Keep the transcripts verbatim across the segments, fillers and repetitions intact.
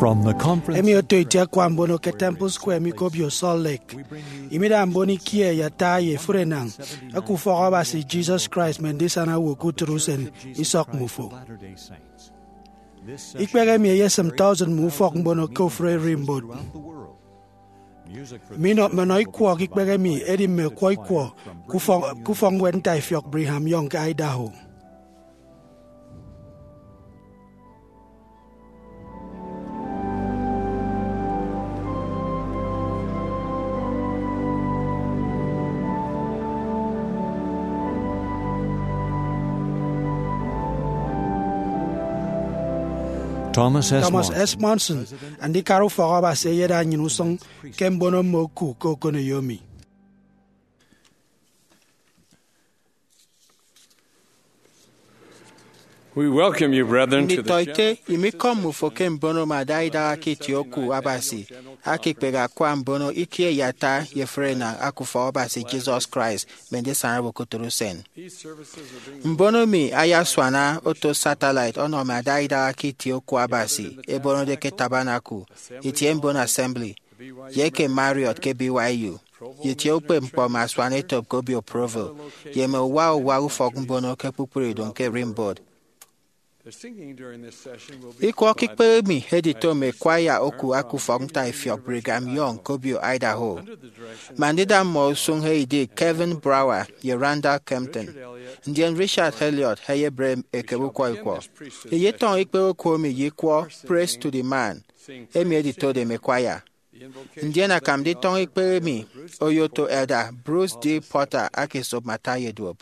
From the conference emi oto iti akwa mbono ke Temple Square mi ke obio Salt Lake, imida mbon ikie ye ata ye efuri enañ eke ufọk Abasi Jesus Christ mme ndisana owo ke utụt usen isọk mmufo. Ikpehe emi eyesịm tọusịn mme ufọk mbono ke ofụri ererimbot. Minọ, mmenọ ikwọk ikpehe emi edi mme ọkwọ ikwọ ke ufọk, ke ufọkñwed ntaifiọk Brigham Young ke Idaho. Thomas S. Thomas Monson, S. Monson, andikara ufọk Abasi eyeda nnyịn usụñ ke mbono mme oku ke okoneyomi. We welcome you, brethren, to the Nditọete, imikọm mmufo ke mbono mme adaidaha ke itie oku Abasi, aka ikpehe akwa mbono ikie ye ata ye efuri enañ aka ufọk Abasi Jesus Christ mme ndisana owo ke utụt usen. Mbono mi ayasuana oto satellite ọnọ mme adaidaha ke itie oku Abasi, ebonode ke Tabernacle, itie mbono Assembly, ye ke Marriott ke B Y U, ye itie ukpepñkpọ mme asuanetop ke obio Provo, ye mme uwa uwa ufọk mbono ke kpukpru idụñ ke ererimbot. Ikwọk ikpehe emi edito mme kwaya oku aka ufọk ntaifiọk Brigham Young ke obio Idaho. Ma ndida mmọ usụñ eyedi Kevin Brower ye Randall Kempton, ndien Richard Elliott eyebre ekebe ukwọ ikwọ. Eyetọñọ ikpehe oku emi ye ikwọ Praise to the Man emi editode mme kwaya. Ndien akam nditọñọ ikpehe emi oyoto Elder Bruce D. Porter aka esop mme ata ye duop.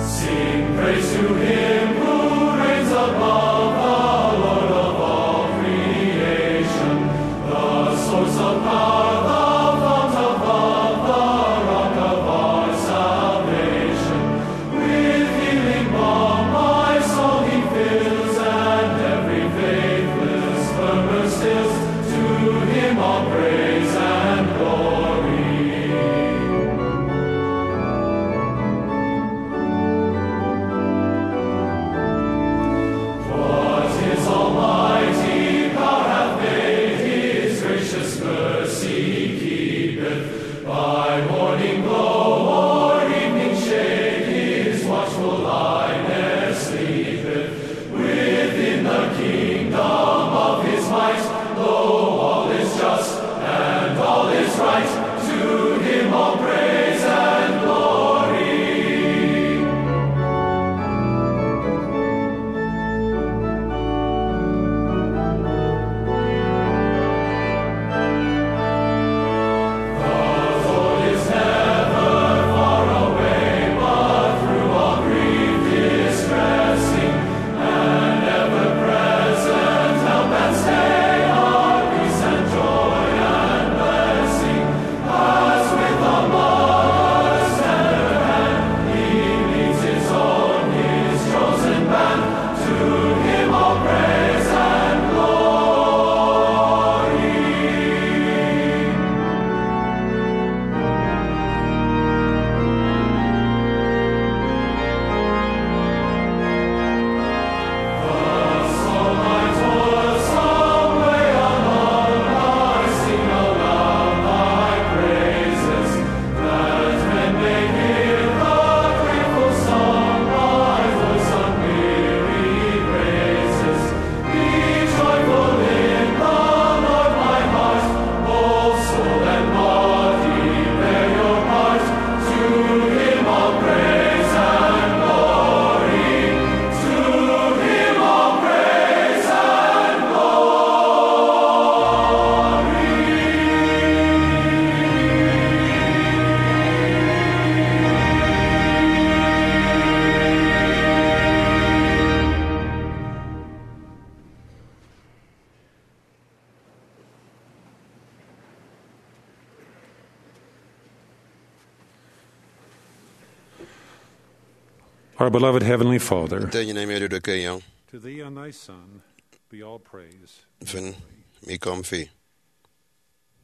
Sing praise to him who reigns above, the Lord of all creation, the source of power, the fount of love, the rock of our salvation. With healing balm my soul he fills, and every faithless murmur stills. To him all praise and glory. Our beloved Heavenly Father, Nte enyịn emi odude ke enyọñ, to thee and thy Son be all praise. Mfịn, mi kọm fi.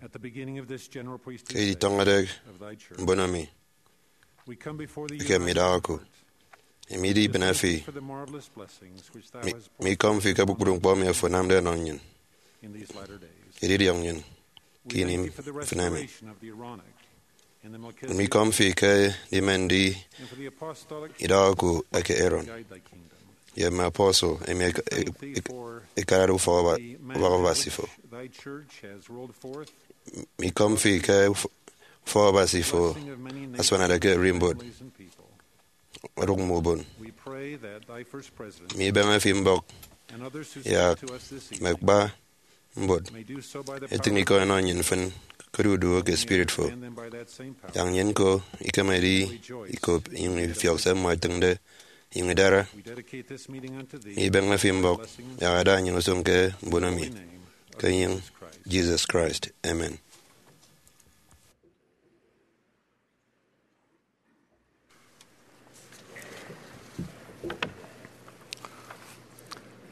At the beginning of this general priesthood Ke editọñọde session of thy church, mbono mi, we come before thee eke united midọhọ in ku, heart, emi idi to ibịne thank fi, thee for the marvelous blessings which thou mi, hast mi kọm fi ke kpukpru ñkpọ emi afo anamde ọnọ nnyịn, in these latter days. Edidiọñ nnyịn ke We ini thank thee for the mfịna emi. Restoration of the Aaronic and the Melchizedek Mi kọm fi ke ndime ndi and for the apostolic idọhọ ku eke Aaron guide thy kingdom. Ye mme apostle emi ek-, ek-, ek-, ekarade ufọk Ọba-, the ufọk Abasi fo. Thy church has rolled forth. Mi kọm fi ke uf-, ufọk Abasi fo blessing of many nations, asuanade ke ererimbot, families, and people. Odụk mme ubon. We pray that thy first president Mi ibeñe fi mbọk and others who yak speak to us this mme evening kpa mbot may do so by the etịñ power ikọ enọ nnyịn mfịn ke odudu ke spirit fo. Yak nnyịn ñko ikemedi ikop inyụñ ifiọk se mmọ ẹtịñde inyụñ idara. Mi ibeñe fi mbọk yak ada nnyịn usụñ ke mbono mi, ke enyịñ Jesus Christ. Amen.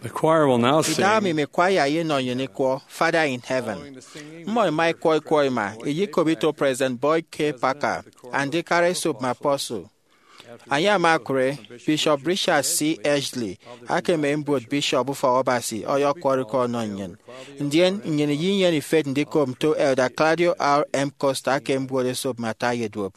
The choir will now sing. Idaha mi mme kwaya eyenọ nnyịn ikwọ Father in Heaven. Mmọ ẹma ẹkwọ ikwọ ima, ẹyekop ito President Boyd K. Packer, Andikara Esop mme Apostle. Enye ama okụre, Bishop Richard C. Edgley, aka mme mbuot bishop Ufọk Abasi, ọyọkwọrọ ikọ ọnọ nnyịn. Ndien nnyịn iyenyene ifet ndikop nto Elder Claudio R. M. Costa aka mbuot esop mme ata ye duop.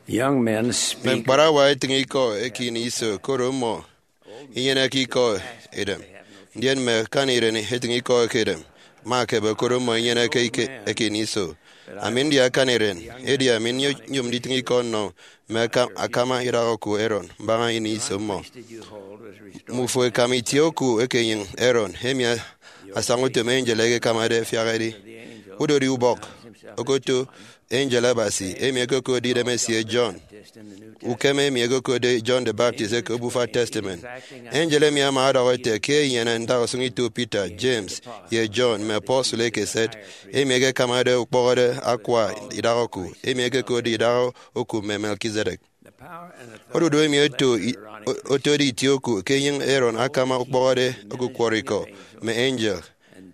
Young men speak. Mme mkparawa etịñ ikọ eke ini iso, koro mmọ inyeneke ikọ edem, ndien mme akani iren etịñ ikọ eke edem. Mme akebe, koro mmọ inyeneke ike eke ini iso. Ami ndi akani iren, edi ami nyo-, nyom nditịñ ikọ nnọ mme aka-, akama idak oku Aaron mbaña ini iso mmọ. Mmufo ẹkam itie oku eke enyịñ Aaron, emi a-, asaña utom angel ẹkekamade ẹfiak ẹdi. Udori ubọk okoto angel Abasi, emi ẹkokotde idemesie John, ukem emi ẹkokotde John the Baptist eke Obufa Testament. Angel emi ama ọdọhọ ete ke enyene ntausụñ ito Peter, James, ye John, mme apostle ekeset, emi ẹkekamade ukpọhọde akwa idak oku, emi ẹkokotde idak oku mme Melchizedek. Odudu emi oto i-, o-, otode itie oku ke enyịñ Aaron akama ukpọhọde okukwọrọ ikọ mme angel,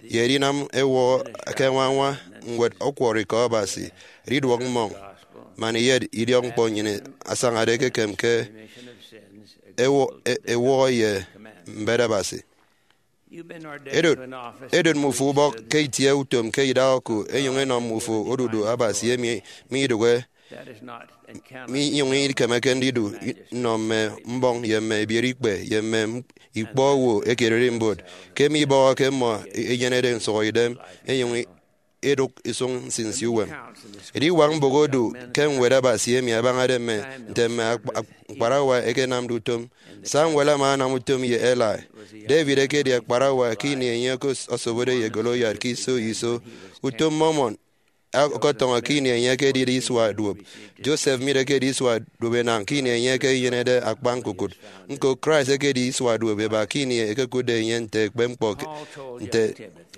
ye edinam ewọhọ ke añwañwa ñwed ọkwọrọ ikọ Abasi, ediduọk mmọñ, man iyet idiọkñkpọ nnyịn asañade ekekem ke ewo-, e-, ewọhọ ye mbet Abasi. Edot, edot mmufo ubọk ke itie utom ke idak oku, enyụñ enọ mmufo odudu Abasi emi midụhe, minyụñ ikemeke ndidu nnọ mme mbọñ ye mme ibiereikpe ye mme ikpọ owo eke ererimbot, ke mibọhọke mmọ enyenede nsụhọidem, enyụñ edụk isụñ nsinsi uwem. Ediwak mbụk odu ke ñwed Abasi emi abañade mme nte mme akpa-, ak-, mkparawa ẹkenamde utom. Samuel ama anam utom ye Eli. David ekedi akparawa ke ini enye okosobode ye Goliath ke iso iso. Utom Mormon ọkọtọñọ ke ini enye ekedide isua duop. Joseph Smith ekedi isua duop enañ ke ini enye ekenyenede akpa ñkukụt. Ñko, Christ ekedi isua duop eba ke ini ekekụtde enye nte ekpep ñkpọ ke, nte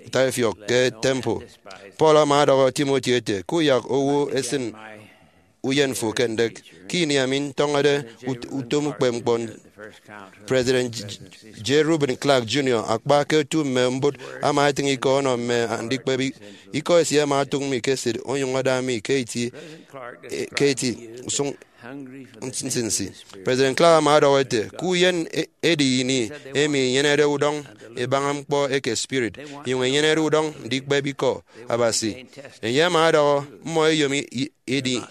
ntafiọk ke temple. Paul ama ọdọhọ Timothy ete, kuyak owo esịn uyen fo ke ndek. Ke ini ami ntọñọde ut-, utom ukpepñkpọ, President J-, J. Reuben Clark Junior, akpa ke otu mme mbot, ama etịñ ikọ ọnọ mme andikpep i-, ikọ esie ama otụk mi ke esịt onyụñ ada mi ke eti, e, ke eti usụñ nsinsi. President Clark ama ọdọhọ ete, ke uyen e-, edi ini emi inyenede udọñ ibaña ñkpọ eke spirit, inyụñ inyenede udọñ ndikpep ikọ Abasi. Enye ama ọdọhọ, mmọ eyom i-, i-, edi,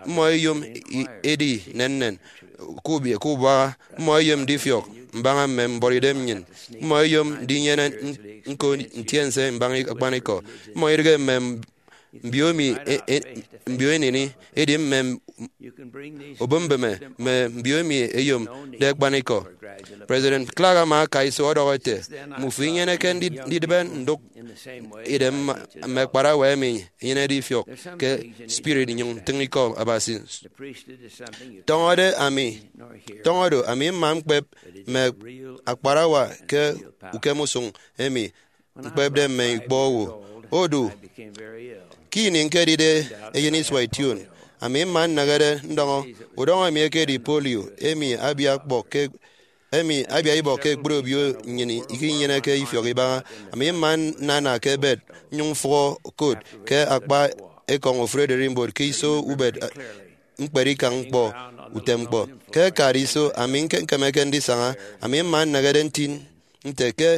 mmọ eyom i-, edi nennen, ke ubi-, ke ubuaha, mmọ eyom ndifiọk mbaña mme mbuọtidem nnyịn, mmọ eyom ndinyene n-, ñko ntiense mbaña akpanikọ, mmọ idịghe mme mbio emi e-, e-, mbio eneni, edi mme m-, obombeme mme mbio emi eyomde akpanikọ. President Clark ama aka iso ọdọhọ ete, mmufo inyeneke ndi-, ndidịbe ndụk idem mme, mme akparawa emi enyenede ifiọk ke spirit inyụñ tịñ ikọ Abasi. Tọñọde ami, tọñọ do, ami mma ñkpep mme akparawa ke ukem usụñ emi ñkpepde mme ikpọ owo. Odu, ke ini ñkedide eyen isua ition, ami mma nnehede ndọñọ udọñ emi ekedi polio, emi abia ikpọ ke, emi abia ibọk ke ekpri obio nnyịn ikinyeneke ifiọk ibaña. Ami mma nnana ke bed, nnyụñ mfụhọ kot ke akpa ekọñ ofụri ererimbot ke iso ubet, eh, ñkpere ikañ ñkpọ, utem ñkpọ. Ke akade iso, ami ñke-, ñkemeke ndisaña, ami mma nnehede nti nte ke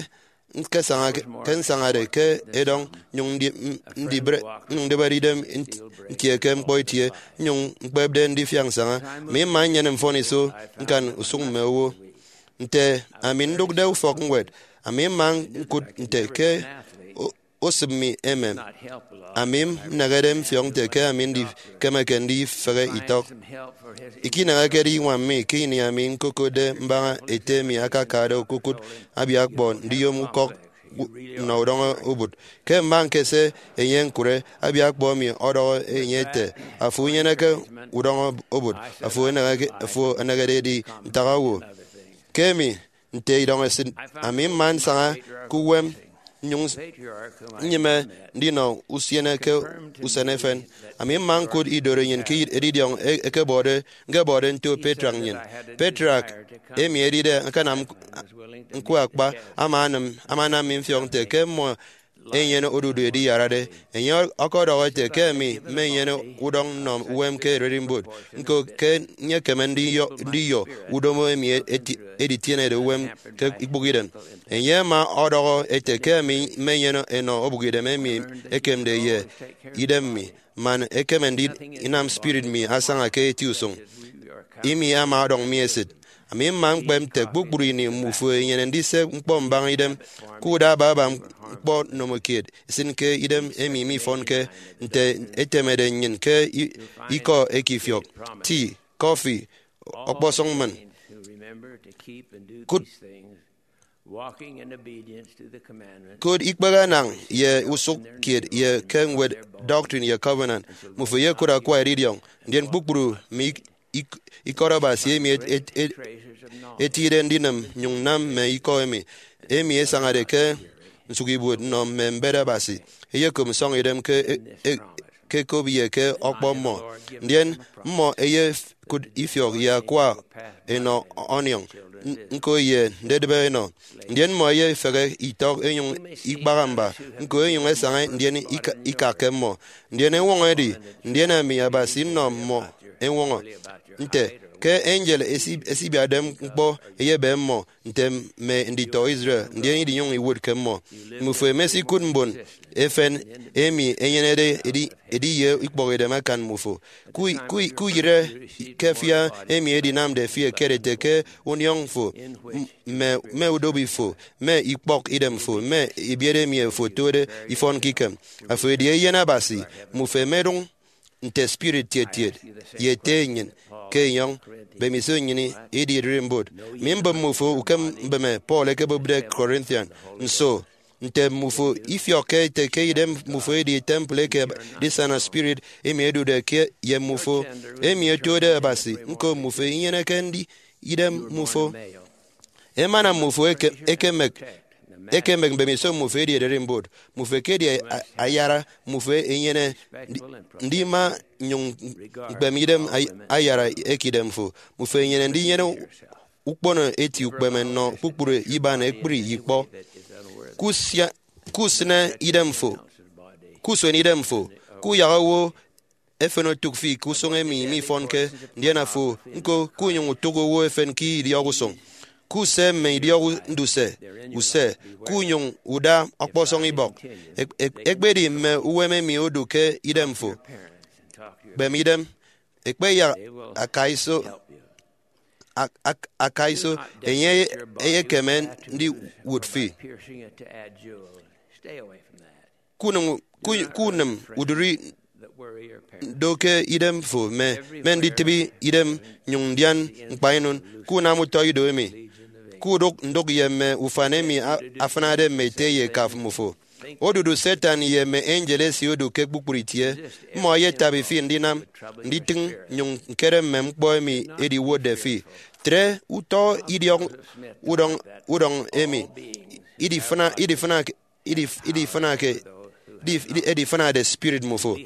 ñkesaña ke, ke nsañade ke edọñ, nnyụñ ndi-, m-, ndibre, nnyụñ ndibere idem nt-, ntie ke ñkpọ itie, nnyụñ ñkpepde ndifiak nsaña. Ami mma nnyene mfọniso ñkan usụñ mme owo. Nte ami ndụkde ufọkñwed, ami mma ñkụt nte ke o-, osịp mi emem. Ami nnehede mfiọk nte ke ami ndikemeke ndifehe itọk. Ikinehekede iñwam mi ke ini ami ñkokotde mbaña ete emi akakade okokụt abiakpọ ndiyom ukọk nnọ udọñ obụt. Ke mma ñkese enye ñkụre, abiakpọ emi ọdọhọ enye ete, afo unyeneke udọñ obụt, afo eneheke-, afo enehede edi ntak owo. Ke emi, nte idọñ esịt, ami mma nsaña ke uwem, nnyụñ s-, nnyịme ndinọ usiene ke usen efen. Ami mma ñkụt idorenyin ke edidiọñ e-, ekebọde, ñkebọde nto patriarch nnyịn. Patriarch emi edide akanam ñk-, ñkwe akpa ama anam, ama anam mi mfiọk nte ke mmọ enyene odudu ediyarade. Enye ọkọdọhọ ete ke ami mmenyene udọñ nnọ uwem ke ererimbot, ñko ke nyekeme ndiyọ, ndiyọ udomo emi eti-, editienede uwem ke ikpụk idem. Enye ama ọdọhọ ete ke ami mmenyene enọ obụkidem emi ekemde ye idem mi, man ekeme ndinam spirit mi asaña ke eti usụñ. Imi ama ọdọñ mi esịt. Ami mma ñkpep nte kpukpru ini mmufo enyene ndise ñkpọ mbaña idem, ke uda ababa ñkpọ nnomokiet, isịn ke idem emi mifọnke nte etemede nnyịn ke i- ikọ eke ifiọk, tea, coffee, ọkpọsọñ mmịn. Kụt, kụt ikpehe anañ ye usụk kiet ye ke ñwed Doctrine ye Covenant, mmufo eyekụt akwa eridiọñ, ndien kpukpru mme ik- ik- ikọt Abasi emi et- et- et- etide ndinịm nyụñ nam mme ikọ emi, emi esañade ke nsụkibuot nnọ mme mbet Abasi, eyekop nsọñidem ke e- e- ke ekop ye ke ọkpọ mmọ. Ndien mmọ eyekụt ifiọk ye akwa enọ ọniọñ, n- ñko ye ndedịbe enọ. Ndien mmọ eyefehe itọk enyụñ ikpaha mba, ñko enyụñ esaña ndien ika- ikakke mmọ. Ndien eñwọñọ edi, ndien ami Abasi nnọ mmọ eñwọñọ. Nte ke angel esi- esibiatde ñkpọ eyebe mmọ nte mme nditọ Israel, ndien idinyụñ iwụt ke mmọ. Mmufo emesikụt mbon efen emi enyenede edi- ediye ikpọkidem akan mmufo. Ku- ku- kuyịre ke afia emi edinamde fi eket ete ke uniọñ fo, m- mme mme udobi fo, mme ikpọk idem fo, mme ebiet emi fo otode ifọn ke ikem. Afo edi eyen Abasi, mmufo emedụñ nte spirit tietiet ye ete nnyịn ke enyọñ mbemiso nnyịn idi ererimbot. Mi mbem mmufo ukem mbeme Paul ekebụpde Corinthian. Nso, nte mmufo ifiọkke ete ke idem mmufo edi temple eke edisana spirit emi edude ke ye mmufo, emi otode Abasi, ñko mmufo inyeneke ndi idem mmufo? Emana mmufo eke- ekemek ekemek mbemiso mmufo edi ererimbot, mmufo ekedi a- ayara, mmufo enyene ndi- ndima nnyụñ ñkpeme idem ay- ayara eke idemfo. Mmufo enyene ndinyene ukpono eti ukpeme nnọ kpukpru iban ekpri ikpọ. Kusia- kusịne idemfo, kusuen idemfo, kuyak owo efen otụk fi ke usụñ emi mifọnke, ndien afo ñko kunyụñ utụk owo efen ke idiọk usụñ. Kuse mme idiọk nduse use, kunyụñ uda ọkpọsọñ ibọk. Ek- ek- ekpedi mme uwem emi odu ke idemfo, kpem idem, ekpeyak akaiso, ak- ak- akaiso enye eyekeme ndiwụt fi. Kunịm, ku- kunịm udịri do ke idemfo mme, mme nditịbi idem nnyụñ ndian ñkpainụn, kunam utọ ido emi, kudụk ndụk ye mme ufan emi a- afịnade mme ete ye ekaf mmufo. Odudu Satan ye mme angel esie odu ke kpukpru itie. Mmọ eyetabi fi ndinam, nditịñ nnyụñ ñkere mme ñkpọ emi ediwotde fi. Tre utọ idiọk udọñ, udọñ emi idifịna, idifịna, idif- idifịnake, idif- idi- edifịnade spirit mmufo.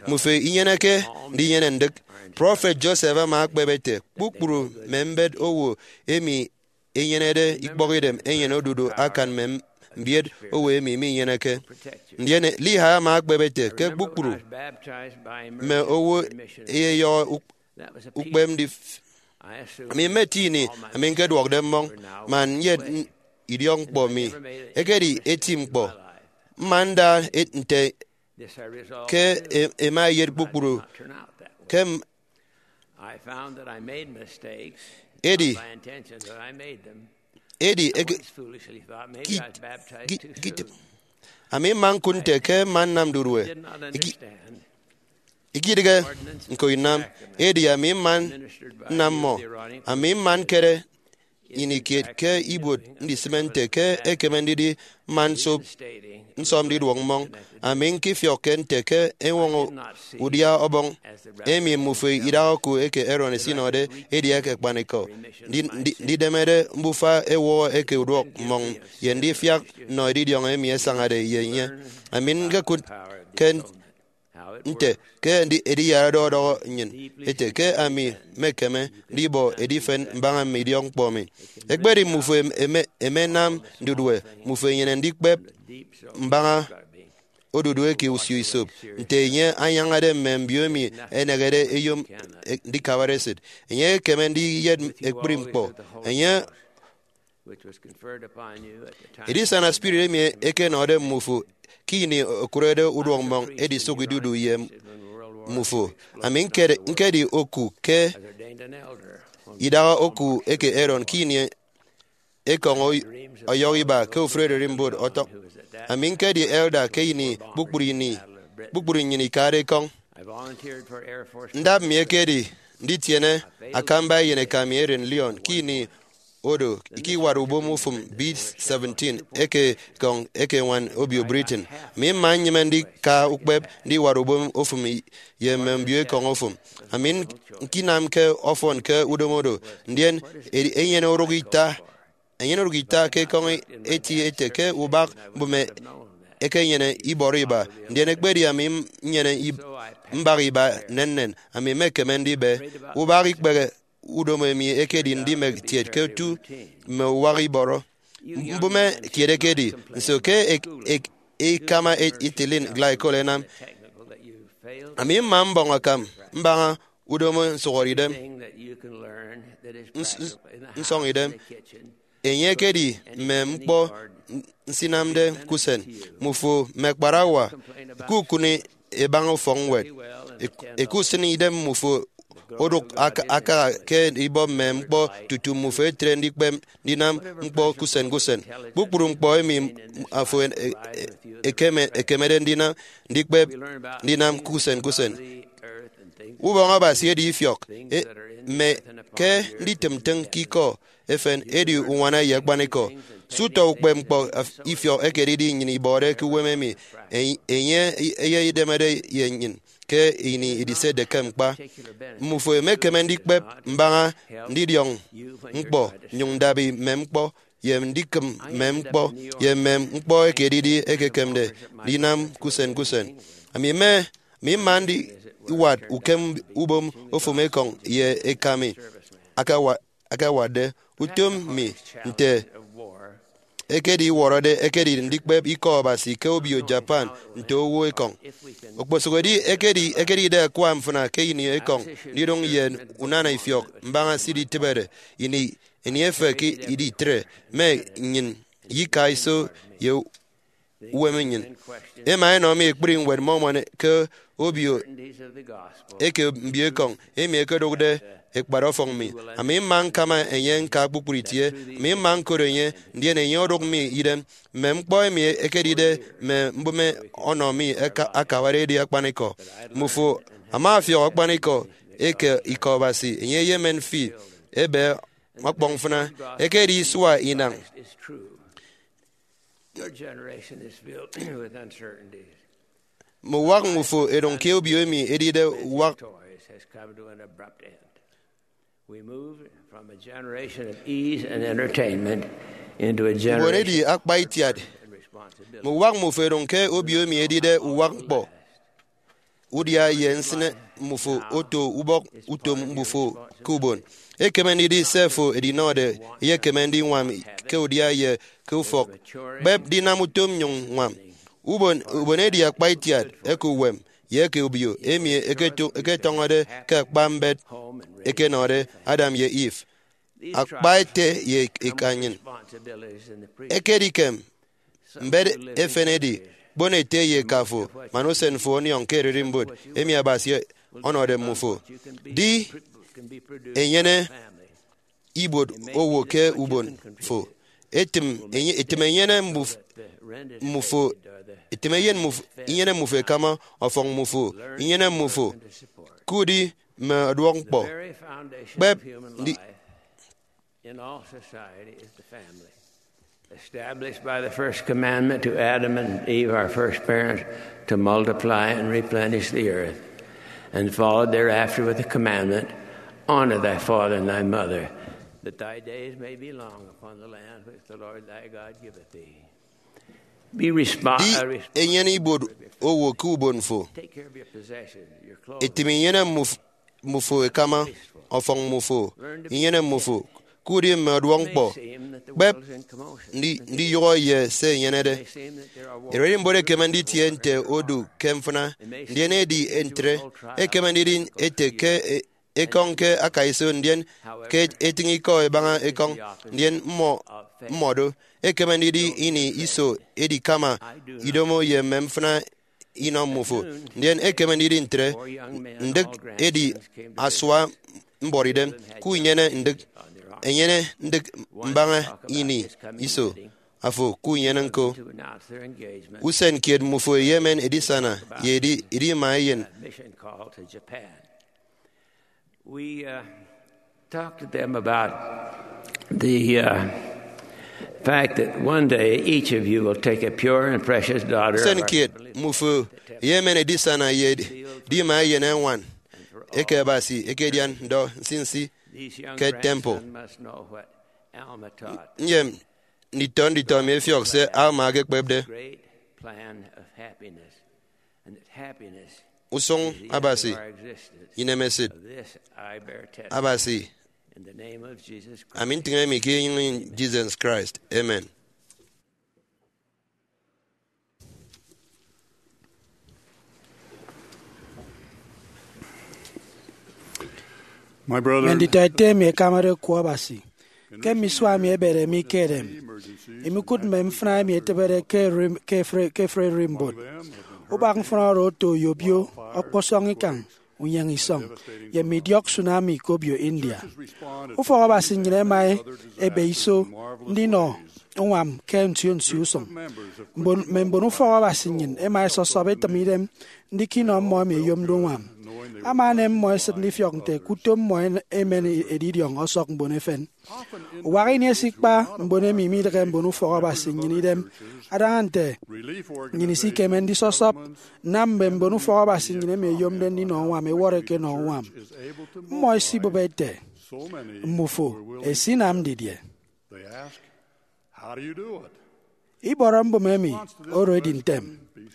Mmufo inyeneke ndinyene ndịk. Prọfet Joseph ama ekpep ete, kpukpru mme mbet owo emi enyenede ikpọkidem enyene odudu akan mme mbiet owo emi minyeneke. Ndien Lehi ama ekpep ete ke kpukpru mme owo eyeyọhọ uk- ukpep ndif- ami mmetie ini ami ñkeduọkde mmọñ, man nyet n- idiọk ñkpọ mi. Ekedi eti ñkpọ. Mma nda e- nte ke e- ema eyet kpukpru ke m- edi edi eke- ki- ki- ki- ami mma ñkụt nte ke mma nnam ndudue. Iki- ikidịghe ñko inam, edi ami mma nnam mmọ. Ami mma ñkere ini kiet ke ibuot ndisịme nte ke ekeme ndidi mma nsop nsọp ndiduọk mmọñ. Ami ñkifiọkke nte ke eñwọñọ udia ọbọñ emi mmufo idaha oku eke Aaron esinọde edi eke akpanikọ, ndi- ndi- ndidemede mbufa ewọhọ eke uduọk mmọñ ye ndifiak nnọ edidiọñ emi esañade ye enye. Ami ñkekụt ke nte ke ndi- ediyarade ọdọhọ nnyịn ete ke ami mmekeme ndibọ edifen mbaña mme idiọk ñkpọ mi. Ekpedi mmufo em- eme- emenam ndudue, mmufo enyene ndikpep mbaña odudu eke usio isop, nte enye anyañade mme mbio emi ẹnehede ẹyom e- ndikabare esịt. Enye ekeme ndiyet ekpri ñkpọ. Enye edisana spirit emi ekenọde mmufo ke ini okụrede uduọk mmọñ edisụk idudu ye mmufo. Ami ñkedi oku ke idaha oku eke Aaron ke ini ekọñ ọyọhọ iba ke ofụri ererimbot ọtọk. Ami ñkedi elder ke ini kpukpru ini, kpukpru nnyịn ikade ekọñ. Ndap mi ekedi nditiene akamba eyeneka mi eren Leon ke ini odo ke iwat ubom ofụm B seventeen eke ekọñ eke eñwan obio Britain. Ami mma nnyịme ndika ukpep ndiwat ubom ofụm ye mme mbio ekọñ ofụm. Ami ñkinamke ọfọn ke udomo do, ndien enyene orụk ita enyene orụk ita ke ekọñ eti ete ke ubak mbụme ekenyene ibọrọ iba, ndien ekpedi ami nnyene mbak iba nnennen, ami mmekeme ndibe ubak ikpehe udomo emi ekedi ndimek tiet ke otu mme uwak ibọrọ. Mbụme kiet ekedi nso ke ekama ethylene glycol enam. Ami mma mbọñ akam mbaña udomo nsụhọre idem, nsọñ idem. Enye ekedi mme ñkpọ nsinamde ke usen. Mmufo mme kparawa, ke ukụni ebaña ufọkñwed, ekusịn idem mmufo odụk akaha ke ibọ mme ñkpọ tutu mmufo etre ndikpep ndinam ñkpọ ke usen ke usen. Kpukpru ñkpọ emi afo ekemede ndinam, ndikpep ndinam ke usen ke usen. Ubọñ Abasi edi ifiọk, mme ke nditịm ntịñ ke ikọ efen edi uñwana ye akpanikọ. Se utọ ukpep ñkpọ ifiọk ekedi nnyịn ibọde ke uwem emi enye eyedemede ye nnyịn ke ini idisetde ke mkpa. Mmufo emekeme ndikpep mbaña ndidiọñ ñkpọ, nyụñ ndabi mme ñkpọ, ye ndikịm mme ñkpọ, ye mme ñkpọ eke edidi ekekemde ndinam ke usen ke usen. Ami mme ami mma ndiwat ukem ubom ofụm ekọñ ye eka mi akawatde utom mi nte ekedi iwọrọde ekedi ndikpep ikọ Abasi ke obio Japan nte owo ekọñ. Okposụkedi ekedide akwa mfịna ke ini ekọñ ndidụñ ye unana ifiọk mbaña se iditịbede, ini emi efek iditre mme nnyịn ye ika iso ye uwem nnyịn. Ema enọ mi ekpri ñwed Mormon ke obio eke mbio ekọñ emi ẹkedụkde ẹkpat ọfọñ mi. Ami mma ñkama enye ñka kpukpru itie. Ami mma ñkot enye, ndien enye odụk mi idem. Mme ñkpọ emi ekedide mme mbụme ọnọ mi akabade edi akpanikọ. Mmufo ama afiọk akpanikọ eke ikọ Abasi, enye eyemen fi ebe ọkpọñ mfịna. Ekedi isua inañ. Your generation is filled with uncertainties. Mme uwak mmufo ẹdụñ ke obio emi edide uwak. Toys has come to an abrupt end. We move from a generation of ease and entertainment into a generation edi akpa itiat. And responsibility. Mme uwak mmufo ẹdụñ ke obio emi edide uwak ñkpọ udia ye nsịne mmufo oto ubọk utom mbufo ke ubon. Ekeme ndidi se fo edinọde eyekeme ndiñwam ke udia ye ke ufọk. Kpep ndinam utom nyụñ ñwam. Ubon, ubon edi akpa itiat eke uwem ye eke obio emi eketo-, eketọñọde ke akpa mbet ekenọde Adam ye Eve, akpa ete ye eka nnyịn. Ekedikem mbet efen edi, kpon ete ye eka fo, man usen fo ọniọñ ke ererimbot emi Abasi ọnọde mmufo. Di enyene ibuot owo ke ubon fo. Etịm enye-, etịm enyene mmuf-, mmufo, etịm eyen mmuf-, inyene mmufo ekama ọfọñ mmufo, inyene mmufo, kudi mme ọduọk ñkpọ. Kpep ndi- In all society is the family, established by the first commandment to Adam and Eve, our first parents, to multiply and replenish the earth, and followed thereafter with the commandment, "Honor thy father and thy mother, that thy days may be long upon the land which the Lord thy God giveth thee." Be respo- Di uh, res- enyene ibuot owo ke ubon fo. Take care of your possessions, your clothes. Etịm inyene mmuf- mmufo ekama ọfọñ mmufo, inyene mmufo, kudi mme ọduọk ñkpọ. Kpep ndi- ndiyụhọ ye se enyenede. Ererimbot ekeme nditie nte odu ke mfịna, ndien edi ntre. Ekeme ndidi ete ke e- ekọñ ke akaiso, ndien ke etịñ ikọ ebaña ekọñ, ndien mmọ mmọ do. Ekeme ndidi ini iso edikama idomo ye mme mfịna inọ mmufo, ndien ekeme ndidi ntre. Ndịk edi asua mbọrọidem ke unyene ndịk, enyene ndịk mbaña ini iso afo ke unyene ñko. Usen kiet mmufo eyemen edisana ye edi, edima eyen. We uh, talked to them about the uh, fact that one day each of you will take a pure and precious daughter of Usen our kiet mmufo eyemen edisana ye edima eyen eñwan eke Abasi ekedian ndọ nsinsi ke temple. These young grandson must know what Alma taught. Nyem nditọ nditọ mi efiọk se Alma ekekpepde. Great plan of happiness, and that happiness Usụñ is the end Abasi, of our existence. Inemesit. Of this I bear testimony. Abasi, in the name of Jesus Christ. Ami ntịñe mi ke enyịñ Jesus Christ. Amen. My brother, Mme nditọ ete emi ẹkamade oku Abasi, ke mme isua emi ẹbede mi ke edem, imikụt mme mfịna emi ẹtịbede ke eri-, ke efre, ke efre erimbot. Ubak mfịna oro oto oyobio, ọkpọsọñ ikañ, unyeñe isọñ, ye mme idiọk tsunami ke obio India. Ufọk Abasi nnyịn ẹma ebe iso ndinọ uñwam ke nsio nsio usụñ. Mbon, mme mbon ufọk Abasi nnyịn ẹma ẹsọsọp ẹtịm idem ndika inọ mmọ emi ẹyomde uñwam. Ama enem mmọ esịt ndifiọk nte ke utom mmọ en-, emen edidiọñ ọsọk mbon efen. Uwak ini esikpa mbon emi midịghe mbon ufọk Abasi nnyịn idem, adaña nte nnyịn isikeme ndisọsọp nnam mme mbon ufọk Abasi nnyịn emi ẹyomde ndinọ uñwam ẹwọrọ ẹkenọ uñwam. Mmọ ẹsibụp ẹte, "Mmufo ẹsinam didie?" They ask, "How do you do it?" Ibọrọ mbụme emi oro edi ntem.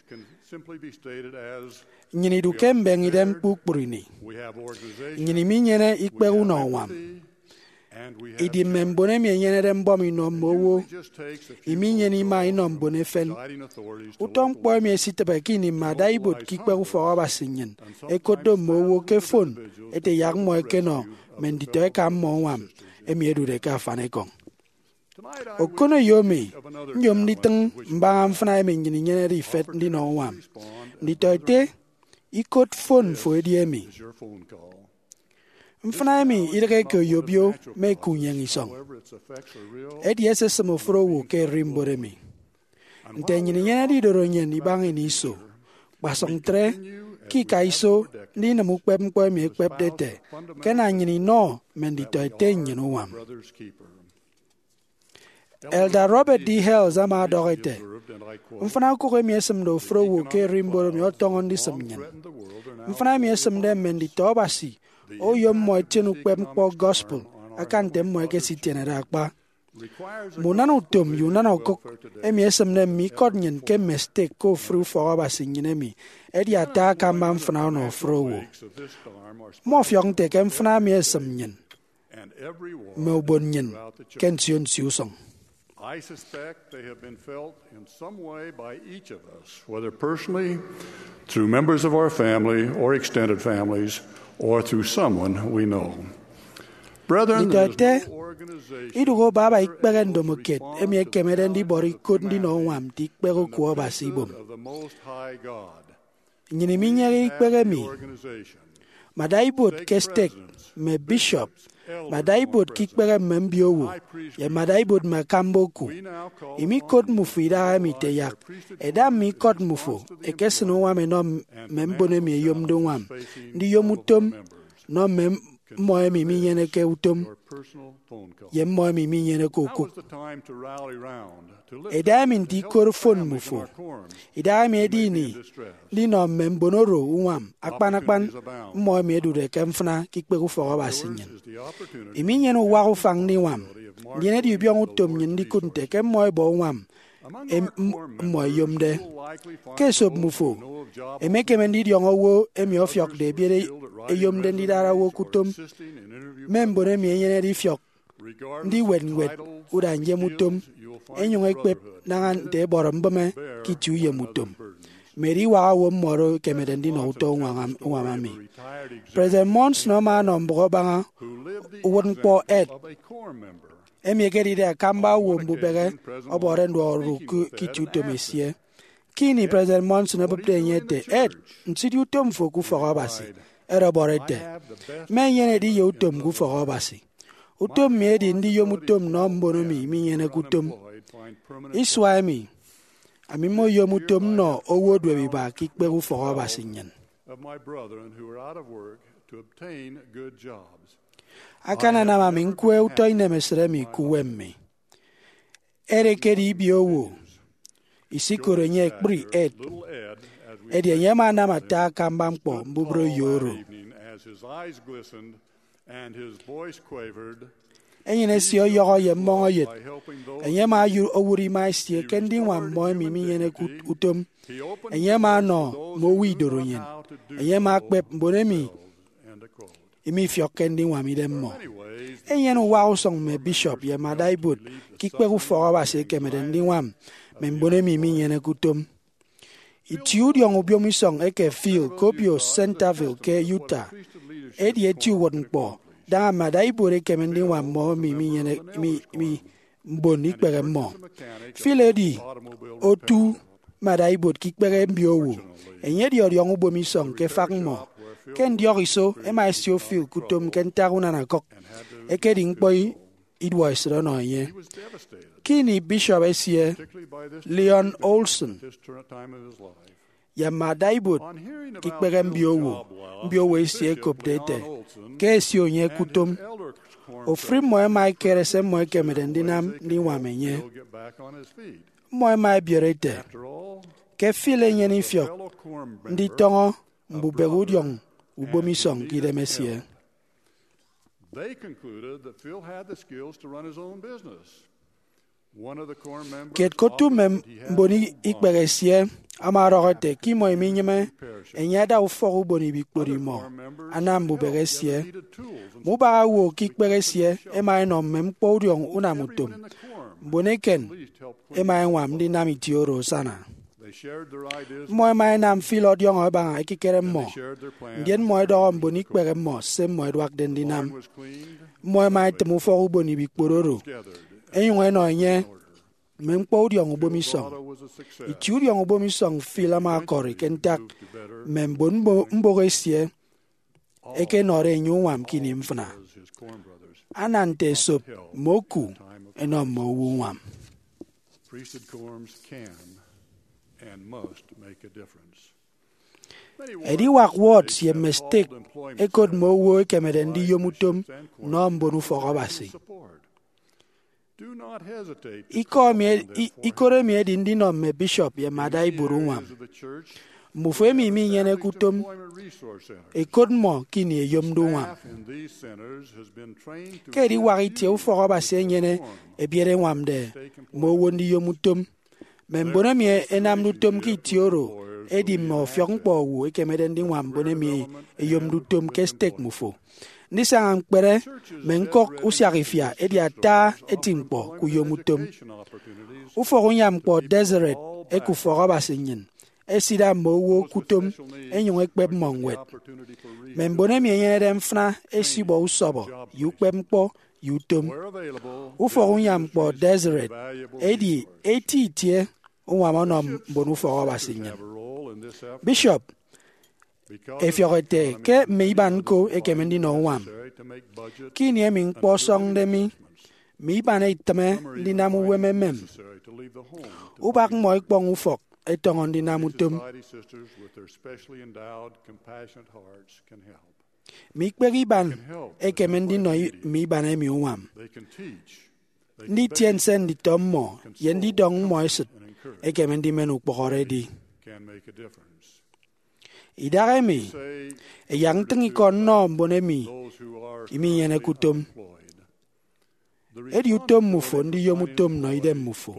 Can simply be stated as, Nnyịn idu ke mbeñe idem kpukpru ini. We have organizations, nnyịn iminyene ikpehe unọ uñwam. And we have Idi mme mbon emi ẹnyenede mbọm inọ mme owo, just takes a few iminyene ima inọ mbon efen. Deciding authorities to Utọ ñkpọ emi esitịbe ke ini mme adaibuot ke ikpehe ufọk Abasi nnyịn ẹkotde mme owo ke fon ete yak mmọ ẹkenọ mme nditọeka mmọ uñwam emi ẹdude ke afanikọñ. Okoneyo mi nyom nditịñ mbaña mfịna emi nnyịn inyenede ifet ndinọ uñwam. Nditọete, ikot fon fo edi emi. Mfịna emi idịghe ke oyobio me ke unyeñe isọñ. Edi esisịm ofụri owo ke ererimbot emi. Nte nnyịn inyenede idorenyin ibaña ini iso, kpasụk ntre, ke ika iso ndinịm ukpep ñkpọ emi ekpepde ete ke ana nnyịn inọ mme nditọete nnyịn uñwam. Elder Robert D. Hales ama ọdọhọ ete, "Mfịna okụk emi esịmde ofụri owo ke ererimbot emi ọtọñọ ndisịm nnyịn. Mfịna emi esịmde mme nditọ Abasi oyom mmọ ẹtiene ukpep ñkpọ gospel aka nte mmọ ẹkesitienede akpa. Mme unana utom ye unana okụk emi esịmde mme ikọt nnyịn ke mme stek ke ofụri ufọk Abasi nnyịn emi ẹdi ata akamba mfịna ọnọ ofụri owo. Mmọfiọk nte ke mfịna emi esịm nnyịn mme ubon nnyịn ke nsio nsio usụñ." I suspect they have been felt in some way by each of us, whether personally, through members of our family or extended families, or through someone we know. Brethren, there is Nditọete, no organization idụhe baba ikpehe ndomokiet emi ekemede ndibọrọ ikot ndinọ uñwam nte ikpehe oku Abasi ibom. Of the Most High God. Nnyịn iminyehe ikpehe emi. Mme adaibuot ke stek, mme bishop, mme adaibuot ke ikpehe mme mbiowo, ye mme adaibuot mme akamba oku, imikot mmufo idahaemi ite yak ẹda mme ikọt mmufo ẹkesịn uñwam ẹnọ mme mbon emi ẹyomde uñwam, ndiyom utom nọ mme mmọ emi minyeneke utom ye mmọ emi minyeneke okụk. Eda emi nte ikot fon mmufo. Idahaemi edi ini ndinọ mme mbon oro uñwam, akpan akpan mmọ emi ẹdude ke mfịna ke ikpehe ufọk Abasi nnyịn. Iminyene uwak ufañ ndiñwam, ndien edi ubiọñọ utom nnyịn ndikụt nte ke mmọ ẹbọ uñwam em-, m-, mmọ ẹyomde. Ke esop mmufo, emekeme ndidiọñọ owo emi ọfiọkde ebiet eyomde ndidara owo ke utom, mme mbon emi ẹnyenede ifiọk ndiwet ñwed uda nyem utom, ẹnyụñ ẹkpep naña nte ẹbọrọ mbịme ke itie uyem utom. Mme ediwak owo mmọ oro ẹkemede ndinọ utọ uñwam, uñwam emi. President Monson ama ọnọ mbụk abaña uwụtñkpọ ed, emi ekedide akamba owo mbubehe ọbọde nduọk orụk ke, ke itie utom esie. Ke ini President Monson obụpde enye ete, Ed, nsidịghe utom fo ke ufọk Abasi, Ed ọbọrọ ete, Mma enyene ediye utom ke ufọk Abasi. Utom mi edi ndiyom utom nnọ mbon emi minyeneke utom. Isua emi, ami mmoyom utom nnọ owo oduebiba ke ikpehe ufọk Abasi nnyịn. Akananam ami ñkwe utọ inemesịt emi ke uwem mi. Ed ekedi ibiowo, isikoro enye ekpri Ed, edi enye ama anam ata akamba ñkpọ mbubreyo oro. Enyịn esie ọyọhọ ye mmọñ eyet. Enye ama owu-, owụt ima esie ke ndiñwam mmọ emi minyeneke ut-, utom. Enye ama ọnọ mme owo idorenyin. Enye ama akpep mbon emi imifiọkke ndiñwam idem mmọ. Enyene uwaha usụñ mme bishop ye mme adaibuot ke ikpehe ufọk Abasi ẹkemede ndiñwam mme mbon emi minyeneke utom. Itie udiọñ ubom isọñ eke Phil ke obio Centerville ke Utah edi eti uwụtñkpọ daña mme adaibuot ẹkeme ndiñwam mmọ emi minyene-, mi, mi, mbon ikpehe mmọ. Phil edi otu mme adaibuot ke ikpehe mbiowo. Enye edi ọdiọñ ubom isọñ ke efak mmọ. Ke ndiọk iso, ẹma ẹsio Phil ke utom ke ntak unana kụk. Ekedi ñkpọ i-, iduọesịt ọnọ enye. Ke ini bishop esie, Leon Olson, ye mme adaibuot ke ikpehe mbiowo, mbiowo esie ẹkopde ete ke ẹsio enye ke utom, ofụri mmọ ẹma ẹkere se mmọ ẹkemede ndinam ndiñwam enye. Mmọ ẹma ẹbiere ete ke Phil enyene ifiọk nditọñọ mbubehe udiọñ ubom isọñ ke idem esie. They concluded that Phil had the skills to run his own business. Kiet ke otu mme mbon ikpehe esie ama ọdọhọ ete ke imọ iminyịme enye ada ufọk ubon ibikpot imọ anam mbubehe esie. Mme ubak owo ke ikpehe esie ẹma ẹnọ mme ñkpọ udiọñ unam utom. Mbon eken ẹma ẹñwam ndinam itie oro asana. Mmọ ẹma ẹnam Phil ọdiọñọ ẹbaña ekikere mmọ, ndien mmọ ẹdọhọ mbon ikpehe mmọ se mmọ ẹduakde ndinam. Mmọ ẹma ẹtịm ufọk ubon ibikpot oro, ẹnyụñ ẹnọ enye mme ñkpọ udiọñ ubom isọñ. Itie udiọñ ubom isọñ Phil ama ọkọri ke ntak mme mbon mbo-, mbụk esie ẹkenọde enye uñwam ke ini mfịna. Ana nte esop mme oku ẹnọ mme owo uñwam. Priesthood quorums can and must make a difference. Ediwak ward ye mme stake ẹkot mme owo ẹkemede ndiyom utom nnọ mbon ufọk Abasi. Ikọ emi e-, i-, ikot emi edi ndinọ mme bishop ye mme adaibuot uñwam. Mbufo emi minyeneke utom, ẹkot mmọ ke ini ẹyomde uñwam. Ke ediwak itie ufọk Abasi enyene ebiet ẹñwamde mme owo ndiyom utom. Mme mbon emi ẹnamde utom ke itie oro ẹdi mme ọfiọk ñkpọ owo ẹkemede ndiñwam mbon emi ẹyomde utom ke stake mmufo. Ndisaña ñkpere mme ñkọk usiak ifia edi ata eti ñkpọ ke uyom utom. Ufọk unyam ñkpọ Deseret eke ufọk Abasi nnyịn esida mme owo ke utom ẹnyụñ ẹkpep mmọ ñwed. Mme mbon emi ẹnyenede mfịna ẹsibọ usọbọ ye ukpepñkpọ ye utom. Ufọk unyam ñkpọ Deseret edi eti itie uñwam ọnọ mbon ufọk Abasi nnyịn. Bishop efiọk ete ke mme iban ñko ẹkeme ndinọ uñwam. Ke ini emi ñkpọ ọsọñde mi, mme iban itịme ndinam uwem emem. Ubak mmọ ẹkpọñ ufọk ẹtọñọ ndinam utom. Mme ikpehe iban ẹkeme ndinọ i-, mme iban emi uñwam. Nditie nse nditọ mmọ ye ndidọñ mmọ esịt ẹkeme ndimen ukpọhọre edi. Idahaemi, ẹyak ntịñ ikọ nnọ mbon emi iminyeneke utom. Edi utom mmufo ndiyom utom nnọ idem mmufo.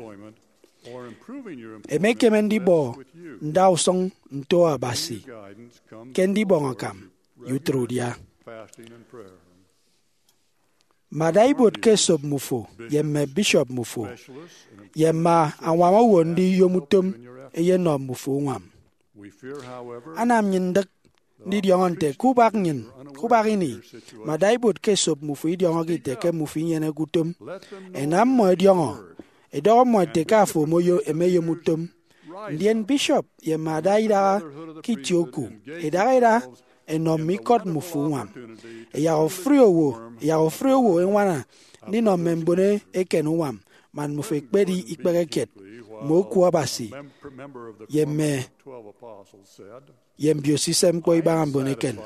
Emekeme ndibọ ndausụñ nto Abasi ke ndibọñ akam ye utịt udia. Mme adaibuot ke esop mmufo ye mme bishop mmufo ye mme añwam owo ndiyom utom ẹyenọ mmufo uñwam. Anam nnyịn ndịk ndidiọñọ nte ke ubak nnyịn, ke ubak ini, mme adaibuot ke esop mmufo idiọñọke ite ke mmufo inyeneke utom. Ẹnam mmọ ẹdiọñọ, ẹdọhọ mmọ ẹte ke afo omoyo-, emeyom utom. Ndien bishop ye mme ada idaha ke itie oku idaha ida ẹnọ mme ikọt mmufo uñwam. Ẹyak ofụri owo ẹyak ofụri owo ẹñwana ndinọ mme mbon eken uñwam man mmufo ẹkpedi ikpehe kiet mme oku Abasi ye mme ye mbio-sise ñkpọ ibaña mbon eken.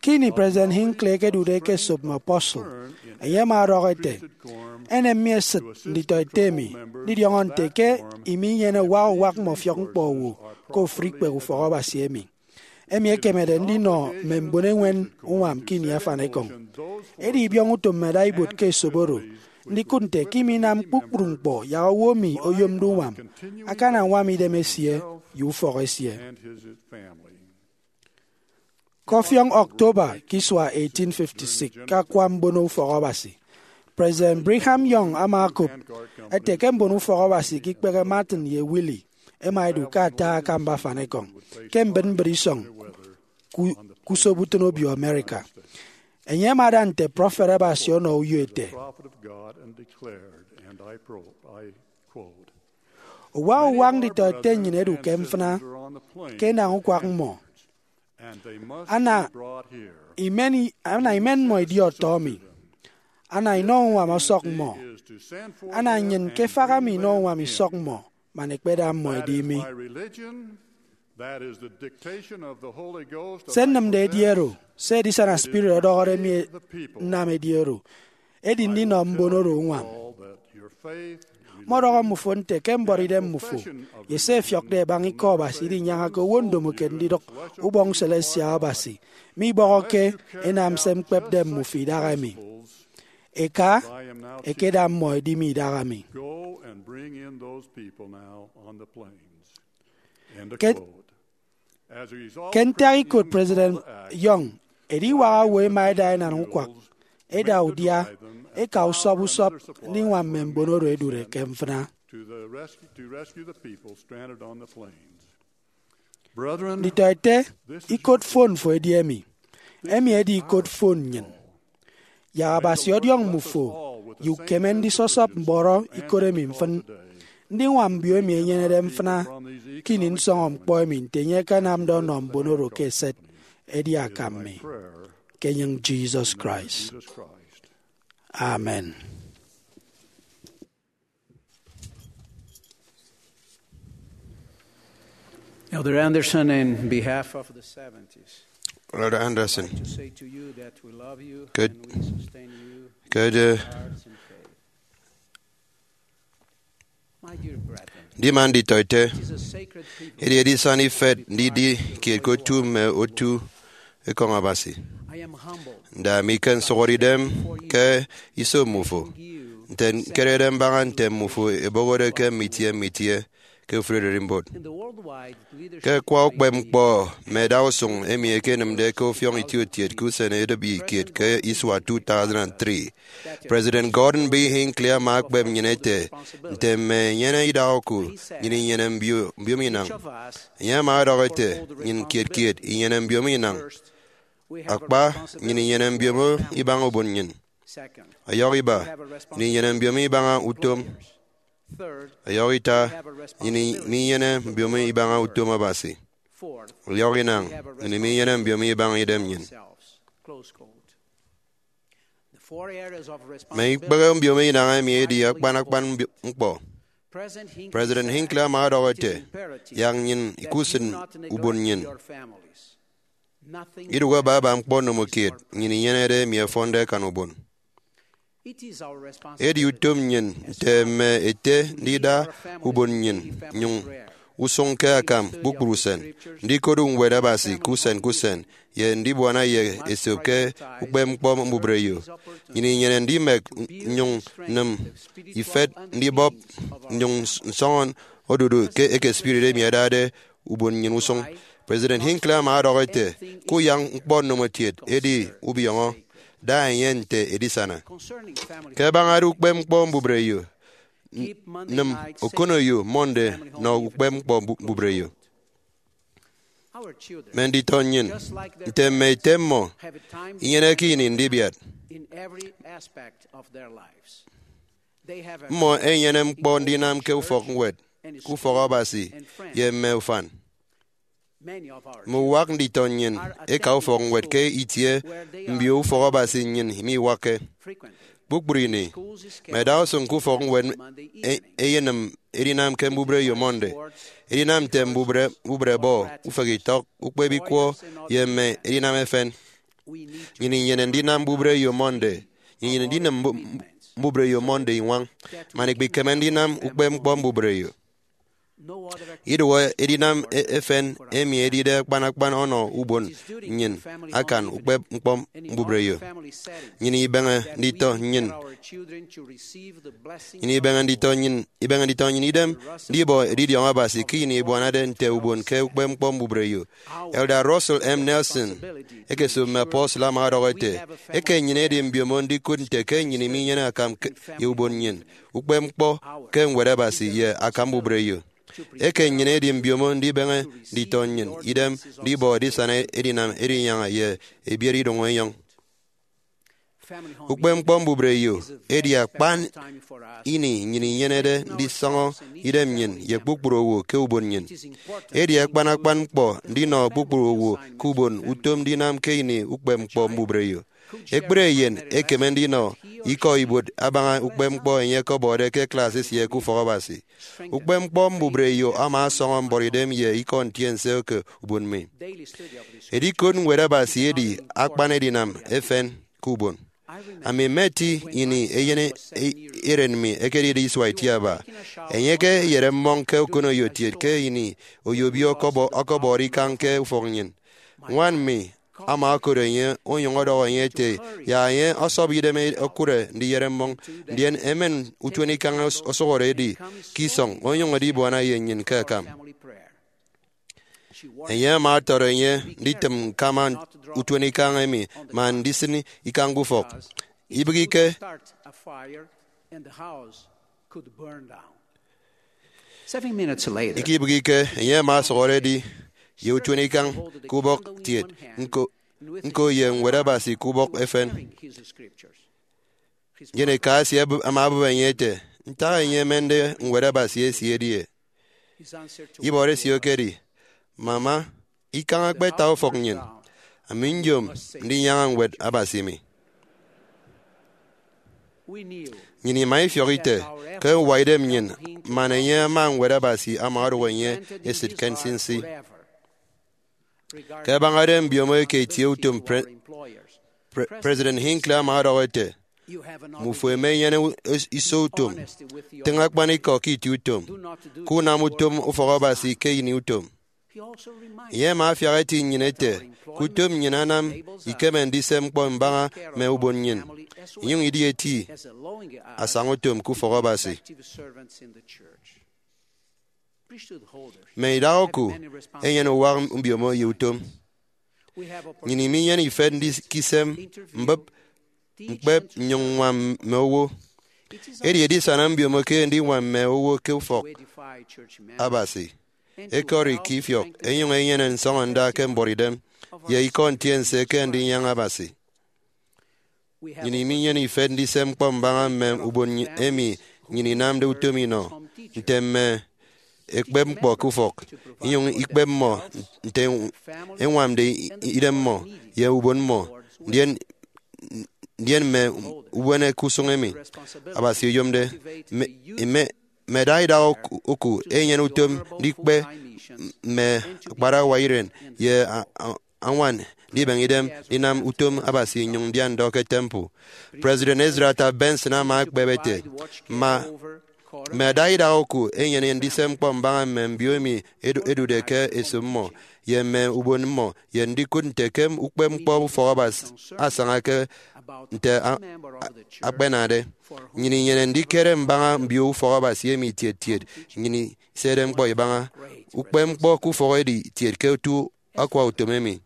Ke ini President Hinckley ekedude ke esop mme apostle, enye ama ọdọhọ ete, enem mi esịt nditọete emi ndidiọñọ nte ke imi inyene uwak uwak mme ọfiọk ñkpọ owo ke ofụri ikpehe ufọk Abasi emi. Emi ekemede ndinọ mme mbon eñwen uñwam ke ini afanikọñ. Edi ibiọñ utom mme adaibuot ke esop oro ndikụt nte ke imi inam kpukpru ñkpọ yak owo emi oyomde uñwam akana añwam idem esie ye ufọk esie. Ke ọfiọñ October ke isua eighteen fifty-six, ke akwa mbono ufọk Abasi, President Brigham Young ama okop ete ke mbono ufọk Abasi ke ikpehe Martin ye Willie ẹma ẹdu ke ata akamba afanikọñ ke mbịt mbịt isọñ ku- ke usoputịn obio America. Enye ama ada nte prọfet Abasi ọnọ uyo ete, Uwak uwak nditọete nnyịn ẹdu ke mfịna ke enañ ukwak mmọ. Ana imen, ana imen mmọ idi ọtọ mi. Ana inọ uñwam ọsọk mmọ. Ana nnyịn ke efak emi inọ uñwam isọk mmọ man ẹkpeda mmọ ẹdi mi. Se nnịmde edi ero, se edisana spirit ọdọhọde mi nnam edi oro, edi ndinọ mbon oro uñwam. Mọdọhọ mmufo nte ke mbuọtidem mmufo ye se ẹfiọkde ẹbaña Ikọ Abasi idinyañake owo ndomokiet ndidụk ubọñ selestial Abasi, mibọhọke enam se ñkpepde mmufo idahaemi. Eka, ẹkeda mmọ ẹdi mi idahaemi. Ke Ke ntak ikot President Young, ediwak owo ẹma ẹda enañ ukwak, ẹda udia, ẹka usọp usọp ndiñwam mme mbon oro ẹdude ke mfịna. Nditọete, ikot fon fo edi emi. Emi edi ikot fon nnyịn. Yak Abasi ọdiọñ mmufo ye ukeme ndisọsọp mbọrọ ikot emi mfịn. Ndiñwam mbio emi ẹnyenede mfịna ke ini nsọñọ ñkpọ emi nte enye akanamde ọnọ mbon oro ke eset edi akam mi, ke enyịñ Jesus Christ. Amen. Elder Anderson, in behalf of the seventies, Elder Anderson, to say to you that we love you ke- and we sustain you ke de- hearts and faith. My dear brethren, ndima nditọete, it is a sacred privilege edi edisana ifet ndidi kiet ke otu mme otu ekọñ Abasi. I am humbled Nda mi ke nsụhọde idem ke iso mmufo, nte nkerede mbaña nte mmufo ebohode ke mme itie mme itie ke ofụri ererimbot. Ke akwa ukpepñkpọ mme adausụñ emi ẹkenịmde ke ọfiọñ itieutiet ke usen edịbi kiet ke isua two thousand and three, President Gordon B. Hinckley ama ekpep nnyịn ete, nte mme enyene idahaoku, nnyịn inyene mbio- mbiomo inañ. Enye ama ọdọhọ ete, nnyịn kiet kiet inyene mbiomo inañ. Akpa, nnyịn inyene mbiomo ibaña ubon nnyịn. Ọyọhọ iba, nnyịn inyene mbiomo ibaña utom. Ọyọhọ ita, nnyịn minyene mbiomo ibaña utom Abasi. Ọyọhọ inañ, nnyịn minyene mbiomo ibaña idem nnyịn. Mme ikpehe mbiomo inañ emi edi akpan akpan mbio- ñkpọ. President Hinckley ama ọdọhọ ete, yak nnyịn ikusịn ubon nnyịn. Idụhe baba ñkpọ ndomokiet nnyịn inyenede emi ẹfọnde ẹkan ubon. Edi utom nnyịn nte mme ete ndida ubon nnyịn nnyụñ usụñ ke akam kpukpru usen, ndikodu Ñwed Abasi ke usen ke usen, ye ndibuana ye esop ke ukpepñkpọ mbubreyo. Nnyịn inyene ndimek nnyụñ nnịm ifet ndibọp nnyụñ nsọñọ odudu ke eke spirit emi adade ubon nnyịn usụñ. President Hinckley ama ọdọhọ ete, ke uyak ñkpọ ndomokiet edi ubiọñọ, da enye nte edisana. Ke ẹbañade ukpepñkpọ mbubreyo, n- nịm okoneyo Monday nọ ukpepñkpọ mbu- mbubreyo. Mme nditọ nnyịn, nte mme ete mmọ, inyeneke ini ndibiat. Mmọ ẹnyene ñkpọ ndinam ke ufọkñwed, ke ufọk Abasi, ye mme ufan. Mme uwak nditọ nnyịn ẹka ufọkñwed ke itie mbio ufọk Abasi nnyịn miwakke. Kpukpru ini, mme idaha usụñ ke ufọkñwed e- ẹyenịm edinam ke mbubreyo Monday, edinam nte mbubre mbubre ball, ufekitok, ukpep ikwọ, ye mme edinam efen. Nnyịn inyene ndinam mbubreyo Monday. Nnyịn inyene ndinam mbu- mbubreyo Monday iñwañ, man ikpikeme ndinam ukpepñkpọ mbubreyo. Idụhe edinam e- efen emi edide akpan akpan ọnọ ubon nnyịn akan ukpepñkpọ mbubreyo. Nnyịn ibeñe nditọ nnyịn nnyịn ibeñe nditọ nnyịn ibeñe nditọ nnyịn idem ndibọ edidiọñ Abasi ke ini ibuanade nte ubon ke ukpepñkpọ mbubreyo. Elder Russell M. Nelson, ekesop mme apostle, ama ọdọhọ ete, eke nnyịn edi mbiomo ndikụt nte ke nnyịn minyene akam ke- ye ubon nnyịn, ukpepñkpọ ke Ñwed Abasi ye akam mbubreyo. Eke nnyịn edi mbiomo ndibeñe nditọ nnyịn idem ndibọ edisana edinam edinyaña ye ebiet idụñ enyọñ. Ukpepñkpọ mbubreyo edi akpan ini nnyịn inyenede ndisọñọ idem nnyịn ye kpukpru owo ke ubon nnyịn. Edi akpan akpan ñkpọ ndinọ kpukpru owo ke ubon utom ndinam ke ini ukpepñkpọ mbubreyo. Ekpri eyen ekeme ndinọ ikọ ibuot abaña ukpepñkpọ enye ọkọbọde ke class esie ke ufọk Abasi. Ukpepñkpọ mbubreyo ama ọsọñọ mbuọtidem ye ikọ ntiense ke ubon mi. Edikot Ñwed Abasi edi akpan edinam efen ke ubon. Ami mmeti ini eyen e- eren mi ekedide isua itiaba. Enye ke eyeremmọñ ke okoneyo tiet ke ini oyobio ọkọbọ- ọkọbọde ikañ ke ufọk nnyịn. Ñwan mi ama okot enye onyụñ ọdọhọ enye ete, yak enye ọsọp idem e- okụre ndiyeremmọñ, ndien emen utuenikañ os- osụhọde edi ke isọñ, onyụñ edibuana ye nnyịn ke akam. Enye ama ọtọrọ enye nditịm ñkama utuenikañ emi man ndisịn ikañ ke ufọk. Ibịghike, Seven minutes later, ikibịghike, enye ama ọsụhọde edi ye utuenikañ ke ubọk tiet, ñko, ñko ye Ñwed Abasi ke ubọk efen. Ndien eka esie abụ- ama abụp enye ete, ntak enye emende Ñwed Abasi esie edi e? Ibọrọ esie ekedi, Mama, ikañ ekpeta ufọk nnyịn, ami nyom ndinyaña Ñwed Abasi mi. Nnyịn ima ifiọk ite ke uwa idem nnyịn man enye ama Ñwed Abasi ama odụk enye esịt ke nsinsi. Ke abañade mbiomo eke itieutom, Pre- Pre- President Hinckley ama ọdọhọ ete, Mmufo emenyene u- is- iso utom. Tịñ akpanikọ ke itie utom. Ke unam utom ufọk Abasi ke ini utom. Enye ama afiak eti nnyịn ete ke utom nnyịn anam ikeme ndise ñkpọ mbaña mme ubon nnyịn, inyụñ idi eti asañautom ke ufọk Abasi. Mme idaha oku enyene uwak mbiomo ye utom. Nnyịn iminyene ifet ndikisem mbịp, ñkpep nnyụñ ññwam mme owo. Edi edisana mbiomo ke ndiñwam mme owo ke ufọk Abasi. Ekọri ke ifiọk, enyụñ enyene nsọñọnda ke mbuọtidem ye ikọ ntiense ke ndinyaña Abasi. Nnyịn iminyene ifet ndise ñkpọ mbaña mme ubon emi nnyịn inamde utom inọ, nte mme ekpep ñkpọ ke ufọk, inyụñ ikpep mmọ nte eñwamde idem mmọ ye ubon mmọ, ndien, ndien mme ubuene ke usụñ emi Abasi oyomde. Mme, mme, mme eda idaha oku, oku enyene utom ndikpe mme akparawa iren ye a- a- añwan ndibeñe idem ndinam utom Abasi nnyụñ ndia ndọ ke temple. President Ezra Taft Benson ama ekpep ete, Ma, mme eda idaha oku enyene ndise ñkpọ mbaña mme mbio emi edu- edude ke esop mmọ, ye mme ubon mmọ, ye ndikụt nte ke ukpep ñkpọ ufọk Abasi asaña ke nte a- a- akpenade. Nnyịn inyene ndikere mbaña mbio ufọk Abasi emi tiet tiet nnyịn isede ñkpọ ibaña. Ukpep ñkpọ ke ufọk edi tiet ke otu akwa utom emi.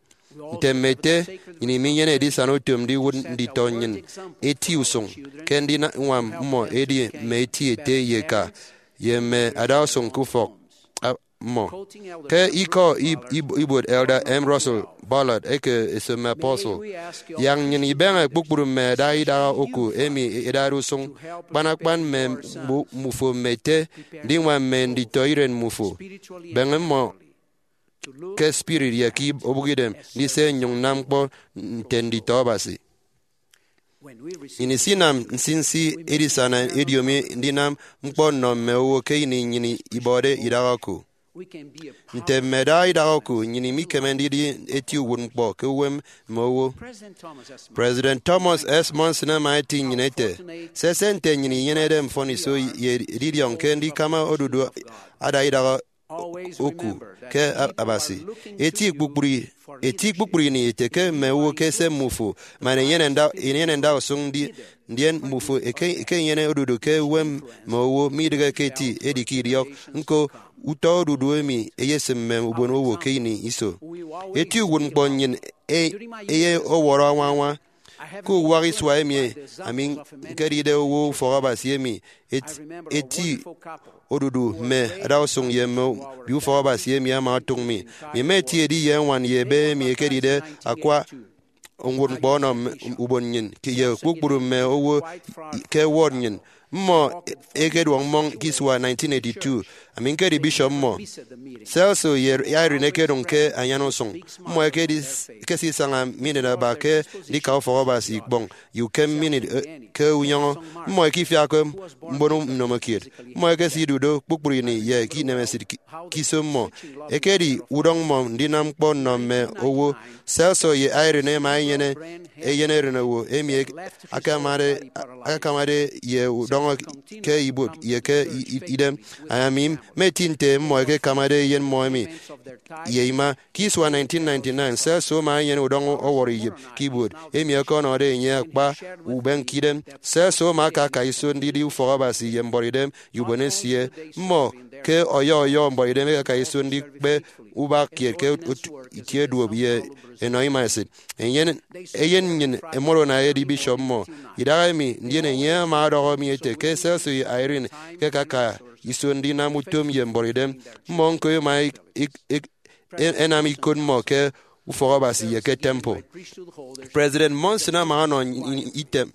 Nte mme ete, nnyịn iminyene edisana utom ndiwụt nditọ nnyịn eti usụñ ke ndiñwam mmọ edi mme eti ete ye eka, ye mme adausụñ ke ufọk. A- mmọ. Ke ikọ ib- ib- ibuot Elder M. Russell Ballard eke Esom Mme Apostle, yak nnyịn ibeñe kpukpru mme ada idaha oku emi idade usụñ, kpan akpan mme mbu- mbufo mme ete, ndiñwam mme nditọiren mbufo. Beñe mmọ ke spirit ye ke ib- obụkidem ndise nnyụñ nnam ñkpọ nte nditọ Abasi. Nnyịn isinam nsinsi edisana ediomi ndinam ñkpọ nnọ mme owo ke ini nnyịn ibọde idaha oku. Nte mme ada idaha oku, nnyịn mikeme ndidi eti uwụtñkpọ ke uwem mme owo. President Thomas S. Monson ama eti nnyịn ete, sese nte nnyịn inyenede mfọniso ye edidiọñ ke ndikama odudu ada idaha oku ke Abasi. Eti kpukpru, eti kpukpru ini ete ke mme owo ke ese mmufo, man enyene nda, enyene nda usụñ ndi, ndien mmufo eke, eke enyene odudu ke uwem mme owo, midịghe ke eti, edi ke idiọk. Ñko, utọ odudu emi eyesịm mme ubon owo ke ini iso. Eti uwụtñkpọ nnyịn e, eye ọwọrọ añwañwa. Ke uwak isua emi ami ñkedide owo ufọk Abasi emi, et- eti odudu mme adausụñ ye mme bi ufọk Abasi emi ama otụk mi. Mi mma eti edi ye ñwan ye ebe emi ekedide akwa uwụtñkpọ ọnọ mme ubon nnyịn ke- ye kpukpru mme owo ke ward nnyịn. Mmọ ekeduọk mmọñ ke isua nineteen eighty-two. Ami ñkedi bishop mmọ. Celso ye Irene ekedụñ ke anyan usụñ. Mmọ ekedi, ekesisaña minit aba ke ndika ufọk Abasi ikpọñ ye ukem minit, eh, ke unyọñọ. Mmọ ekefiakke mbon nnomokiet. Mmọ ekesidu do kpukpru ini ye ke inemesịt ki- ke iso mmọ. Ekedi udọñ mmọ ndinam ñkpọ nnọ mme owo. Celso ye Irene ẹma ẹnyene eyen erenowo emi ek- akamade, akakamade ye udọñọ ke ibuot ye ke i- i- idem. Ami mma eti nte mmọ ẹkekamade eyen mmọ emi ye ima. Ke isua nineteen ninety-nine, Celso ama enyene udọñọ ọwọrọ iyịp ke ibuot emi ọkọnọde enye akpa ubeñkidem. Celso ama akaka iso ndidi ufọk Abasi ye mbuọtidem ye ubon esie. Mmọ ke ọyọ ọyọ mbuọtidem ẹkaka iso ndikpe ubak kiet ke ot- itie duop ye enọ ima esịt. Eyen, eyen nnyịn Moroni edi bishop mmọ idaha emi, ndien enye ama ọdọhọ mi ete ke Celso ye Irene ẹkekaka iso ndinam utom ye mbuọtidem. Mmọ ñko ẹma ik- ik- ik- e- ẹnam ikot mmọ ke ufọk Abasi ye ke temple. President Monson ama ọnọ nnyịn item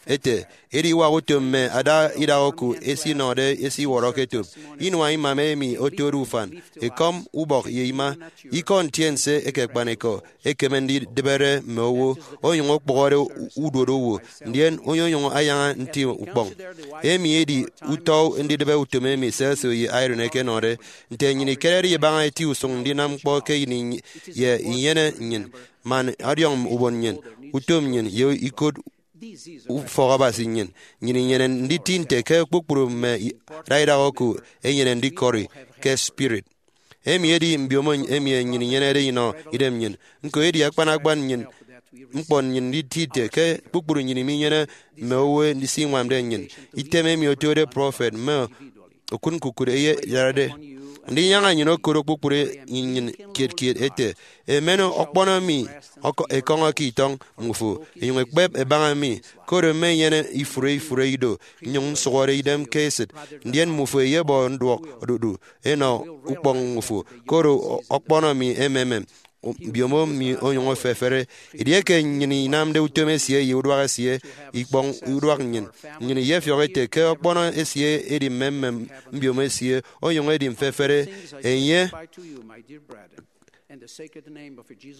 ete, ediwak utom mme ada idaha oku esinọde esiwọrọ ke etop inua imam emi otode ufan, ekọm, ubọk, ye ima. Ikọ ntiense eke akpanikọ ekeme ndidịbere mme owo, onyụñ okpụhọde u- uduot owo, ndien onyonyụñ ayaña nti ukpọñ. Emi edi utọ ndidịbe utom emi Celso ye Irene ẹkenọde. Nte nnyịn ikerede ibaña eti usụñ ndinam ñkpọ ke ini ye inyene nnyịn, man ọdiọñ ubon nnyịn, utom nnyịn, ye ikot ufọk Abasi nnyịn, nnyịn inyene nditi nte ke kpukpru mme i- ada idaha oku ẹnyene ndikọri ke spirit. Emi edi mbiomo emi nnyịn inyenede inọ idem nnyịn. Ñko edi akpan akpan nnyịn, ñkpọ nnyịn nditi ete ke kpukpru nnyịn minyene mme owo ndisiñwamde nnyịn. Item emi otode prọfet mme okụt ñkukụt eyedade. Ndinyaña nnyịn okodo kpukpru nnyịn kiet kiet ete, emen ọkpọnọ mi ọkọ- ekọñọ ke itọñ mmufo, enyụñ ekpep ẹbaña mi, koro mmenyene ifụre ifụre ido, nnyụñ nsụhọde idem ke esịt, ndien mmufo eyebọ nduọk odudu enọ ukpọñ mmufo, koro ọkpọnọ mi emem mbiomo mi onyụñ efefere. Edieke nnyịn inamde utom esie ye uduak esie ikpọñ uduak nnyịn, nnyịn iyefiọk ete ke ọkpọnọ esie edi mmem mbiomo esie, onyụñ edi mfefere. Enye,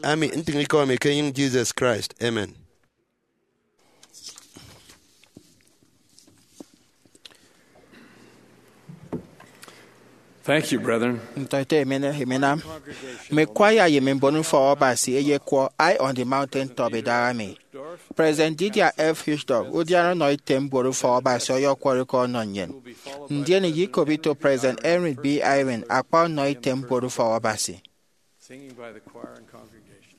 ami ntịñ ikọ mi ke enyịñ Jesus Christ. Amen. Thank you, brethren. Ntọete emen emenam. Mme kwaya ye mme mbon ufọk Abasi eyekwọ High on the Mountain Top idaha emi. President Dieter F. Uchtdorf, udiana ọnọ item mbuot ufọk Abasi, ọyọkwọrọ ke ọnọ nnyịn. Ndien iyikop ito President Henry B. Eyring, akpa ọnọ item mbuot ufọk Abasi. Singing by the choir and congregation.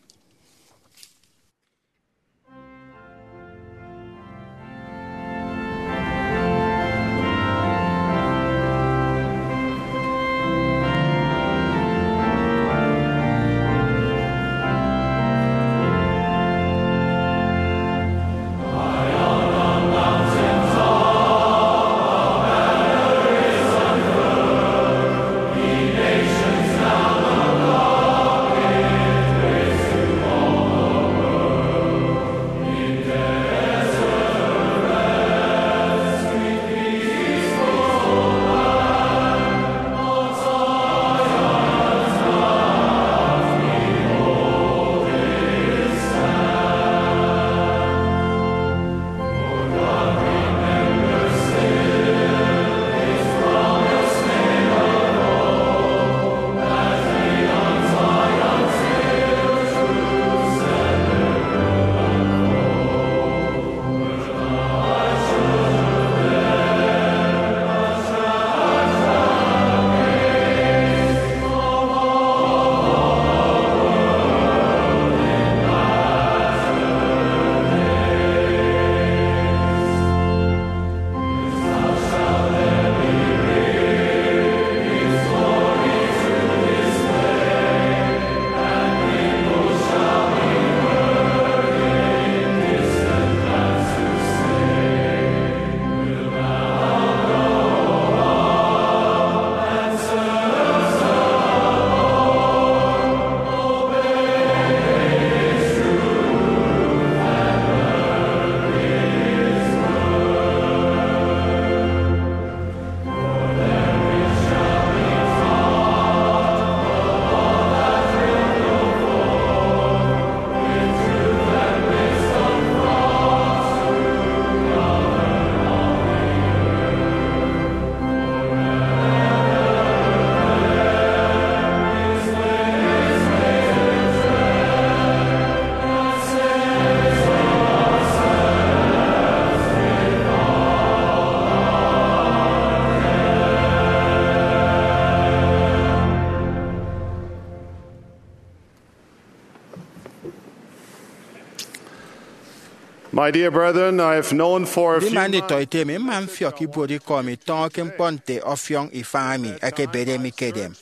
My dear brethren, I have known for a few Ndima months nditọete emi, mma mfiọk ibuot ikọ mi tọñọ ke ñkpọ nte ọfiọñ ifañ emi ẹkebede mi ke edem.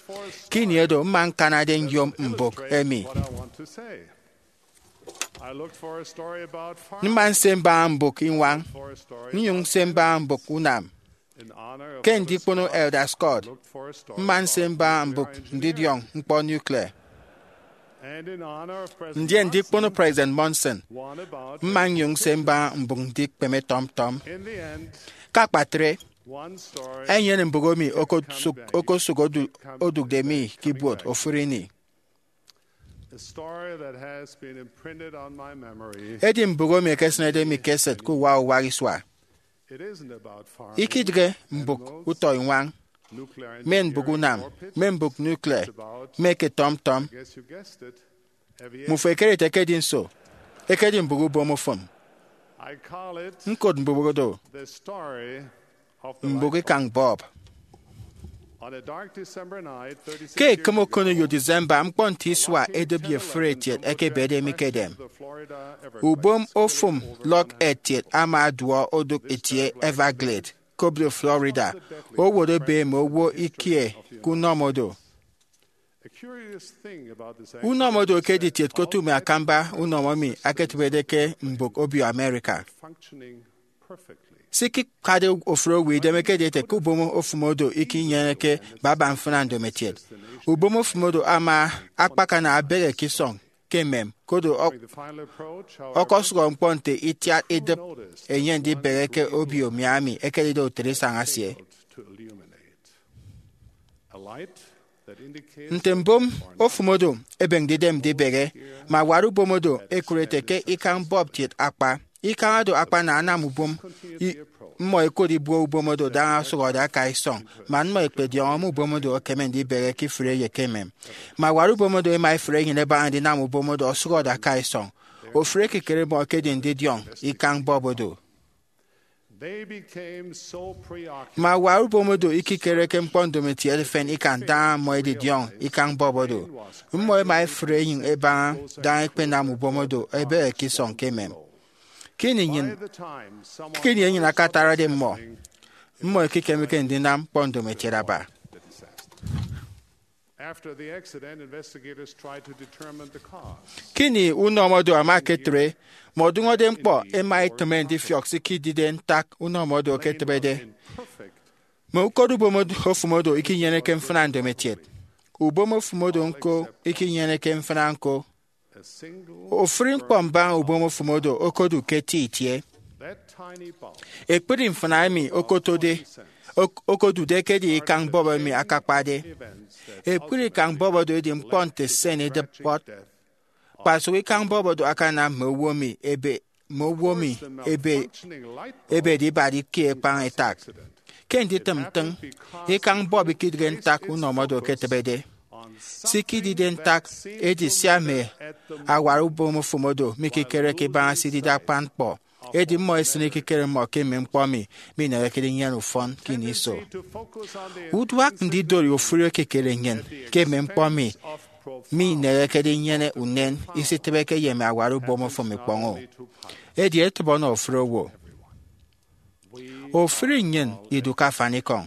Ke ini edo, mma ñkanade nyom mbụk emi. what I want to say. I looked for a story about farming, Mma nse mbaña mbụk iñwañ, for a story nnyụñ nse mbaña mbụk unam. in honor of Ke Elder ndikpono Scott, Elder Scott, looked for a story mma nse about mbaña nuclear mbụk engineering. Ndidiọñ ñkpọ nuclear. And in honor of President Ndien ndikpono Monson, President Monson, one about mma nnyụñ nse mbaña mbụk ndikpeme tọmtọm. in the end, Ke akpatre, one story enyene mbụk emi kept okosụk coming back, okosụk odu- kept coming odụkde back, mi ke coming ibuot back. ofụri ini. A story that has been imprinted on my memory. Edi mbụk emi ekesịnede mi ke esịt ke uwa uwa isua. It isn't about farming Ikidịghe mbụk utọ iñwañ, nuclear mme mbụk engineering unam, or pit. mme mbụk nuclear, It's about, mme ke tọmtọm. I guess you guessed it, aviation. Mufo ekere ete ke edi nso? Ekedi mbụk ubom ofụm. I call it Ñkot mbụk odo the story of the mbụk light ikañ bulb. Bulb. On a dark December night, thirty-six Ke years ekịm ago, okoneyo December, ñkpọ nte isua edịbi efuri etiet ẹkebede mi ke edem. Ubom ofụm lọk etiet ama aduọ odụk etie Everglade ke obido Florida, owot ebe mme owo ikie ke unọmọ do. a curious thing about this Unọmọ accident do is ke that editiet ke otu mme akamba unọmọ emi aketịbede ke mbụk obio America. Functioning perfectly. Se ikikade ofụri owo idem ekedi ete ke ubom ofụm odo ikinyeneke baba mfịna ndomokiet. Ubom ofụm odo ama akpakana abehe ke isọñ ke emem, kodo ọ- During the final approach, however, ọkọsụhọ ñkpọ nte itiat idịp enye ndibehe ke obio Miami ekedide utịt isañ esie. to illuminate. A light that indicates Nte mbom ofụm odo ebịghde idem ndibehe, mme awat ubom odo ẹkụre ete ke ikañ bulb kiet akpa. Ikañ odo akpana anam ubom i- mmọ ẹkot ibuo ubom odo daña osụhọde aka isọñ, man mmọ ẹkpediọñọ mme ubom odo ẹkeme ndibehe ke ifụre ye ke emem. Mme awat ubom odo ẹma ẹfre enyịn ẹbaña ndinam ubom odo osụhọde aka isọñ. Ofụri ekikere mmọ ekedi ndidiọñ ikañ bulb odo. They became so preoccupied Mme awat ubom odo ikikere ke ñkpọ ndomokiet efen ikan daña mmọ ẹdidiọñ ikañ bulb odo. Mmọ ẹma ẹfre enyịn ẹbaña daña ẹkpenam ubom odo ẹbehe ke isọñ ke emem. Ke ini nnyịn, the time someone ke ini enyịn akatarade mmọ, mmọ ẹkekemeke ndinam ñkpọ ndomokiet aba. After the accident, investigators tried to determine the cause. Ke ini unọmọ odo ama eketre, mme odụñọde ñkpọ ẹma ẹtịme ndifiọk se ikidide ntak unọmọ odo eketịbede. Perfect. Mme ukot ubom od- ofụm odo ikinyeneke mfịna ndomokiet. Ubom ofụm odo ñko ikinyeneke mfịna ñko. A single Ofụri ñkpọ mbaña ubom ofụm odo okodu ke eti itie. that tiny bulb Ekpri mfịna emi okotode ok- okodude ekedi ikañ bulb emi akakpade. Ekpri ikañ bulb odo edi ñkpọ nte sen idịp kpọt. Kpasụk ikañ bulb odo akanam mme owo mi ebe mme owo mi ebe functioning light ebede ibadi ke ekpañ etak. Ke nditịm ntịñ, ikañ bulb ikidịghe ntak unọmọ odo eketịbede. Se ikidide ntak edi sia mme awat ubom ofụm odo mikikereke ibaña se idide akpan ñkpọ. Edi mmọ ẹsịn ekikere mmọ ke mme ñkpọ mi minehekede nnyịn ufọn ke ini iso. Uduak ndidori ofụri ekikere nnyịn ke mme ñkpọ mi minehekede inyene unen isitịbeke ye mme awat ubom ofụm ikpọñ-o. Edi etịbe ọnọ ofụri owo. Ofụri nnyịn idu ke afanikọñ.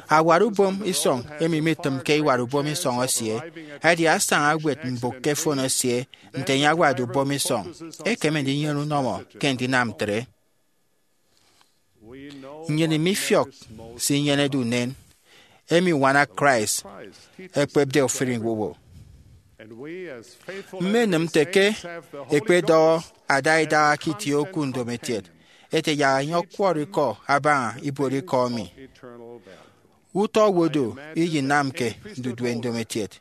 Awat ubom isọñ emi mitịmke iwat ubom isọñ esie, edi asaña ewet mbụk ke fon esie nte enye awatde ubom isọñ, ekeme ndinyene unọmọ ke ndinam ntre. Nnyịn mifiọk se inyenede unen emi uñwana Christ ekpepde ofụri owo. Mmenịm nte ke ẹkpedọhọ ada idaha ke itie oku ndomokiet ete yak enye ọkwọrọ ikọ abaña ibuot ikọ emi. Utọ owo do iyinamke ndudue ndomokiet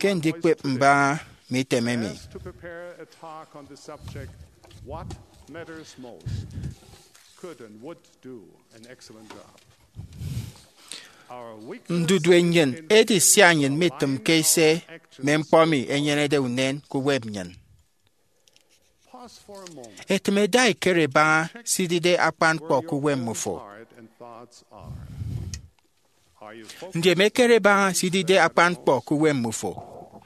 ke ndikpep mbaña mme item emi. To prepare a talk on the subject, "What matters most?" Could and would do an excellent job. Our weakness Ndudue nnyịn edi sia nnyịn mitịmke se mme ñkpọ mi enyenede unen ke uwem nnyịn. Pause for a moment. Etịmede ikere ibaña se idide akpan ñkpọ ke uwem mmufo. Heart and thoughts are. Are you focused Ndien mekere ibaña se idide akpan ñkpọ ke uwem mmufo.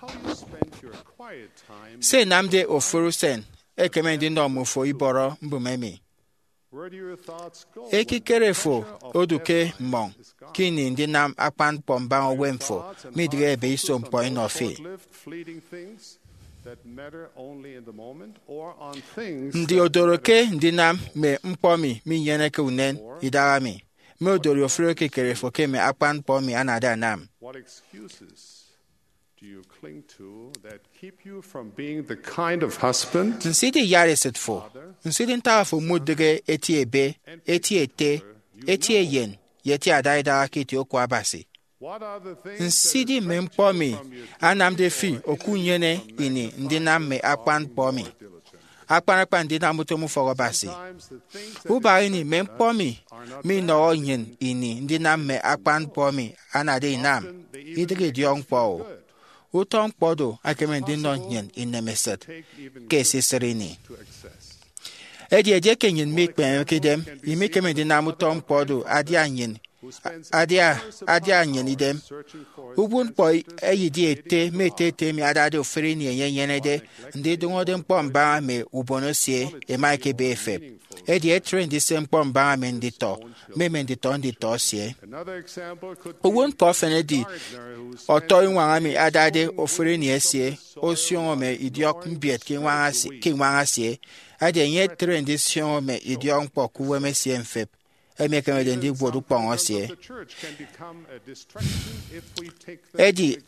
how you spend your quiet time? Se ẹnamde ofụri usen ekeme ndinọ mme ufo ibọrọ mbụme emi. Ekikere fo odu ke mmọñ ke ini ndinam akpan ñkpọ mbaña uwem fo midịghe ebe iso ñkpọ inọ fi. Ndi odoro ke ndinam mme ñkpọ emi minyeneke unen idaha mi, mme odori ofụri ekikere fo ke mme akpan ñkpọ emi anade anam? Nsidi iyatesịt fo, nsidi ntak afo mudịghe eti ebe, eti ete, eti eyen, ye eti adaidaha ke itie oku Abasi? Nsidi mme ñkpọ emi anamde fi okunyene ini ndinam mme akpan ñkpọ emi, akpan akpan ndinam utom ufọk Abasi? Ubak ini mme ñkpọ emi minọhọ nnyịn ini ndinam mme akpan ñkpọ emi anade inam, idịghe idiọkñkpọ-o. Utọ ñkpọ do ekeme ndinọ nnyịn inemesịt ke esisịt ini. Edi edieke nnyịn mikpemeke idem, imikeme ndinam utọ ñkpọ do adia nnyịn adia adia nnyịn idem. Uwụtñkpọ eyedi ete mme ete ete emi adade ofụri ini enye enyenede ndidụñọde ñkpọ mbaña mme ubon esie, ẹma ẹkebe ẹfep. Edi etre ndise ñkpọ mbaña mme nditọ mme mme nditọ nditọ esie. Uwụtñkpọ efen edi ọtọiñwañ emi adade ofụri ini esie osioño mme idiọk mbiet ke iñwañ esie- ke iñwañ esie. Edi enye etre ndisioño mme idiọkñkpọ ke uwem esie mfep, emi ekemede ndiwot ukpọñ esie. Edi,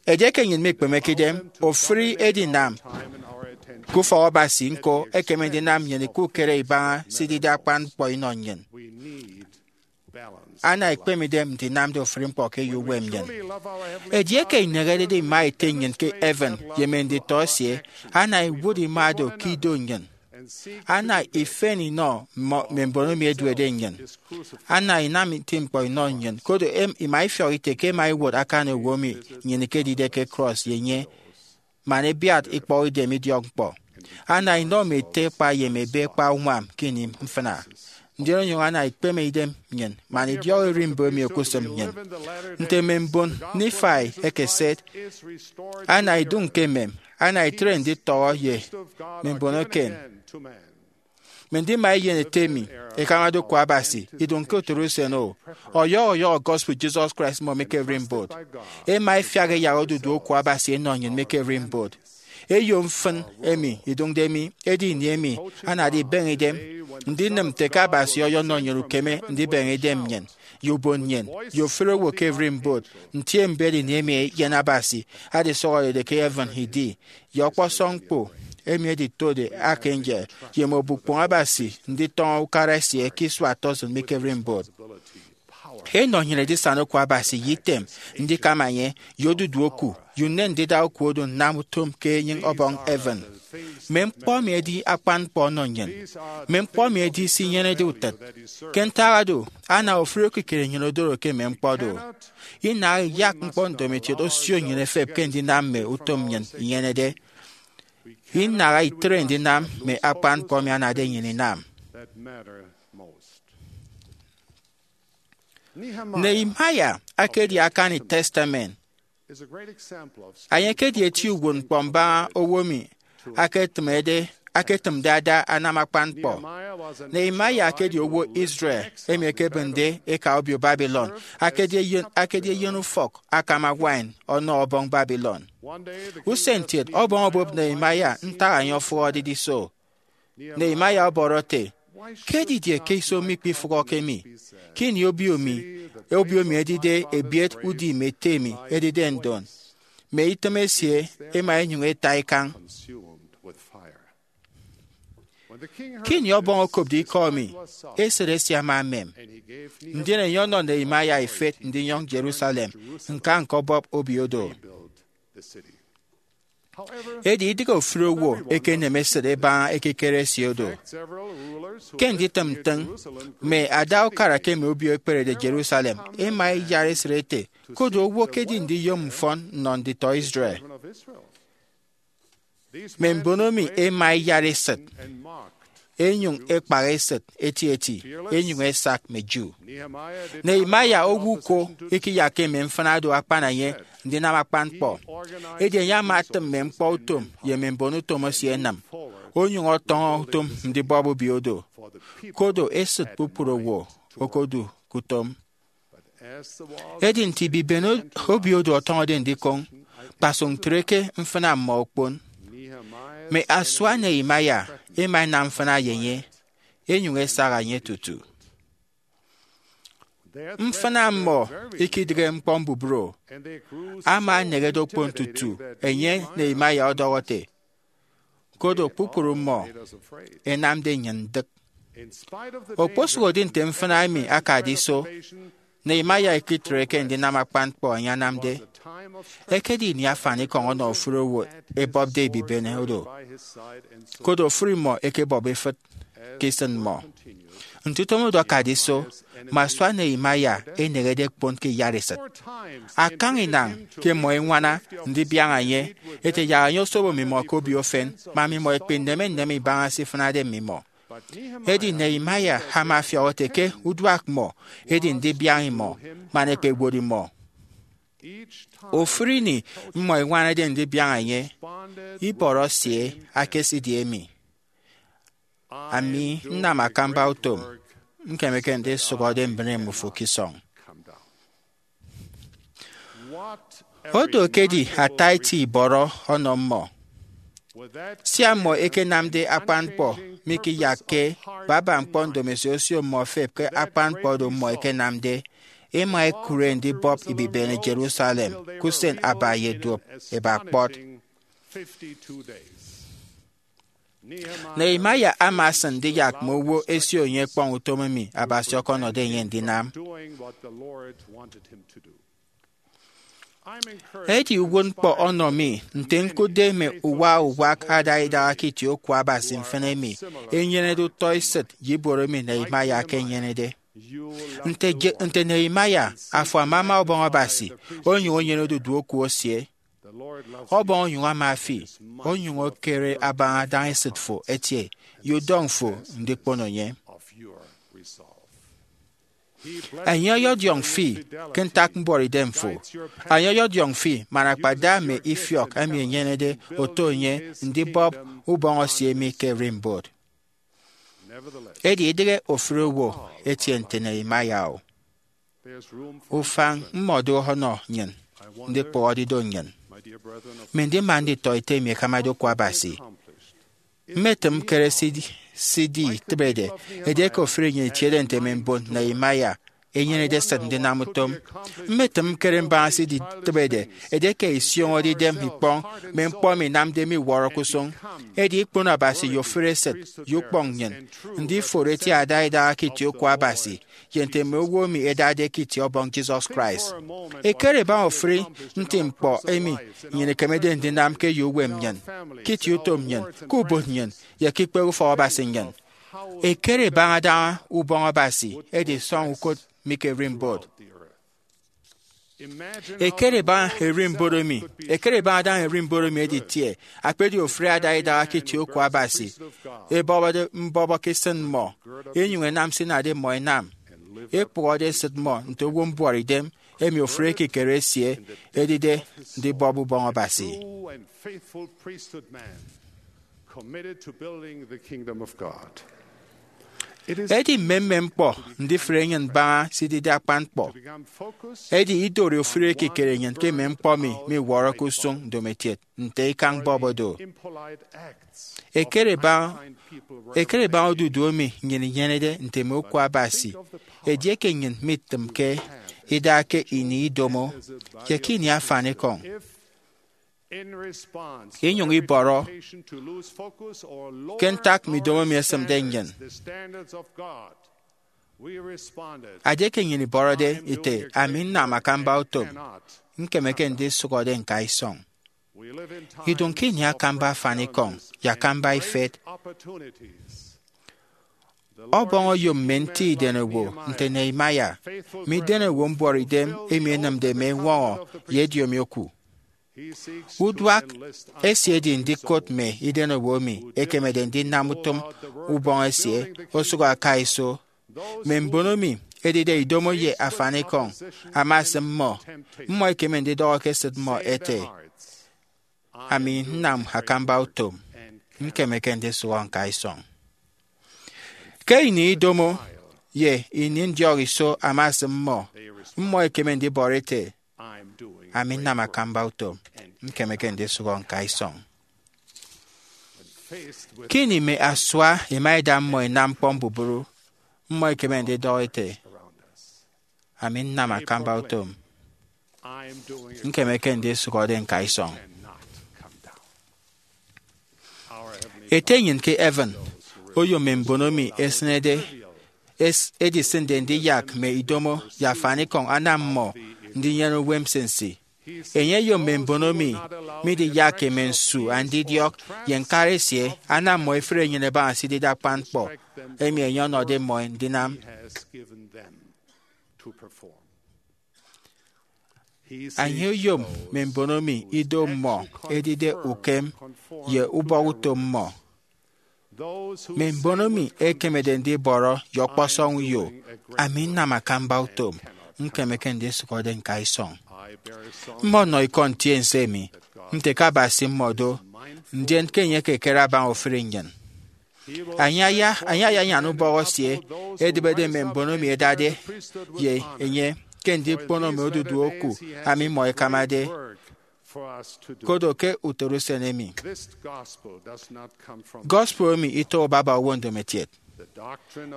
edieke nnyịn mikpemeke idem, ofụri edinam ke ufọk Abasi ñko ekeme ndinam nnyịn ikukere ibaña se idide akpan ñkpọ inọ nnyịn. Ana ikpeme idem ndinamde ofụri ñkpọ ke eyo uwem nnyịn. Edieke inehedede ima Ete nnyịn ke heaven ye mme nditọ esie, ana iwot ima do ke ido nnyịn. Ana ifen inọ mmọ- mme mbon emi ẹduede nnyịn. Ana inam nti ñkpọ inọ nnyịn, koro em- ima ifiọk ite ke ẹma ẹwot akan owo emi nnyịn ikedide ke krọs ye enye, man ẹbiat ikpọhọ idem idiọkñkpọ. Ana inọ mme ete kpa ye mme ebe kpa uñwam ke ini mfịna. Ndien onyụñ ana ikpeme idem nnyịn man idiọk ererimbot emi okusịm nnyịn. Nte mme mbon Nifai ẹkeset, ana idụñ ke emem, ana itre nditọhọ ye mme mbon eken. Mme ndima eyen ete emi ẹkamade oku Abasi idụñ ke otoro usen o, ọyọhọ ọyọhọ gospel Jesus Christ mmọ mi ke ererimbot. Ẹma ẹfiak ẹyak odudu oku Abasi ẹnọ nnyịn mi ke ererimbot. Eyo mfịn emi idụñde mi edi ini emi anade ibeñe idem ndinịm nte ke Abasi ọyọnọ nnyịn ukeme ndibeñe idem nnyịn, ye ubon nnyịn, ye ofụri owo ke ererimbot. Ntiembet ini emi eyen Abasi adisọhọrede ke heaven idi, ye ọkpọsọñ ñkpo emi editode archangel, ye mme obukpoñ Abasi nditọñọ ukara esie ke isua tọsịn mi ke ererimbot. Enọ nnyịn edisana oku Abasi ye item ndikama enye, ye odudu oku, ye unen ndida oku oro nnam utom ke enyịñ ọbọñ heaven. Mme ñkpọ emi edi akpan ñkpọ ọnọ nnyịn. Mme ñkpọ emi edi se inyenede utịt. Ke ntak oro, ana ofụri ekikere nnyịn odoro ke mme ñkpọ do. Inaha iyak ñkpọ ndomokiet osio nnyịn efep ke ndinam mme utom nnyịn inyenede. Inaha itre ndinam mme akpan ñkpọ emi anade nnyịn inam. Nehemiah akedi akani Testament. Enye ekedi eti uwụtñkpọ mbaña owo emi aketịmede aketịmde ada anam akpan ñkpọ. Nehemiah ekedi owo Israel emi ekebịnde eka obio Babylon, akedi eyen, akedi eyen ufọk akama wine ọnọ ọbọñ Babylon. Usen kiet, ọbọñ obụp Nehemiah ntak enye ofụhọde iso. Nehemiah ọbọrọ ete, ke didie ke iso mi ikpifụhọke mi, ke ini obio mi, obio mi edide ebiet udim ete mi edide ndon, mme itịm esie ẹma ẹnyụñ ẹta ikañ? Ke ini ọbọñ okopde ikọ mi, esịt esie ama emem, ndien enye ọnọ Nehemiah ifet ndinyọñ Jerusalem ñka ñkọbọp obio do. Edi idịghe ofụri owo ekeneme esịt ẹbaña ekikere esie do. Ke nditịm ntịñ, mme ada ukara ke mme obio ẹkperede Jerusalem ẹma ẹyara esịt ẹte, koro owo ekedi ndiyom mfọn nnọ nditọ Israel. Mme mbon emi ẹma ẹyara esịt, ẹnyụñ ẹkpaha esịt etieti, ẹnyụñ ẹsak mme Jew. Nehemiah owo uko ikiyakke mme mfịna do akpana enye ndinam akpan ñkpọ. Edi enye ama atịm mme ñkpọ utom ye mme mbon utom esie ẹnịm, onyụñ ọtọñọ utom ndibọp obio do, koro esịt kpukpru owo okodu ke utom. Edi nte ibibene obio do ọtọñọde ndikoñ, kpasụk ntre ke mfịna mmọ okpon. Mme asua Nehemiah ẹma ẹnam mfịna ye enye, ẹnyụñ ẹsaha enye tutu. Mfịna mmọ ikidịghe ñkpọ mbubru, ama eneñede okpon tutu enye Nehemiah ọdọhọ ete, koro kpukpru mmọ ẹnamde nnyịn ndịk. Okposụkedi nte mfịna emi akade iso, Nehemiah ikitreke ndinam akpan ñkpọ enye anamde. Ekedi ini afanikọñ ọnọ ofụri owo ẹbọpde ibibene oro, koro ofụri mmọ ẹkebọp ifịt ke isịn mmọ. Nte utom oro akade iso, mme asua Nehemiah ẹneñede ẹkpon ke iyaresịt. Akañ inañ ke mmọ ẹñwana ndibiaña enye, ẹte yak enye osobo mmimọ ke obio efen, man mmimọ ẹkpe nneme nneme ibaña se ifịnade mmimọ. Edi Nehemiah ama afiọk ete ke uduak mmọ edi ndibiaña imọ man ẹkpewot imọ. Ofụri ini mmọ ẹñwanade ndibiaña enye, ibọrọ esie akesidi emi, Ami nnam akamba utom, ñkemeke ndisụhọde mbịne mmufo ke isọñ. Odo ekedi ata eti ibọrọ ọnọ mmọ. Sia mmọ ẹkenamde akpan ñkpọ mikiyakke baba ñkpọ ndomosi osio mmọ efep ke akpan ñkpọ oro mmọ ẹkenamde, ẹma ẹkụre ndibọp ibibene Jerusalem ke usen aba ye duop eba kpọt. Nehemiah ama asịn ndiyak mme owo ẹsio enye ekpọñ utom emi Abasi ọkọnọde enye ndinam. Edi uwụtñkpọ ọnọ mi nte ñkụtde mme uwa uwak ada idaha ke itie oku Abasi mfịn emi enyenede utọ esịt ye ibuot emi Nehemiah akenyenede. Nte, je, nte Nehemiah, afo amama Ọbọñ Abasi, onyụñ enyene odudu oku esie. Ọbọñ onyụñ ama fi, onyụñ ekere abaña adaña esịt fo etie ye udọñ fo ndikpono enye. Enye ọyọdiọñ fi ke ntak mbuọtidem fo. Enye ọyọdiọñ fi man akpada mme ifiọk emi enyenede oto enye ndibọp ubọñ esie emi ke ererimbot. Edi idịghe ofụri owo etie nte Nehemiah-o. Ufañ mmọdo ọnọ nnyịn ndikpụhọde ido nnyịn. Mme ndima nditọete emi ẹkamade oku Abasi, mmetịm ñkere se iditịbede edieke ofụri nnyịn itiede nte mme mbon Nehemiah ẹnyenede esịt ndinam utom. Mmetịm ñkere mbaña se iditịbede edieke isioñode idem ikpọñ mme ñkpọ emi inamde miwọrọke usụñ. Edi ikpono Abasi ye ofụri esịt ye ukpọñ nnyịn ndiforo eti ada idaha ke itie oku Abasi ye nte mme owo emi ẹdade ke itie Ọbọñ Jesus Christ. Ekere baña ofụri nti ñkpọ emi nnyịn ikemede ndinam ke eyo uwem nnyịn, ke itie utom nnyịn, ke ubon nnyịn, ye ke ikpehe ufọk Abasi nnyịn. Ekere baña adaña Ubọñ Abasi edisọñ ukot mi ke ererimbot. Ekere baña ererimbot emi, ekere baña adaña ererimbot emi editie, akpedi ofụri ada idaha ke itie oku Abasi, ebọbọde mbọbọ ke isịn mmọ, enyụñ ẹnam se inade mmọ ẹnam, ekpụhọde esịt mmọ nte owo mbuọtidem emi ofụri ekikere esie edide ndibọp Ubọñ Abasi. Edi mmemmem ñkpọ ndifụre nnyịn mbaña se idide akpan ñkpọ. Edi idori ofụri ekikere nnyịn ke mme ñkpọ emi miwọrọke usụñ ndomokiet nte ikañ bọbọ do. Ekere baña, ekere baña odudu emi nnyịn inyenede nte mme oku Abasi edieke nnyịn mitịmke ida ke ini idomo ye ke ini afanikọñ, inyụñ ibọrọ ke ntak mme idomo emi ẹsịmde nnyịn. Adieke nnyịn ibọrọde ite, Ami nnam akamba utom, ñkemeke ndisụhọde ñka isọñ. Idụñ ke ini akamba afanikọñ ye akamba ifet. Ọbọñ oyom mme nti idenowo nte Nehemiah, mme idenowo mbuọtidem emi ẹnịmde mme eñwọñọ ye ediomi oku. Uduak esie edi ndikot mme idenowo emi ẹkemede ndinam utom ubọñ esie osụk aka iso. Mme mbon emi ẹdide idomo ye afanikọñ ama esịm mmọ. Mmọ ẹkeme ndidọhọ ke esịt mmọ ẹte, Ami nnam akamba utom, Ñkemeke ndisụhọ ñka isọñ. Ke ini idomo ye ini ndiọk iso ama esịm mmọ, mmọ ẹkeme ndibọrọ ete, "Ami nnam akamba utom, ñkemeke ndisụhọ ñka isọñ." Ke ini mme asua ẹma ẹda mmọ ẹnam ñkpọ mbubru, mmọ ẹkeme ndidọhọ ete, "Ami nnam akamba utom, ñkemeke ndisụhọde ñka isọñ." Ete nnyịn ke heaven oyom mme mbono emi ẹsịnede es- edisịnde ndiyak mme idomo ye afanikọñ anam mmọ ndinyene uwem nsinsi. Enye oyom mme mbono emi midiyakke mme nsu andidiọk ye ñkara esie anam mmọ ẹfre enyịn ẹbaña se idide akpan ñkpọ emi enye ọnọde mmọ ndinam. Enye oyom mme mbono emi ido mmọ edide ukem ye ubọhọ-utom mmọ. Mme mbono emi ẹkemede ndibọrọ ye ọkpọsọñ uyo, "Ami nnam akamba utom, ñkemeke ndisụhọde ñka isọñ." Mmọ ọnọ ikọ ntiense emi nte ke Abasi mmọ do, ndien ke enye ekekere abaña ofụri nnyịn. Enye aya, enye ayanyan ubọhọ esie edịbede mme mbono emi ẹdade ye enye ke ndikpono mme odudu oku emi mmọ ẹkamade, kodo ke utoro usen emi. Gospel emi itoho baba owo ndomokiet.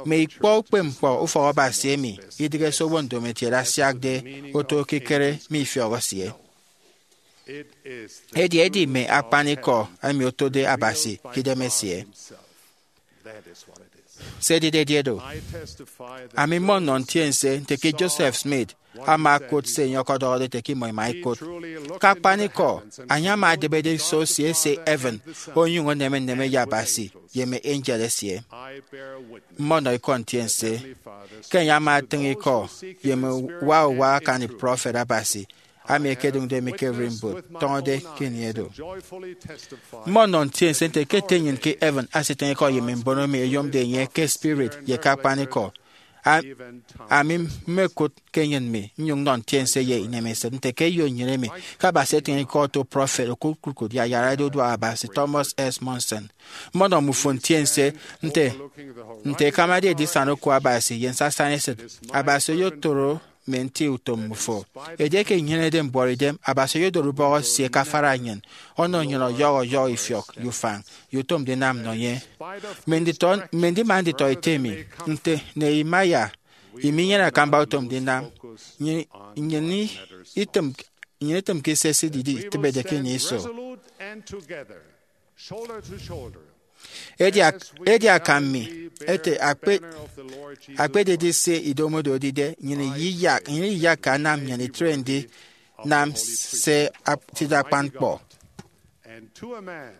Mme ikpọ ukpepñkpọ ufọk Abasi emi idịghe se owo ndomokiet asiakde oto ekikere mme ifiọk esie. Edi edi mme akpanikọ emi otode Abasi ke idem esie. Se edide edi do. Ami mmọ nnọ ntiense nte ke Joseph Smith ama okụt se enye ọkọdọhọde ete ke imọ ima ikụt. Ke akpanikọ, enye ama adịbede iso esie ese heaven, onyụñ eneme nneme ye Abasi ye mme angel esie. Mmọ nnọ ikọ ntiense ke enye ama atịñ ikọ ye mme uwa uwa akani prọfet Abasi ami ẹkedụñde mi ke ererimbot tọñọde ke ini edu. Mmọ nnọ ntiense nte ke Ete nnyịn ke heaven asitịñ ikọ ye mme mbono emi ẹyomde enye ke spirit ye ke akpanikọ. A- Ami mmekụt ke enyịn mi nnyụñ nnọ ntiense ye inemesịt nte ke eyo nnyịn emi ke Abasi etịñ ikọ oto prọfet okụt kpukpru ye ayarade uduak Abasi, Thomas S. Monson. Mmọ nnọ mmufo ntiense nte nte ẹkamade edisana oku Abasi ye nsasaña esịt. Abasi oyotoro mme nti utom mmufo. Edieke inyenede mbuọtidem, Abasi oyodoro ubọhọ esie ke afara nnyịn, ọnọ nnyịn ọyọhọ ọyọhọ ifiọk ye ufañ ye utom ndinam nnọ enye. Mme nditọ, mme ndima nditọ ete mi nte Nehemiah, iminyene akamba utom ndinam, nnyịn, nnyịn itịm, nnyịn itịmke se esidide itịbede ke ini iso. Edi ak- edi akam mi ete akpe- akpededi se idomode odide, nnyịn iyiyak, nnyịn iyiyakke anam nnyịn itre ndinam se ap- tide akpan ñkpọ. And to a man,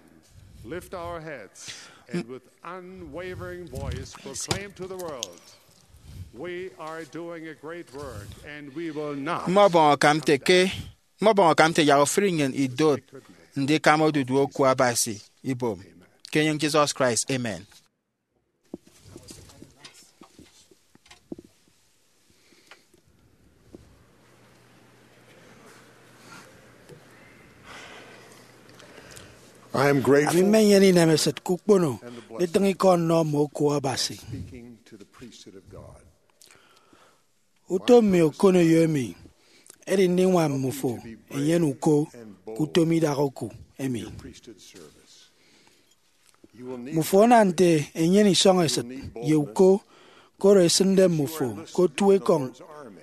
lift our heads and with unwavering voice proclaim to the world, "We are doing a great work and we will not." Mmọbọñ akam nte ke mmọbọñ akam nte yak ofụri nnyịn idot ndikama odudu oku Abasi ibom. Ke enyịñ Jesus Christ, amen. I am grateful. Ami mmenyene inemesịt ke ukpono nditịñ ikọ nnọ mme oku Abasi. Speaking to the priesthood of God. Utom mi okoneyo emi edi ndiñwam mmufo enyene uko ke utom idak oku emi. Mmufo ana nte enyene isọñ esịt ye uko, koro esịnde mmufo ke otu ekọñ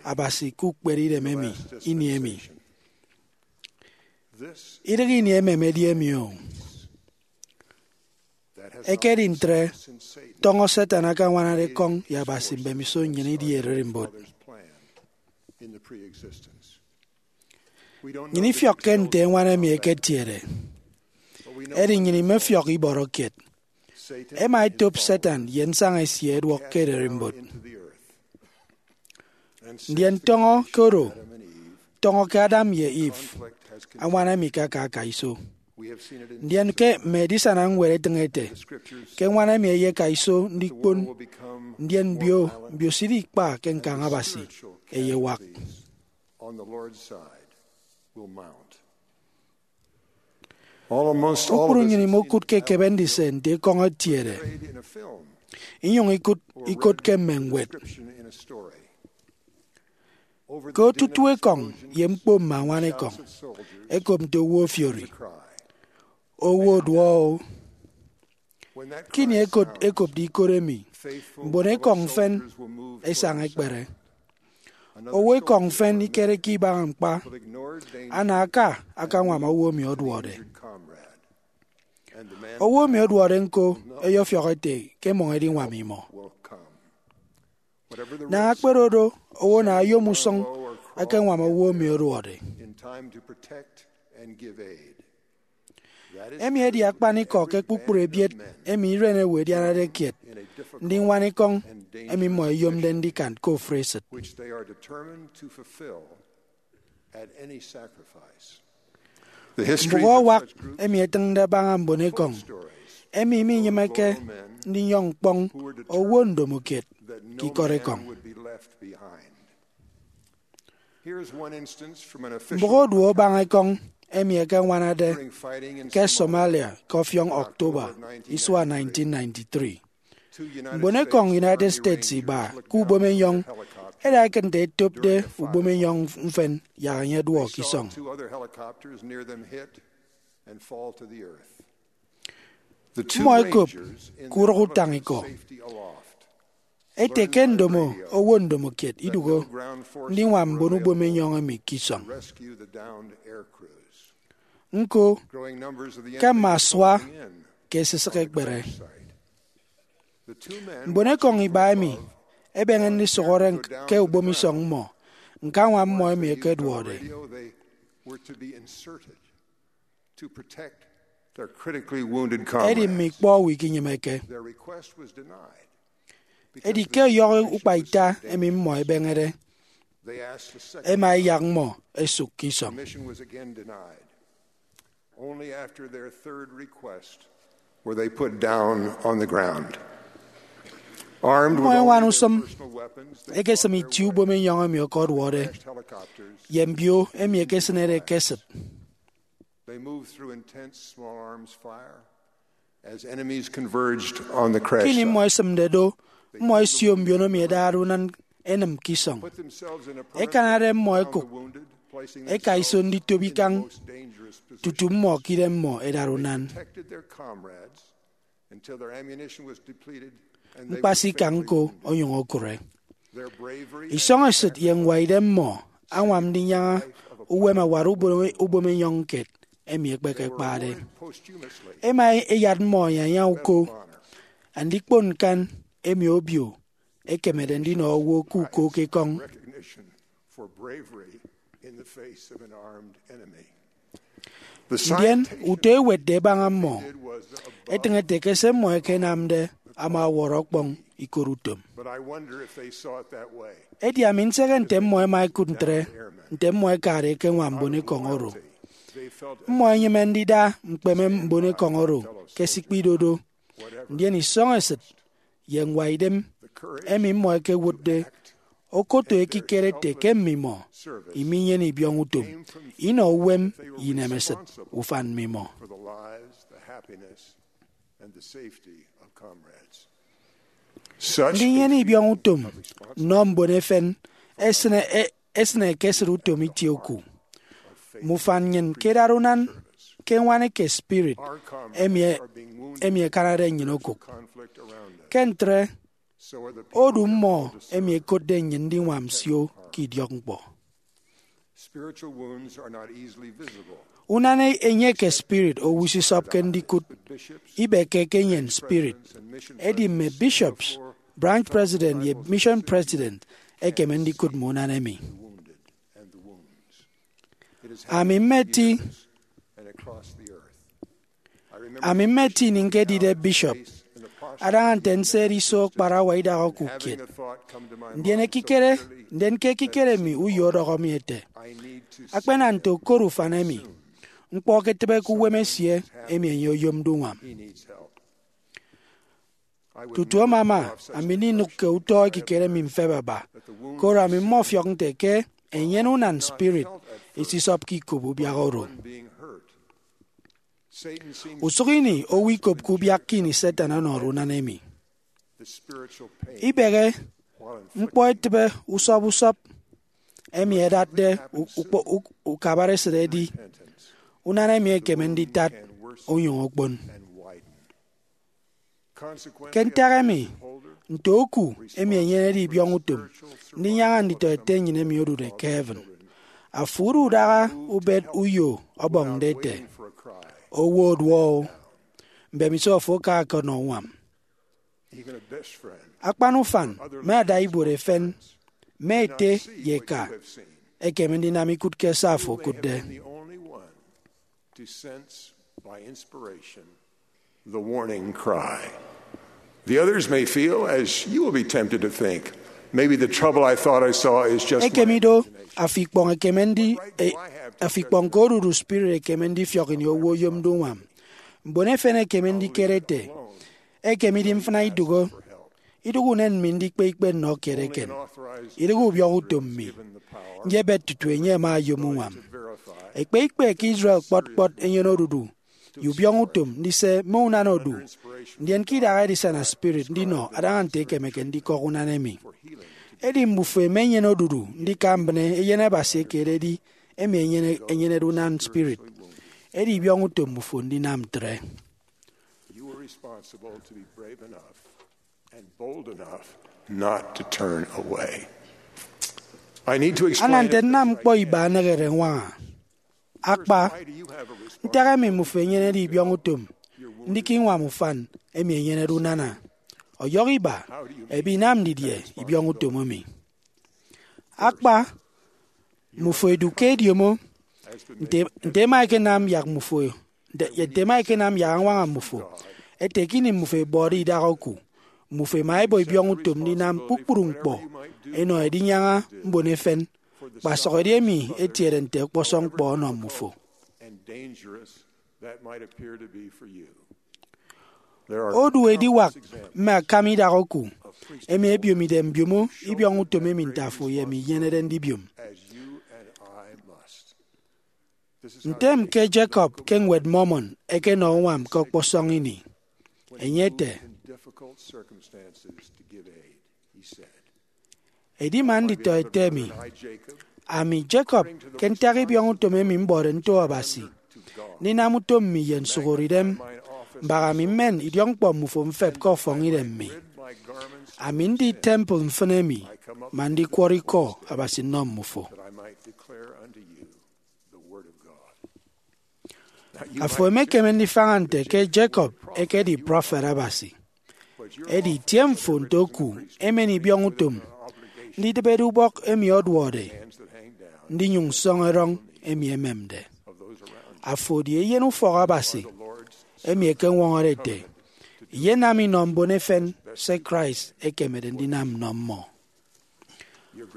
Abasi ke ukpere idem emi ini emi. Idịghe ini emem edi emi o. Ekedi ntre, tọñọ Satan akañwanade ekọñ ye Abasi mbemiso nnyịn idi ererimbot. Nnyịn ifiọkke nte eñwan emi eketiede, edi nnyịn imefiọk ibọrọ kiet. Ẹma ẹtop Satan ye nsaña esie ẹduọk ke ererimbot. Ndien tọñọ ke oro, tọñọ ke Adam ye Eve, añwan emi ke aka aka iso. Ndien ke mme edisana ñwed etịñ ete ke eñwan emi eyeka iso ndikpon, ndien mbio, mbio sidi ikpa ke ñkañ Abasi eyewak. On the Lord's side will mount. Kpukpru nnyịn imokụt ke ekebe ndise nte ekọñ etiede, inyụñ ikụt ikot ke mme ñwed. Ke otutu ekọñ ye ñkpo mme añwan ekọñ, ẹkop nte owo ofiori, owo oduọ-o. Ke ini ẹkot ẹkopde ikot emi, mbon ekọñ mfịn ẹsaña ẹkpere. Owo ekọñ mfịn ikereke ibaña ñkpa, ana aka akañwam owo emi ọduọde. Owo emi ọduọde ñko ẹyọfiọk ete ke ẹmọñ ẹdiñwam imọ. Naña kpere do, owo ana oyom usụñ akañwam owo emi ọduọde. Emi edi akpanikọ ke kpukpru ebiet emi iren ewe edianade kiet ndiñwana ekọñ emi mmọ ẹyomde ndikan ke ofụri esịt. Mbụk awak emi etịñde abaña mbon ekọñ emi minyịmeke ndinyọñ ñkpọñ owo ndomokiet ke ikọt ekọñ. Mbụk oduo abaña ekọñ emi ẹkeñwanade ke Somalia ke ọfiọñ October isua nineteen ninety-three. Mbon ekọñ United States iba ke ubomenyọñ ẹda ẹkịt nte ẹtopde ubomenyọñ mfịn yak enye ẹduọ ke isọñ. Mmọ ẹkop ke urụk utañikọ ẹte ke ndomo owo ndomokiet idụhe ndiñwam mbon ubomenyọñ emi ke isọñ. Ñko, ke mme asua ke ẹsisịk ẹkpere. Mbon ekọñ iba emi ẹbeñe ndisụhọre ke ubomisọñ mmọ ñkañwam mmọ emi ẹkeduọde. Edi mme ikpọ owo ikinyịmeke. Edi ke ọyọhọ ukpa ita emi mmọ ẹbeñede, ẹma ẹyak mmọ ẹsụk ke isọñ. Only after their third request were they put down on the ground. Armed with only their personal weapons, they fought their way through crashed helicopters. Mmọ ẹñwana usụñ ẹkesịm itie ubomenyọñ emi ọkọduọde ye mbio emi ẹkesịnede ke esịt. They moved through intense small arms fire as enemies converged on the crash site. Ke ini mmọ ẹsịmde do, mmọ ẹsio mbiono emi ẹdade unan ẹnịm ke isọñ. Ẹkanade mmọ ẹkụk ẹka iso nditop ikañ tutu mmọ ke idem mmọ ẹdade unan. Ñkpasikañ ñko onyụñ okụre. Isọñ esịt ye ñwaidem mmọ añwam ndinyaña uwem awat ubom-, ubomenyọñ kiet emi ekpekekpade. Ẹma ẹyat mmọ ẹnyaña uko andikpon ñkan emi obio ekemede ndinọ owo ke uko ke ekọñ. Ndien utọ ewetde ẹbaña mmọ etịñ ete ke se mmọ ẹkenamde ama ọwọrọ ọkpọñ ikot utom. Edi ami nsehe nte mmọ ẹma ẹkụt ntre, nte mmọ ẹkade ẹkeñwam mbon ekọñ oro. Mmọ ẹnyịme ndida ñkpeme mbon ekọñ oro ke ẹsikpe idodo, ndien isọñ esịt ye ñwaidem emi mmọ ẹkewụtde okoto ekikere ete ke mmimọ iminyene ibiọñutom inọ uwem ye inemesịt ufan mmimọ. Ndinyene ibiọñutom nnọ mbon efen esịne, e-, esịne ekesịt utom itie oku. Mme ufan nnyịn ke idara unan ke ñwan eke spirit emi, emi ẹkanade nnyịn okụk. Ke ntre, odu mmọ emi ẹkotde nnyịn ndiñwam nsio ke idiọkñkpọ. Unan enye eke spirit owo isisọpke ndikụt, ibeke ke enye spirit, edi mme bishops, branch president, ye mission president ẹkeme ndikụt mme unan emi. Ami mmeti, ami mmeti ini ñkedide bishop, adaña nte nsede iso kparawa idak okụk kiet. Ndien ekikere, ndien ke ekikere mi uyo ọdọhọ mi ete, akpena nte okot ufan emi, ñkpọ eketịbe ke uwem esie emi enye oyomde uñwam. Tutu amama, ami ndinụk ke utọ ekikere mi mfep aba, koro ami mmọfiọk nte ke enyene unan spirit isisọpke ikop ubiak oro. Usụk ini owo ikopke ubiak ke ini Satan ọnọde unan emi. Ibehe ñkpọ etịbe usọp usọp emi ẹdatde u- ukpo- uk- ukabare esịt edi unan emi ekeme nditat onyụñ okpon. Ke ntak emi, nte oku emi enyenede ibiọñutom ndinyaña nditọete nnyịn emi odude ke heaven, afo udu udaha ubet uyo ọbọñde ete, "Owo oduọ-o, mbemiso afo aka ọkọnọ uñwam." Akpan ufan mme adaibuot efen, mme ete ye eka, ekeme ndinam ikụt ke se afo okụtde. To sense by inspiration the warning cry. The others may feel, as you will be tempted to think, "Maybe the trouble I thought I saw is just my Ekeme ido, imagination." Afo ikpọñ ekeme ndi e- afo ikpọñ ke odudu spirit ekeme ndifiọk ini owo oyomde uñwam. Mbon efen ekeme ndikere ete, "Ekem idi mfịna idụhe, idụhe unen mi ndikpe ikpe nnọ kiet eken. Idịghe ubiọñutom mi, nyebet tutu enye ama oyom uñwam." Ekpe ikpe ke Israel kpọt kpọt enyene odudu ye ubiọñutom ndise mme unan odu, ndien ke idaha edisana spirit ndinọ adaña nte ekemeke ndikọk unan emi. Edi mbufo ẹma ẹnyene odudu ndika mbịne Eyen Abasi eke ededi emi enyene- enyenede unan spirit. Edi ibiọñutom mbufo ndinam ntre. You are responsible to be brave enough and bold enough not to turn away. I need to explain Ana nte nnam ñkpọ iba anehede ñwaña. Akpa, ntak emi mmufo enyenede ibiọñutom ndika iñwam ufan emi enyenede unana? Ọyọhọ iba, ebe inam didie ibiọñutom emi? Akpa, mmufo edu ke ediomo. Nte, nte ema ekenam yak mmufo, nte, nte ema ekenam yak añwaña mmufo, ete ke ini mmufo ebọde idaha oku, mmufo ema ebọ ibiọñutom ndinam kpukpru ñkpọ enọ edinyaña mbon efen, kpasụk edi emi etiede nte ọkpọsọñ ñkpọ ọnọ mmufo. Odu ediwak mme akam idaha oku emi ebiomide mbiomo ibiọñutom emi nte afo ye emi inyenede ndibiom. Ntem ke Jacob ke Ñwed Mormon ekenọ uñwam ke ọkpọsọñ ini. Enye ete, "Edi man nditọete mi, ami Jacob, ke ntak ibiọñutom emi mbọde nto Abasi, ndinam utom mi ye nsuhọre idem, mbaha mi mmen idiọkñkpọ mmufo mfep ke ọfọñidem mi. Ami ndi temple mfịn emi, man ndikwọrọ ikọ Abasi nnọ mmufo." Afo emekeme ndifaña nte ke Jacob ekedi prọfet Abasi. Edi itie mfo nte oku emen ibiọñutom ndidịbede ubọk emi ọduọde ndinyụñ sọñ erọñ emi ememde. Afo edi eyen ufọk Abasi emi ekeñwọñọde ete iyenam inọ mbon efen se Christ ekemede ndinam nnọ mmọ.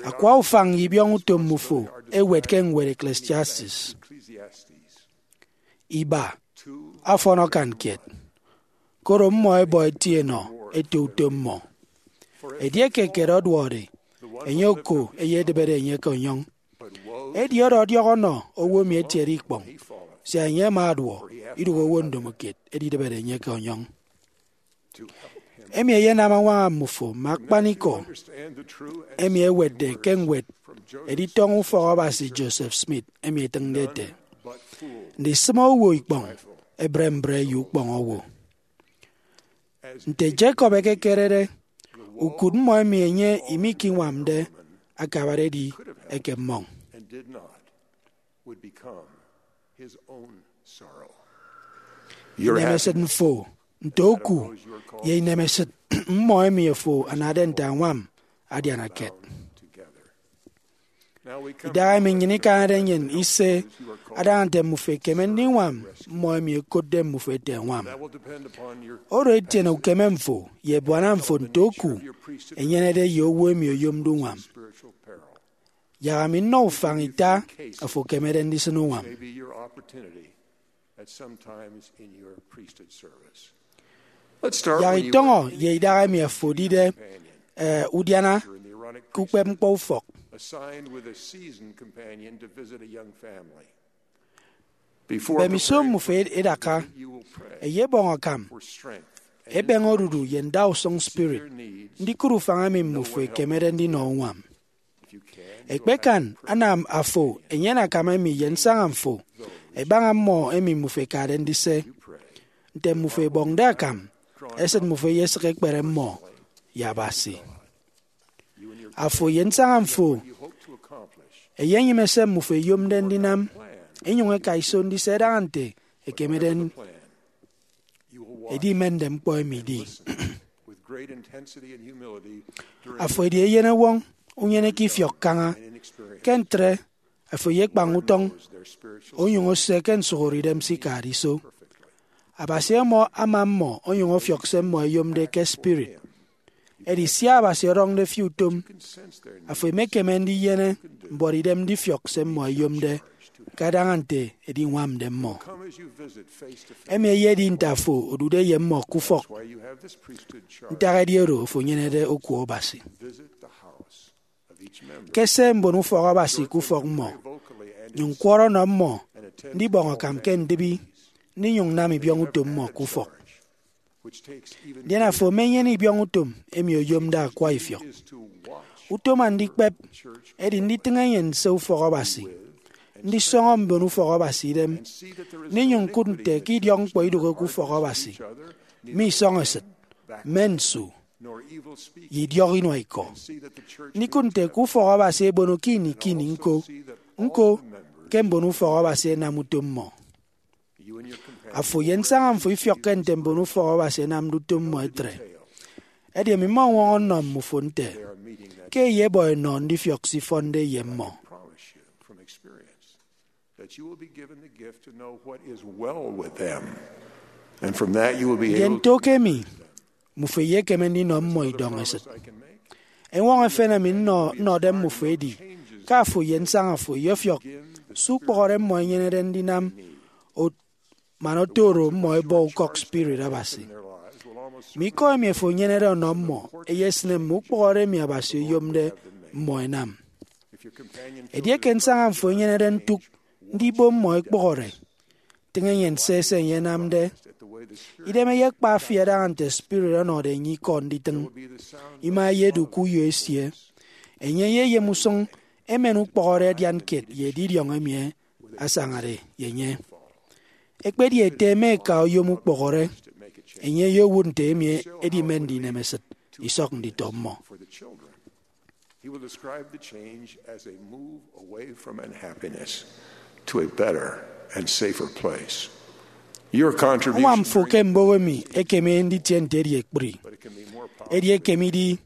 Akwa ufañ ye ibiọñutom mmufo ẹwet ke ñwed Ecclesiastes. Iba, afọn akan kiet, koro mmọ ẹbọ ẹtie ẹnọ ẹto utom mmọ. Edieke kiet ọduọde, enye oko eyedịbede enye ke ọnyọñ. Edi ọdọ ọdiọk ọnọ owo emi etiede ikpọñ, sia enye ama aduọ, idụhe owo ndomokiet edidịbede enye ke ọnyọñ. Emi eyenam añwaña mmufo mme akpanikọ emi ẹwetde ke ñwed editọñọ ufọk Abasi Joseph Smith emi etịñde ete, "Ndisịme owo ikpọñ ebre mbre ye ukpọñ owo." Nte Jacob ekekerede, ukụt mmọ emi enye imikiñwamde akabade edi ekemmọñ. Inemesịt mfo nte oku ye inemesịt mmọ emi afo anade nte añwam adiana kiet. Idahaemi nnyịn ikañade nnyịn ise adaña nte mmufo ẹkeme ndiñwam mmọ emi ẹkotde mmufo ẹte ẹñwam. Oro etiene ukeme mfo ye ebuana mfo nte oku enyenede ye owo emi oyomde uñwam. Yak ami nnọ ufañ ita afo ekemede ndisịn uñwam. Yak itọñọ ye idahaemi afo edide, eh, udiana ke ukpepñkpọ ufọk. Mbemiso mmufo edaka, eyebọñ akam, ebeñe odudu ye ndausụñ spirit ndikụt ufañ emi mmufo ekemede ndinọ uñwam. Ekpekan, anam afo enyene akam emi ye nsaña mfo ẹbaña mmọ emi mmufo ẹkade ndise. Nte mmufo ẹbọñde akam, esịt mmufo eyesịk ekpere mmọ ye Abasi. Afo ye nsaña mfo ẹyenyịme se mmufo ẹyomde ndinam, ẹnyụñ ẹka iso ndise ẹdaña nte ẹkemede ẹdimende ñkpọ emi idi. Afo edi eyenewọñ, unyeneke ifiọk kaña. Ke ntre, afo eyekpañ utọñ, onyụñ ose ke nsụhọre idem se ikade iso. Abasi ama ama mmọ onyụñ ọfiọk se mmọ ẹyomde ke spirit. Edi sia Abasi ọdọñde fi utom, afo emekeme ndinyene mbuọtidem ndifiọk se mmọ ẹyomde, kadaña nte ediñwamde mmọ. Emi eyedi nte afo odude ye mmọ ke ufọk. Ntak edi oro afo enyenede oku Abasi. Kese mbon ufọk Abasi ke ufọk mmọ, nyụñ kwọrọ ọnọ mmọ ndibọñ akam ke ndịbi, ndinyụñ nam ibiọñ utom mmọ ke ufọk. Ndien afo emenyene ibiọñ utom emi oyomde akwa ifiọk. Utom andikpep edi nditịñ enyịn nse ufọk Abasi, ndisọñọ mbon ufọk Abasi idem, ndinyụñ ñkụt nte ke idiọkñkpọ idụhe ke ufọk Abasi, mme isọñ esịt, mme nsu, ye idiọk inua ikọ. Ndikụt nte ke ufọk Abasi ebono ke ini ke ini ñko, ñko ke mbon ufọk Abasi ẹnam utom mmọ. Afo ye nsaña mfo ifiọkke nte mbon ufọk Abasi ẹnamde utom mmọ etre. Edi emi mmọñwọñọ nnọ mmufo nte ke eyebọ enọ ndifiọk se ifọnde ye mmọ. Ndien nto ke emi, mmufo eyekeme ndinọ mmọ idọñ esịt. Eñwọñọ efen emi nnọ nnọde mmufo edi ke afo ye nsaña fo ẹyọfiọk se ukpọhọre mmọ ẹnyenede ndinam, man oto oro mmọ ẹbọ ukọk spirit Abasi. Mme ikọ emi afo enyenede ọnọ mmọ eyesịne mme ukpọhọre emi Abasi oyomde mmọ ẹnam. Edieke nsaña mfo enyenede ntụk ndibo mmọ ekpụhọre, tịñ enyịn se se enye enamde. Idem eyekpa fi adaña nte spirit ọnọde enye ikọ nditịñ. Ima eyedu ke uyo esie. Enye ye eyemusụñ emen ukpọhọre adian kiet ye edidiọñ emi asañade ye enye. Ekpedi ete eme eka oyom ukpọhọre, enye eyewụt nte emi edimende inemesịt isọk nditọ mmọ. He will describe the change as a move away from unhappiness to a better and safer place. Your contribution Uñwam fo ke mbụk emi ekeme nditie nte edi ekpri. Edi ekeme idi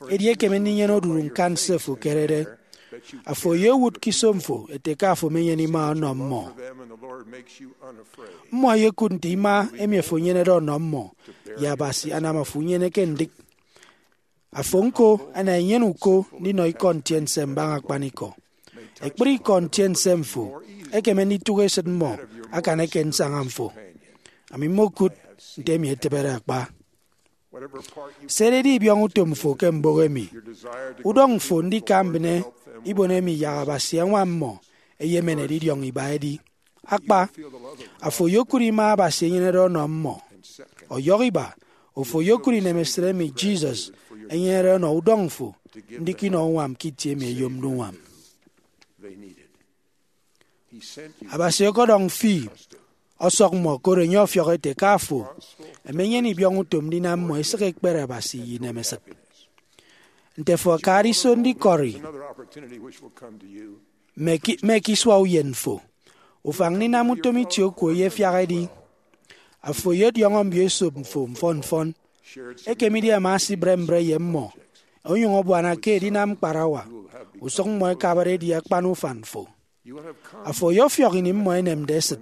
edi ekeme ndinyene odudu ñkan se fo ekerede. Afo eyewụt ke iso mfo ete ke afo emenyene ima ọnọ mmọ. Mmọ eyekụt nte ima emi afo enyenede ọnọ mmọ ye Abasi anam afo unyeneke ndịk. Afo ñko ana enyene uko ndinọ ikọ ntiense mbaña akpanikọ. Ekpri ikọ ntiense mfo ekeme nditụk esịt mmọ akan eke nsaña mfo. Ami mmokụt nte emi etịbede akpa. Sededi ibiọñ utom fo ke mbụk emi, udọñ fo ndika mbịne ibon emi yak Abasi añwam mmọ eyemen edidiọñ iba edi. Akpa, afo oyokụt ima Abasi enyenede ọnọ mmọ. Ọyọhọ iba, afo oyokụt inemesịt emi Jesus enyenede ọnọ udọñ fo ndika inọ uñwam ke itie emi eyomde uñwam. Abasi ọkọdọñ fi ọsọk mmọ koro enye ọfiọk ete ke afo emenyene ibiọñ utom ndinam mmọ esịk ekpere Abasi ye inemesịt. Nte afo akade iso ndikọri mme ke mme ke isua uyen fo, ufañ ndinam utom itie oku eyefiak edi. Afo oyodiọñọ mbioesop mfo mfọn mfọn. Ekemidi ama asibre mbre ye mmọ, onyụñ ọbuana ke edinam ñkparawa, usụk mmọ ẹkabade edi akpan ufan fo. Afo oyọfiọk ini mmọ ẹnemde esịt,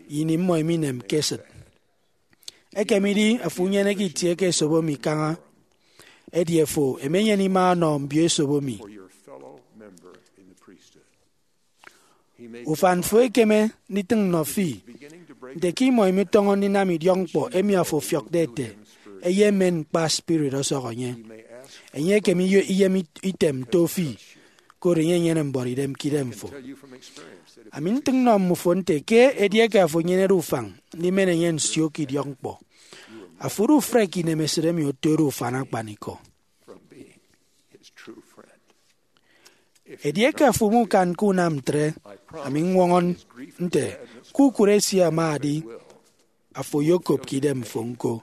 ye ini mmọ iminemke esịt. Ekemidi afo unyeneke itie ke esobo mi kaña, edi afo emenyene ima ọnọ mbioesop mi. Ufan fo ekeme nditịñ nnọ fi nte ke imọ imitọñọ ndinam idiọkñkpọ emi afo ọfiọkde ete eyemen ñkpa spirit ọsọk enye. Enye ekeme iye- iyem it- item nto fi, koro enye enyene mbuọtidem ke idemfo. Ami ntịñ nnọ mmufo nte ke edieke afo enyenede ufañ ndimen enye nsio ke idiọkñkpọ, afo odu ufrek inemesịt emi otode ufan akpanikọ. Edieke afo mukan ke unam ntre, ami ññwọñọ nte ke ukụre esie ama adi, afo oyokop ke idemfo ñko.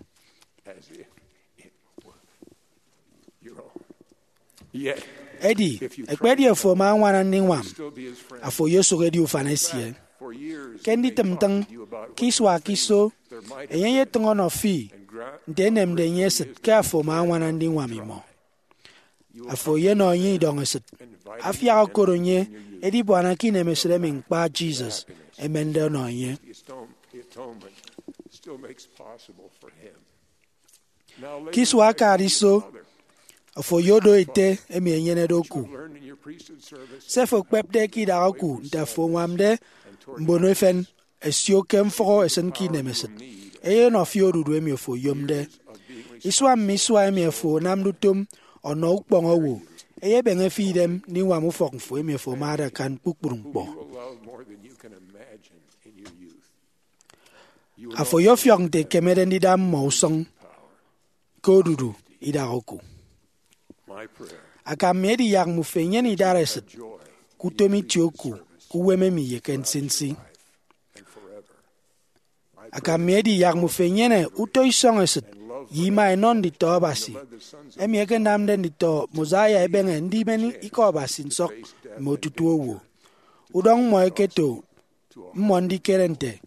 Edi, ekpedi afo ama añwana ndiñwam, afo oyosụk edi ufan esie. Ke nditịm ntịñ, ke isua ke iso, enye eyetịñ ọnọ fi nte enemde enye esịt ke afo ama añwana ndiñwam imọ. Afo eyenọ enye idọñesịt, afiak okot enye edibuana ke inemesịt emi ñkpa Jesus emende ọnọ enye. Ke isua akade iso, afo oyodo ete emi enyenede oku. Se afo ekpepde ke idak oku nte afo añwamde mbono efen ẹsio ke mfụhọ ẹsịn ke inemesịt, eyenọ fi odudu emi afo oyomde. Isua mme isua emi afo anamde utom ọnọ ukpọñ owo eyebeñe fi idem ndiñwam ufọk mfo emi afo amade akan kpukpru ñkpọ. Afo oyofiọk nte ekemede ndida mmọ usụñ ke odudu idak oku. Akam mi edi yak mmufo enyene idaresịt ke utom itie oku ke uwem emi ye ke nsinsi. Akam mi edi yak mmufo enyene utọ isọñ esịt ye ima enọ nditọ Abasi, emi ẹkenamde nditọ Mosiah ẹbeñe ndimen ikọ Abasi nsọk mme otutu owo. Udọñ mmọ eketo mmọ ndikere nte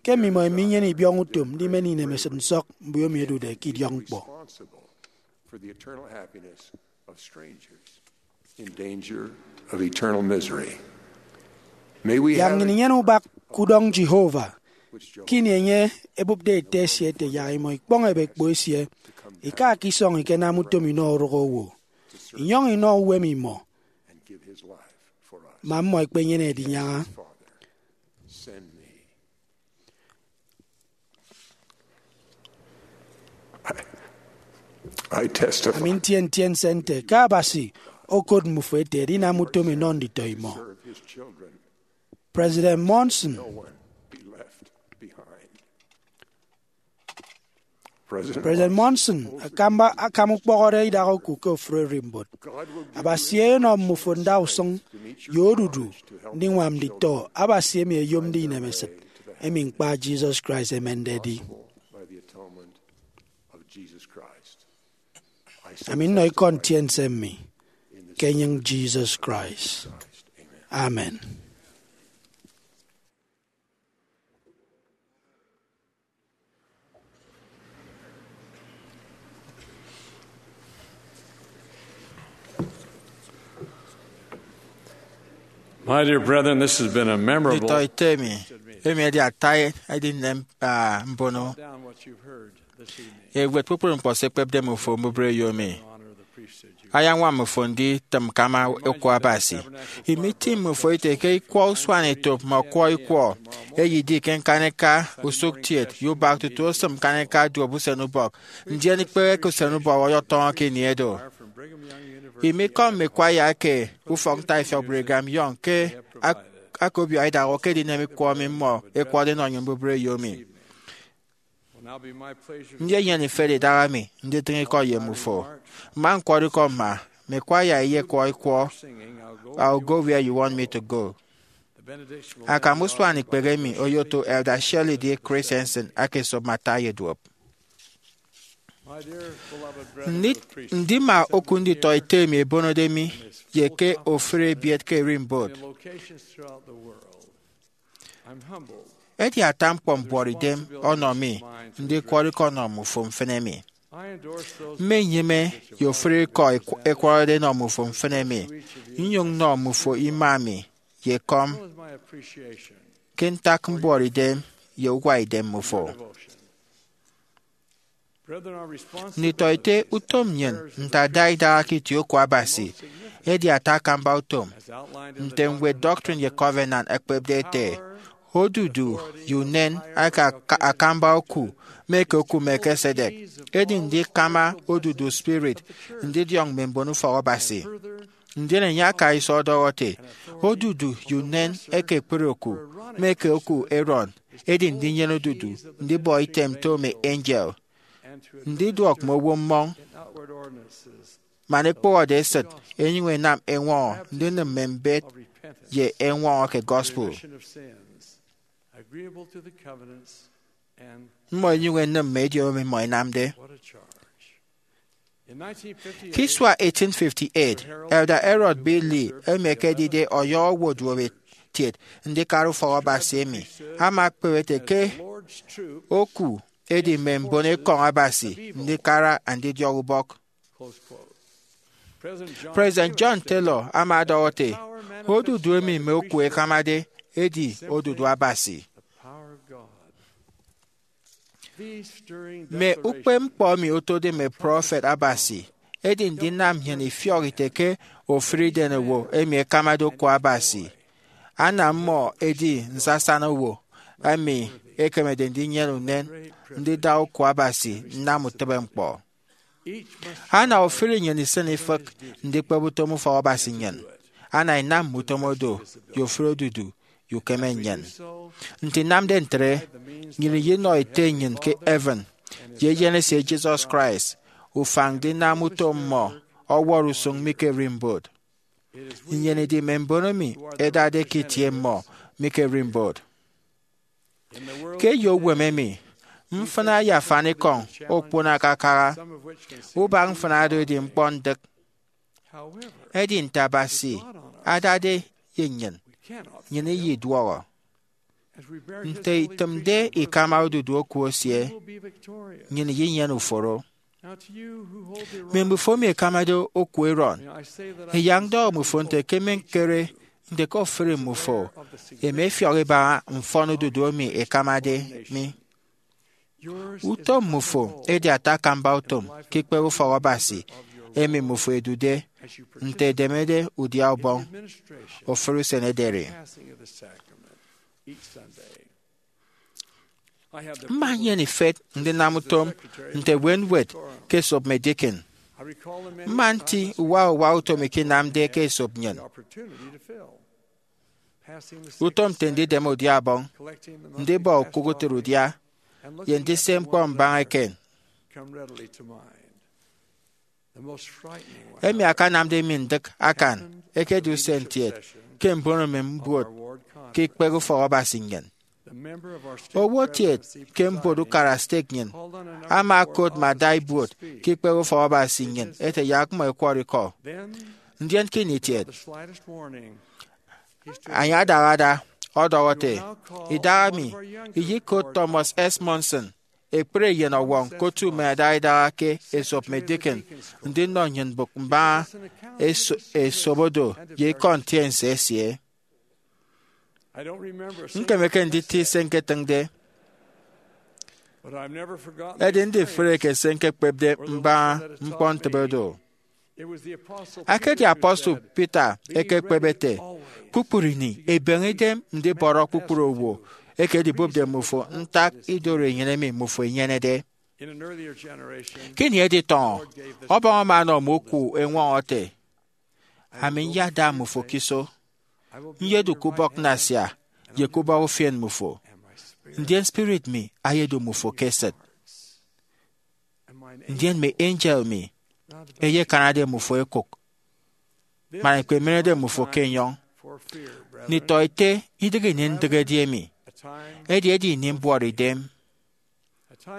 ke mmimọ minyene ibiọñọ utom ndimen inemesịt nsọk mbiomi ẹdude ke idiọkñkpọ. Yak nnyịn inyene ubak ke udọñ Jehovah, ke ini enye ebụpde Ete esie ete yak imọ ikpọñ ebekpo esie, ika ke isọñ ikenam utom inọ orụk owo, inyọñ inọ uwem imọ, man mmọ ẹkpenyene edinyaña. Ami ntie ntiense nte ke Abasi okot mmufo ete edinam utom inọ nditọ imọ. President Monson President Monson akamba akam ukpọhọde idak oku ke ofụri ererimbot. Abasi eyenọ mmufo ndausụñ ye odudu ndiñwam nditọ Abasi emi ẹyomde inemesịt emi ñkpa Jesus Christ emende edi. Ami nnọ ikọ ntiense mmi ke enyịñ Jesus Christ. Amen. My dear brethren, this has been a memorable Nditọ ete mi, emi edi ata edinem, ah, mbono. Down what you've heard this evening. Ewet kpukpru ñkpọ se ekpepde mmufo mbubreyo mi. Honor the priesthood you ayañwam mmufo nditịm ke ama oku Abasi. Imi itịñ mmufo ite ke ikwọ usuanetop mme ọkwọ ikwọ eyedi ke ñkanika usụktiet ye ubak tutu osịm ñkanika duop usenubọk, ndien ikpehe ke usenubọk ọyọtọñọ ke ini edo. Imi ikọ mme kwaya eke ufọk ntaifiọk Brigham Young ke ak-, akobiọ idaha ke edinem ikwọ emi mmọ ekwọde inọ nnyịn mbubreyo mi. Ndi enyene ifet idaha mi nditịñ ikọ ye mmufo? Mma ñkwọrọ ikọ mma mme kwaya eyekwọ ikwọ I'll Go Where You Want Me to Go. Akam usuan ikpehe emi oyoto Elder Shirley D. Christensen aka esop mme ata ye duop. Ndi-, ndima oku nditọ ete emi ebonode mi ye ke ofụri ebiet ke ererimbot. Edi ata ñkpọ mbuọtidem ọnọ mi ndikwọrọ ikọ nnọ mmufo mfịn emi. Mmenyịme ye ofụri ikọ ekw-, ẹkwọrọde nnọ mmufo mfịn emi, nnyụñ nnọ mmufo ima mi ye ekọm ke ntak mbuọtidem ye uwaidem mmufo. Nditọete, utom nnyịn nte ada idaha ke itie oku Abasi edi ata akamba utom. Nte ñwed Doctrine ye Covenant ekpepde ete, odudu ye unen aka aka-, akamba oku mme ke oku Melchizedek, edi ndikama odudu spirit ndidiọñ mme mbonufọk Abasi. Ndien enye aka iso ọdọhọ ete, odudu ye unen eke ekpri oku, mme eke oku Aaron, edi ndinyene odudu ndibọ item nto mme angel, ndiduọk mme owo mmọñ, man ekpụhọde esịt, enyụñ enam eñwọñọ ndinịm mme mbet ye eñwọñọ ke gospel. Mmọ enyụñ enịm mme ediomi mmọ enamde. Ke isua eighteen fifty-eight, Elder Harold B. Lee, emi ekedide ọyọhọ owo duop etiet ndikara ufọk Abasi emi, ama ekpep ete ke oku edi mme mbon ekọñ Abasi ndikara andidiọk ubọk. President John Taylor ama ọdọhọ ete, odudu emi mme oku ẹkamade edi odudu Abasi. Mme ukpepñkpọ emi otode mme prọfet Abasi edi ndinam nnyịn ifiọk ite ke ofụri idenowo emi ẹkamade oku Abasi, anam mmọ ẹdi nsasana owo emi ẹkemede ndinyene unen ndida oku Abasi nnam utịbeñkpọ. Ana ofụri nnyịn isịn ifịk ndikpep utom ufọk Abasi nnyịn. Ana inam mme utom odo ye ofụri odudu ye ukeme nnyịn. Nte inamde ntre, nnyịn iyinọ Ete nnyịn ke heaven ye Eyen esie Jesus Christ ufañ ndinam utom mmọ ọwọrọ usụñ mi ke erimbot. Nnyịn idi mme mbon emi ẹdade ke itie mmọ mi ke erimbot. Ke eyo uwem emi, mfịna ye afanikọñ okpon akakaha, ubak mfịna do edi ñkpọ ndịk. Edi nte Abasi adade ye nnyịn, nnyịn iyiduọhọ. Nte itịmde ikama odudu oku esie, nnyịn iyinyene uforo. Mme mbufo emi ẹkamade oku Aaron, ẹyak ndọhọ mmufo nte ke mmeñkere nte ke ofụri mmufo ẹma ẹfiọk ibaña mfọn odudu emi ẹkamade mi. Utom mmufo edi ata akamba utom ke ikpep ufọk Abasi emi mmufo ẹdude nte ẹdemede udia ubọñ ofụri usen ederi. Mma nnyene ifet ndinam utom nte ewenwet ke esop mme deacon. Mma nti uwa uwa utom eke inamde ke esop nnyịn. Utom nte ndidem udia ubọñ, ndibọ okụk utịt udia, ye ndise ñkpọ mbaña eken. Emi akanamde mi ndịk akan ekedi usen kiet ke mbono mme mbuot ke ikpehe ufọk Abasi nnyịn. Owo kiet ke mbuot ukara stake nnyịn ama okot mme adaibuot ke ikpehe ufọk Abasi nnyịn ete yak mmọ ẹkwọrọ ikọ. Ndien ke ini kiet, enye adahada ọdọhọ ete, idahaemi iyikot Thomas S. Monson, ekpri eyen Ọwọñ ke otu mme adaidaha ke esop mme deacon, ndinọ nnyịn mbụk mbaña eso- esop odo ye ikọ ntiense esie. Ñkemeke nditi se ñketịñde, edi ndifreke se ñkekpepde mbaña ñkpọntịbe do. Ekedi apostle Peter ekekpep ete, kpukpru ini ebeñe idem ndibọrọ kpukpru owo eke edibụpde mmufo ntak ido oro enyene emi mmufo inyenede. Ke ini editọñọ, Ọbọñ ama ọnọ mme oku eñwọñọ ete, ami nyada mmufo ke iso, nyedu ke ubọk nnasia ye ke ubọk ufien mmufo, ndien spirit mi ayedu mmufo ke esịt. Ndien mme angel mi ẹyekanade mmufo ẹkụk, man ẹkpemenede mmufo ke enyọñ. Nditọete, idịghe ini ndịghedi emi, edi edi ini mbuọtidem,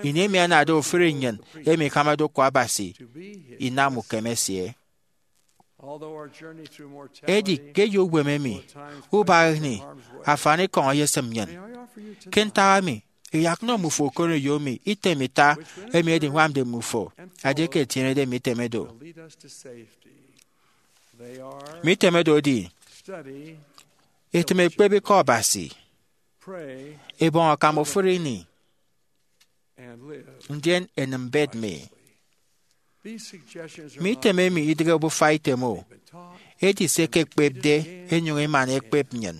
ini emi anade ofụri nnyịn emi ikamade oku Abasi inam ukeme esie. Edi ke eyo uwem emi, ubak ini afanikọñ eyesịm nnyịn. Ke ntak emi, iyak nnọ mmufo okoneyo mi item ita emi ediñwamde mmufo, edi eke etienede mme item edo. Mme item edo edi, etịm ekpep Ikọ Abasi, ebọñ akam ofụri ini, ndien enịm mbet mi. Mme item emi idịghe obufa item o, edi se ẹkekpepde ẹnyụñ ẹmana ẹkpep nnyịn.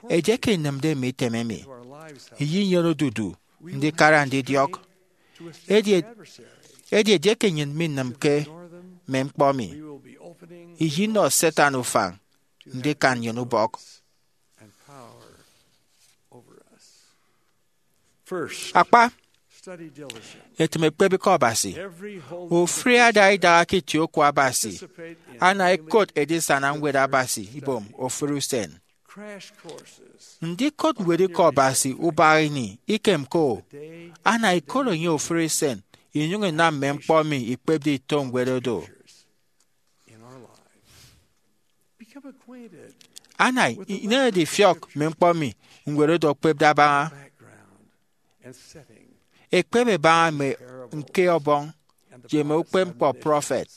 Edieke inịmde mme item emi, iyinyene odudu ndikara ndidiọk. Edi, edi edieke nnyịn minịmke, mme ñkpọ mi. Iyinọ Satan ufañ ndikan nnyịn ubọk. Akpa, etịm ekpep Ikọ Abasi. Ofụri ada idaha ke itie oku Abasi, ana ikot edisana Ñwed Abasi ibom ofụri usen. Ndikot Ñwed Ikọ Abasi ubak ini ikemke-o, ana ikot enye ofụri usen inyụñ inam mme ñkpọ emi ikpepde ito ñwed odo. Ana ineñede ifiọk mme ñkpọ emi ñwed odo okpepde abaña. Ekpep ebaña mme ñke Ọbọñ ye mme ukpepñkpọ prọfet.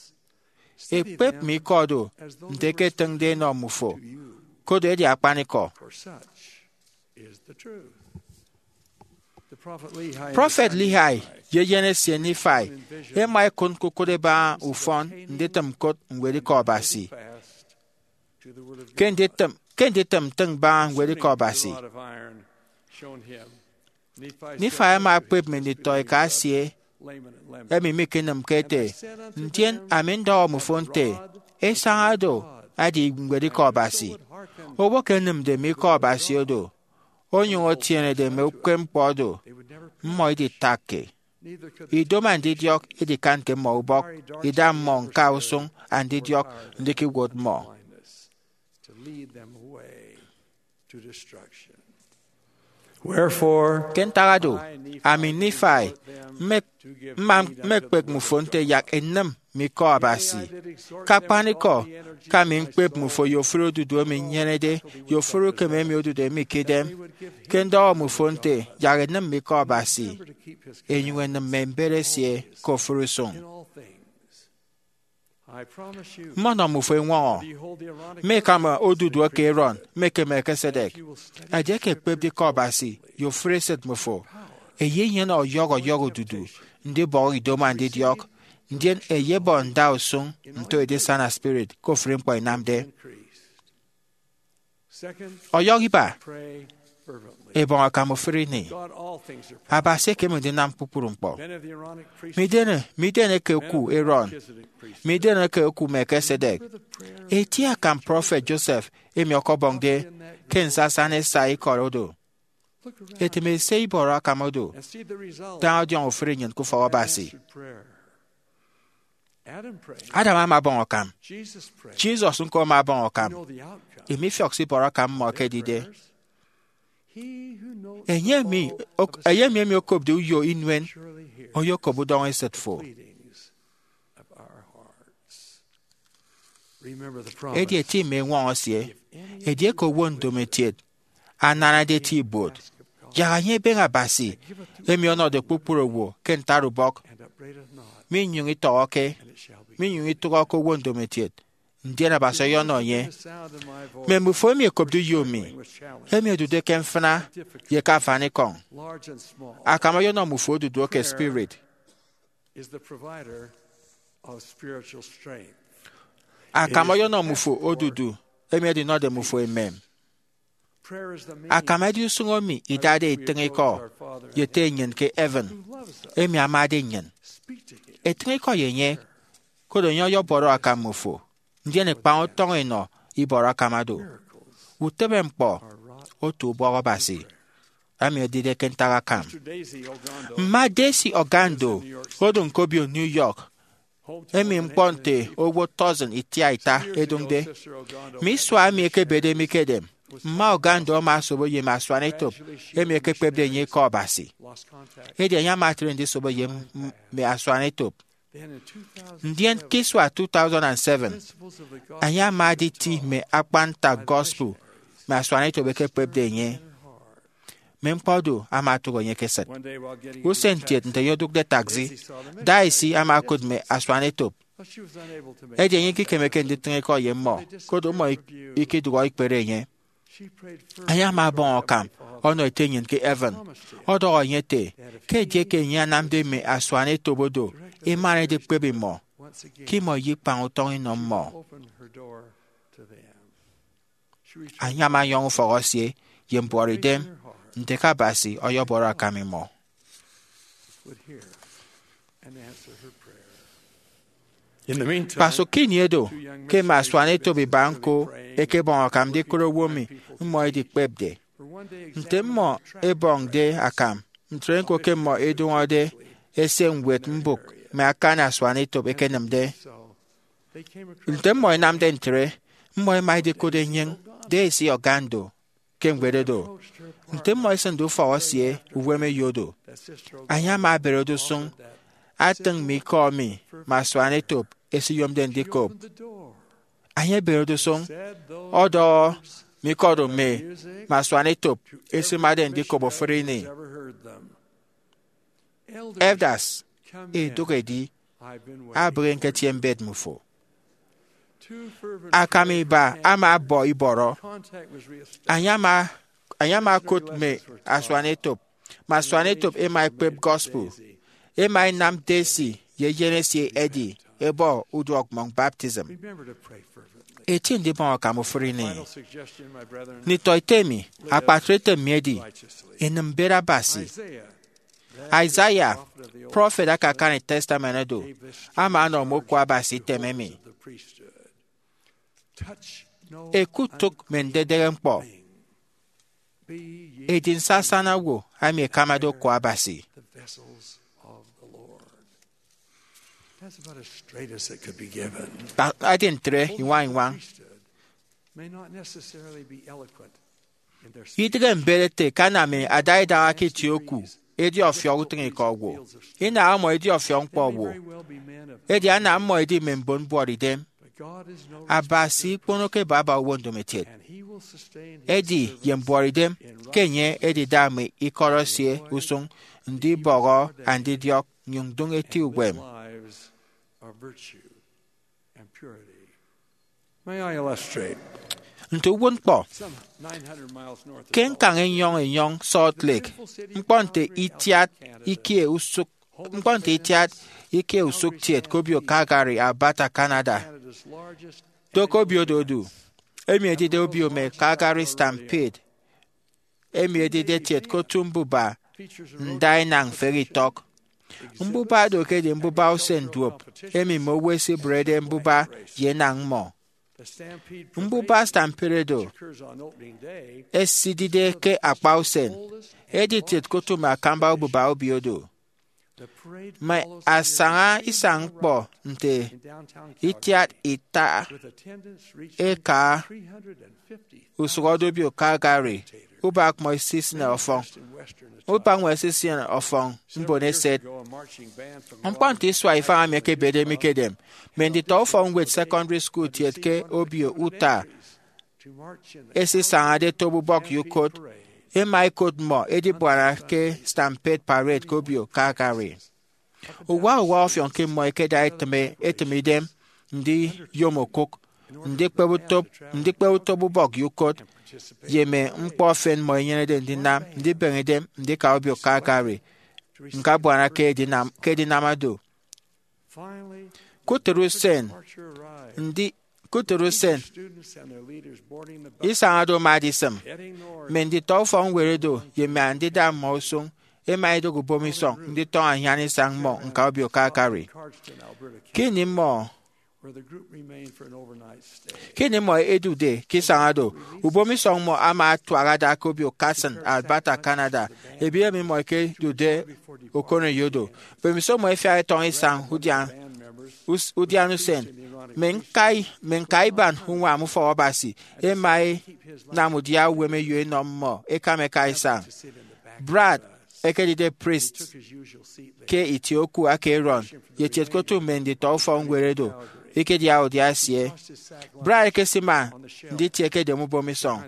Ekpep mme ikọ do nte ke etịñde enọ mmufo, koro edi akpanikọ. Prọfet Lehi ye eyen esie Nifai ẹma ẹkụt ñkukụt ẹbaña ufọn nditịm ñkụt Ñwed Ikọ Abasi. Ke nditịm, ke nditịm ntịñ mbaña Ñwed Ikọ Abasi, Nifai ama ekpep mme nditọeka esie emi mikenịmke ete, ndien ami ndọhọ mmufo nte, esaña do edi Ñwed Ikọ Abasi. Owo ke enịmde mme ikọ Abasi odo, onyụñ etienede mme ukpepñkpọ odo, mmọ iditakke. Idomo andidiọk idikanke mmọ ubọk, ida mmọ ñka usụñ andidiọk ndikewot mmọ. Ke ntak oro, ami Nifai, mme- mma mmekpek mmufo nte yak enịm mme ikọ Abasi. Ke akpanikọ, ke ami ñkpep mmufo ye ofụri odudu emi nnyenede ye ofụri ukeme emi odude mi ke idem, ke ndọhọ mmufo nte yak enịm mme ikọ Abasi, enyụñ enịm mme mbet esie ke ofụri usụñ. Mmọnọ mmufo eñwọñọ, mme ikama odudu eke Aaron mme eke Melchizedek. Edieke ekpepde Ikọ Abasi ye ofụri esịt mmufo, eyenyene ọyọhọ ọyọhọ odudu ndibọhọ idomo andidiọk, ndien eyebọ ndausụñ nto edisana spirit ke ofụri ñkpọ inamde. Ọyọhọ iba, ebọñ akam ofụri ini. Abasi ekeme ndinam kpukpru ñkpọ. Midien, midien eke oku Aaron, midien eke oku Melchizedek, eti akam prọfet Joseph emi ọkọbọñde ke nsasana esai ikọt odo. Etịm esie ibọrọ akam odo, daña ọdiọñ ofụri nnyịn ke ufọk Abasi. Adam ama ọbọñ akam. Jesus ñko ama ọbọñ akam. Emi ifiọk se ibọrọ akam mmọ ekedide. Enye emi, ok- enye emi, emi okopde uyo inuen, oyokop udọñesịt fo. Edi eti mme eñwọñọ esie, edieke owo ndomotiet ananade eti ibuot, yak enye ebeñe Abasi, emi ọnọde kpukpru owo ke ntaubọk, minyụñ itọhọke, minyụñ itụhọke owo ndomotiet, ndien Abasi ọyọnọ enye. Mme mbufo emi ẹkopde uyo mi, emi ẹdude ke mfịna ye ke afanikọñ, akam ọyọnọ mmufo odudu eke spirit. Akam ọyọnọ mmufo odudu emi edinọde mmufo emem. Akam edi usụñ emi idade itịñ ikọ ye Ete nnyịn ke heaven, emi amade nnyịn. Etịñ ikọ ye enye, koro enye ọyọbọrọ akam mmufo, ndien ẹkpañ utọñ ẹnọ ibọrọ akam do. Utịbeñkpọ otu ubọk Abasi, emi edide ke ntak akam. Mma Desi Ogando odụñ ke obio New York, emi ñkpọ nte owo tọsin itiaita ẹdụñde. Mme isua emi ẹkebede mi ke edem, mma Ogando ama asobo ye mme asuanetop emi ẹkekpepde enye Ikọ Abasi. Edi enye ama etre ndisobo ye m- mme asuanetop. Ndien ke isua two thousand and seven, enye ama editi mme akpan ntak gospel mme asuanetop ẹkekpepde enye. Mme ñkpọ do ama otụk enye ke esịt. Usen kiet nte eyedụkde taxi, Daisy ama okụt mme asuanetop. Edi enye ikikemeke nditịñ ikọ ye mmọ, koro mmọ ik- ikidụhọ ikpere enye. Enye ama ọbọñ akam ọnọ Ete nnyịn ke heaven, ọdọhọ enye ete ke edieke enye anamde mme asuanetop do emana edikpep imọ, ke imọ iyikpañ utọñ inọ mmọ. Enye ama ọnyọñ ufọk esie ye mbuọtidem nte ke Abasi ọyọbọrọ akam imọ. Kpasụk ke ini edo, ke mme asuanetop iba ñko ẹkebọñ akam ndikụt owo emi mmọ ẹdikpepde. Nte mmọ ẹbọñde akam, ntre ñko ke mmọ ẹdụñọde eseñwed mbụk mme akani asuanetop ẹkenịmde. Nte mmọ ẹnamde ntre, mmọ ẹma ẹdikụt enyịñ Daisy Ogando ke ñwed odo. Nte mmọ ẹsịnde ufọk esie uwem eyo odo, enye ama eberede usụñ atịñ mme ikọ emi mme asuanetop ẹsiyomde ndikop. Enye eberede usụñ ọdọhọ mme ikọ do mme mme asuanetop ẹsimade ndikop ofụri ini. Elders, idụk edi, abịghi ñketie mbet mmufo. Akam iba ama abọ ibọrọ. Enye ama, enye ama okot mme asuanetop. Mme asuanetop ẹma ẹkpep gospel. Ẹma ẹnam Daisy ye eyen esie Eddie ẹbọ uduọkmọñ baptism. Eti ndibọñ akam ofụri ini. Nditọete mi, akpatre item mi edi, inịm mbet Abasi. Isaiah, prọfet aka akani Testament odo, ama ọnọ mme oku Abasi item emi. Ẹkutụk mme ndedehe ñkpọ. Edi nsasana owo emi ẹkamade oku Abasi. Edi ntre iñwañ iñwañ. Idịghe mbet ete ke ana mme adaidaha ke itie oku edi ọfiọk utịñikọ owo, inaha mmọ edi ọfiọk ñkpọ owo, edi ana mmọ edi mme mbon mbuọtidem. Abasi ikponoke baba owo ndomokiet. Edi ye mbuọtidem ke enye edida mme ikọt esie usụñ ndibọhọ andidiọk nnyụñ ndụñ eti uwem. Nte uwụtñkpọ, ke ñkañ enyọñ enyọñ Salt Lake, ñkpọ nte itiat ikie usụk ñkpọ nte itiat ikie usụk tiet ke obio Calgary, Alberta, Canada, do ke obio do odu, emi edide obio mme Calgary Stampede, emi edide etiet ke otu mbuba ndainañ mfehe itọk. Mbuba do ekedi mbuba usen duop emi mme owo ẹsibụrede mbuba ye enañ mmọ. Mbuba Stampede do esidide ke akpa usen, edi etiet ke otu mme akamba obuba obio do. Mme asaña isañ ñkpọ nte itiat ita eka usụhọde obio Calgary, ubak mmọ esisịne ọfọñ, ubak mmọ esisịne ọfọñ mbon eset. Ñkpọ nte isua ifañ emi ẹkebede mi ke edem, mme nditọ ufọkñwed secondary school kiet ke obio Utah ẹsisañade etop ubọk ye ukot, ẹma ẹkot mmọ ẹdibuana ke Stampede Parade ke obio Calgary. Uwa uwa ọfiọñ ke mmọ ẹkeda ẹtịme ẹtịm idem ndiyom okụk, ndikpep utop, ndikpep utop ubọk ye ukot, ye mme ñkpọ efen mmọ ẹnyenede ndinam, ndibeñe idem ndika obio Calgary, ñkabuana ke edinam, ke edinam do. Kutịt usen, ndi, kutịt usen, isañ do ama adisịm. Mme nditọ ufọkñwed do ye mme andida mmọ usụñ ẹma ẹdụk ubomisọñ nditọñọ anyan isañ mmọ ñka obio Calgary. Ke ini mmọ, ke ini mmọ ẹdude ke isañ do, ubomisọñ mmọ ama atuak ada ke obio Carson, Alberta, Canada, ebiet emi mmọ ẹkedude okoneyo do. Mbemiso mmọ ẹfiak ẹtọñọ isañ udian, us-, udian usen, mme ñkai, mme ñkaiban uñwam ufọk Abasi ẹma ẹnam udia uwem eyo ẹnọ mmọ ẹkam ẹka isañ. Brad, ekedide priest ke itie oku aka Aaron, ye etiet ke otu mme nditọ ufọkñwed do, ikediaha udia esie. Brad ekesima nditie ke edem ubomisọñ.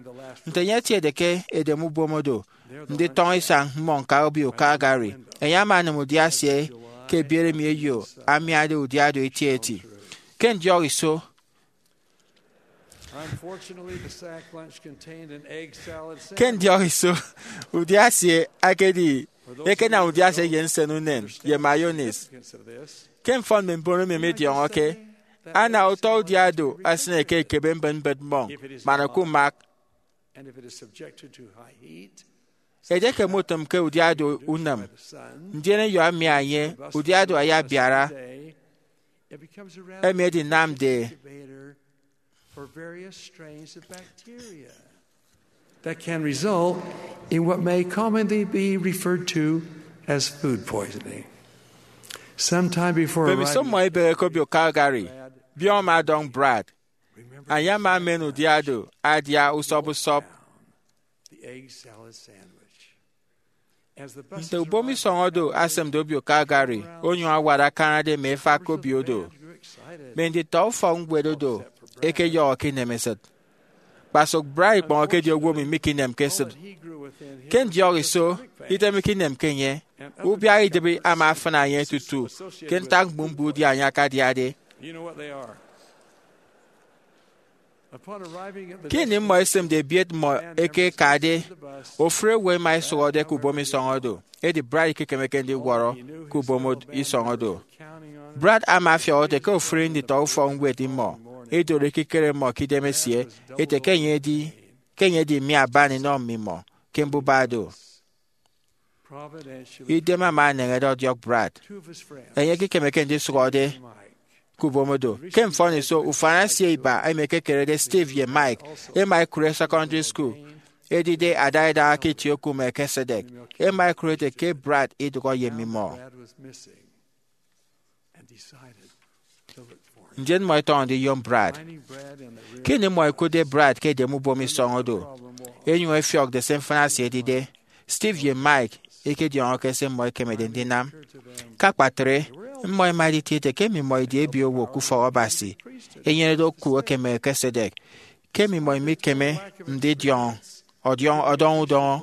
Nte enye etiede ke edem ubom do, nditọñọ isañ mmọ ñka obio Calgary, enye ama anịm udia esie ke ebiet emi eyo amiade udia do etieti. Ke ndiọk iso, Unfortunately, the sack lunch contained an egg salad sandwich. Ke ndiọk iso, udia esie akedi ekenam udia esie ye nsen unen ye mayonnaise. Ke mfọn mme mbon emi midiọñọke, ana utọ udia do asịne ke ekebe mbịtmbịt mmọñ man okumak. And if it is subjected to high heat, edieke mutịmke udia do unịm, ndien eyo amia enye, udia do ayabiara, emi edinamde. For various strains of bacteria that can result in what may commonly be referred to as food poisoning. Sometime before mbemiso arriving mmọ ibehe ke obio Calgary, biọñ ama ọdọñ Brad. Anye ama emen udia do adia usọp usọp. The egg salad sandwich. Nte ubom isọñ odo asemde obio Calgary, onyụñ awat akanade mme efak ke obio odo, mme nditọ ufọkñwed odo ẹkeyọhọ ke inemesịt. Kpasụk Brad ikpọñ ekedi owo emi mikinemke esịt. Ke ndiọk iso, idem ikinemke enye, ubiak idịbi ama afịna enye tutu ke ntak mbumbọ udia enye akadiade. Ke ini mmọ ẹsemde ebiet mmọ eke ẹkade, ofụri owo ẹma ẹsụhọde ke ubom isọñ odo, edi Brad ikekemeke ndiwọrọ ke ubom isọñ odo. Brad ama afiọk ete ke ofụri nditọ ufọkñwed mmọ idoro ekikere mmọ ke idemesie ete ke enye edi ke enye edi mme aban inọ mmimọ ke mbuba do. Idem ama eneñede ọdiọk Brad. Enye ekekemeke ndisụhọde ke ubom odo. Ke mfọniso, ufan esie iba emi ekekerede Steve ye Mike ẹma ẹkụre secondary school, edide adaidaha ke itie oku Melchizedek, ẹma ẹkụre ete ke Brad idụhọ ye mmimọ. Ndien mmọ ẹtọñọ ndiyom Brad. Ke ini mmọ ẹkụtde Brad ke edem ubom isọñ odo, ẹnyụñ ẹfiọkde se mfịna esie edide, Steve ye Mike ikediọñọke se mmọ ẹkemede ndinam. Ke akpatre, mmọ ẹma ẹditi ete ke mmimọ idi ebiowo ke ufọk Abasi, ẹnyenede oku eke Melchizedek, ke mmimọ mikeme ndidiọñ ọdiọñ ọdọñ udọñọ.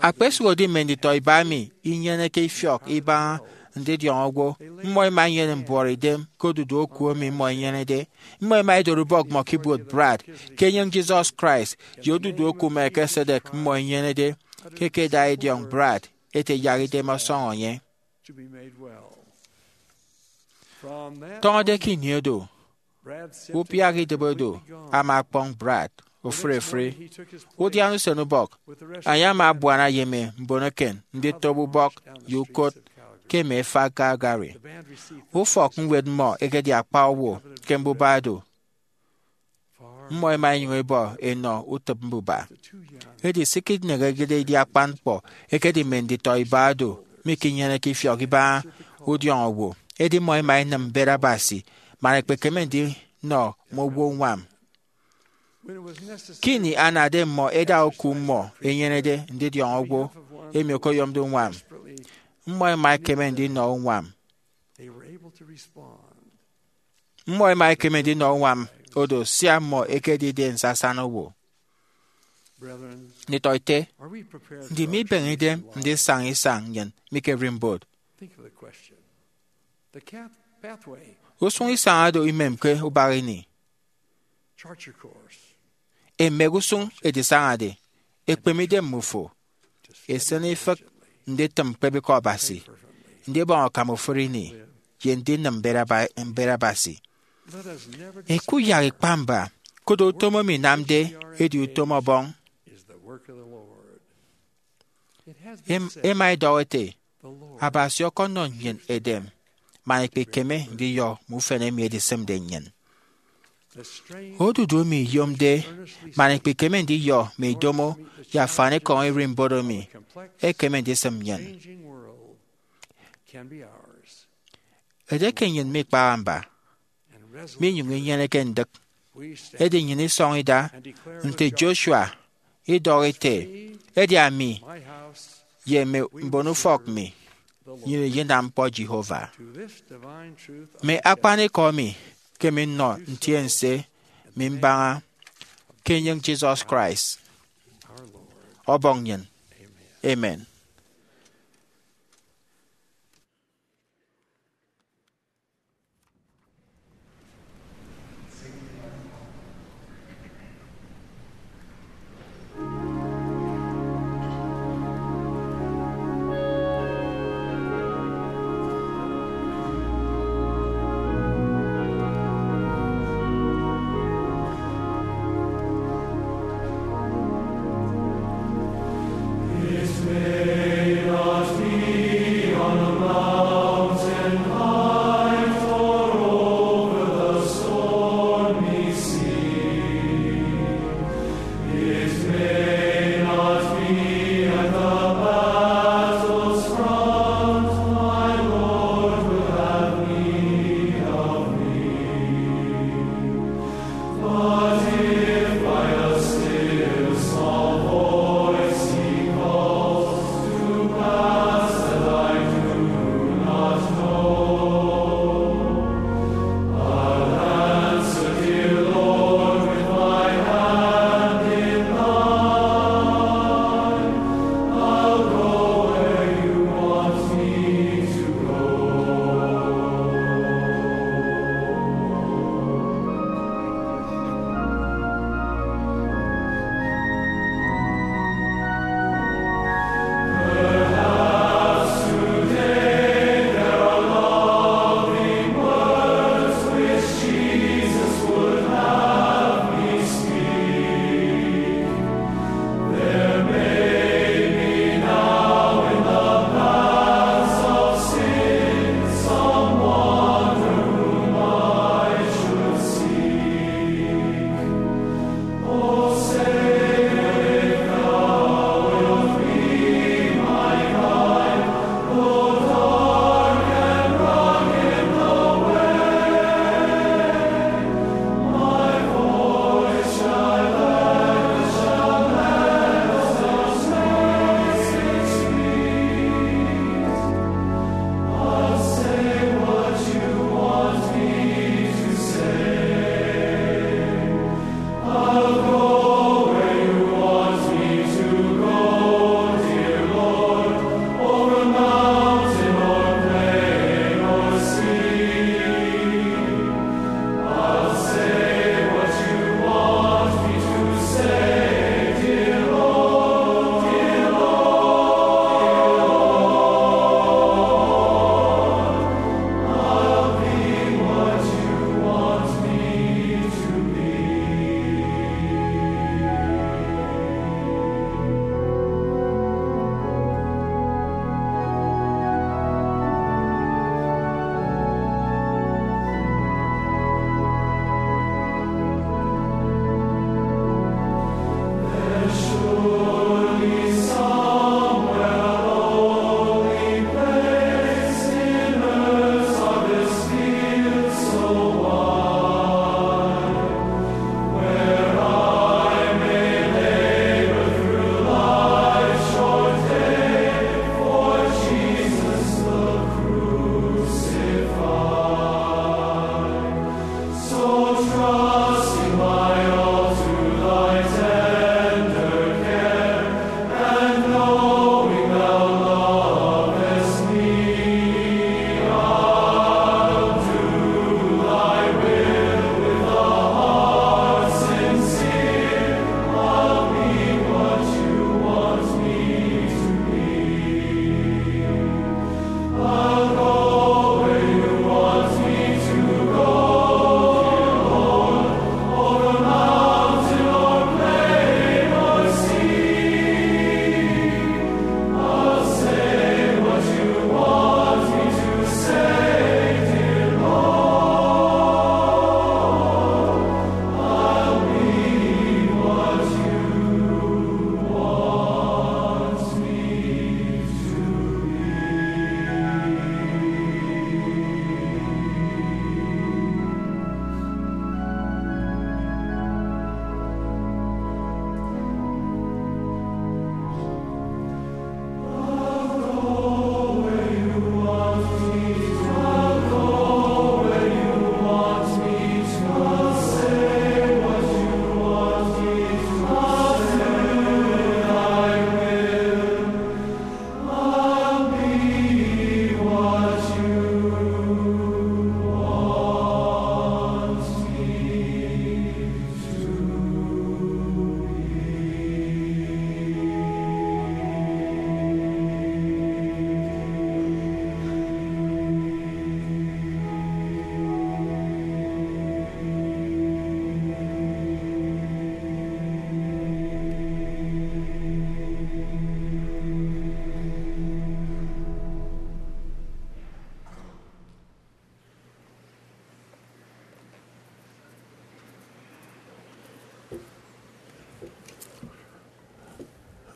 Akpesụhodi mme nditọ iba emi inyeneke ifiọk ibaña ndidiọñ owo, mmọ ẹma ẹnyene mbuọtidem ke odudu oku emi mmọ ẹnyenede. Mmọ ẹma ẹdori ubọk mmọ ke ibuot Brad, ke enyịñ Jesus Christ, ye odudu oku Melchizedek mmọ ẹnyenede, ke ẹkeda idiọñ Brad ete yak idem ọsọñọ enye. Tọñọde ke ini odo, ubiak idịbi odo ama ọkpọñ Brad ofụri ofụri. Udiana usen ubọk, enye ama abuana ye mme mbon eken nditop ubọk ye ukot ke mme efak Calgary. Ufọkñwed mmọ ekedi akpa owo ke mbuba do. Mmọ ẹma ẹnyụñ ẹbọ ẹnọ utịp mbuba. Edi se ikineñede idi akpan ñkpọ ekedi mme nditọ iba do mikinyeneke ifiọk ibaña udiọñ owo. Edi mmọ ẹma ẹnịm mbet Abasi man ẹkpekeme ndinọ mme owo uñwam. Ke ini anade mmọ ẹda oku mmọ ẹnyenede ndidiọñ owo emi okoyomde uñwam, mmọ ẹma ẹkeme ndinọ uñwam. Mmọ ẹma ẹkeme ndinọ uñwam odo sia mmọ ẹkedide nsasana owo. Nditọete, ndi mibeñe idem ndisaña isañ nnyịn mi ke ererimbot? Usụñ isañ oro imemke ubak ini. Emek usụñ edisañade, ekpeme idem mmufo, esịn ifịk nditịm ñkpebịk Abasi, ndibọñ akam ofụri ini, ye ndinịm mbet aba- mbet Abasi. Ikuyak ikpa mba, koro utom emi inamde edi utom Ọbọñ. Em- ẹma ẹdọhọ ẹte, Abasi ọkọnọ nnyịn edem man ikpikeme ndiyọ mme ufen emi edisịmde nnyịn. Odudu emi iyomde man ikpikeme ndiyọ mme idomo ye afanikọñ ererimbot emi ekeme ndisịm nnyịn. Edieke nnyịn mikpaha mba, minyụñ inyeneke ndịk, edi nnyịn isọñ ida nte Joshua, idọhọ ete, edi ami ye mme mbonufọk mi, nnyịn iyinam ñkpọ Jehovah. Mme akpanikọ emi ke minnọ ntiense mi mbaña ke enyịñ Jesus Christ, Ọbọñ nnyịn. Amen.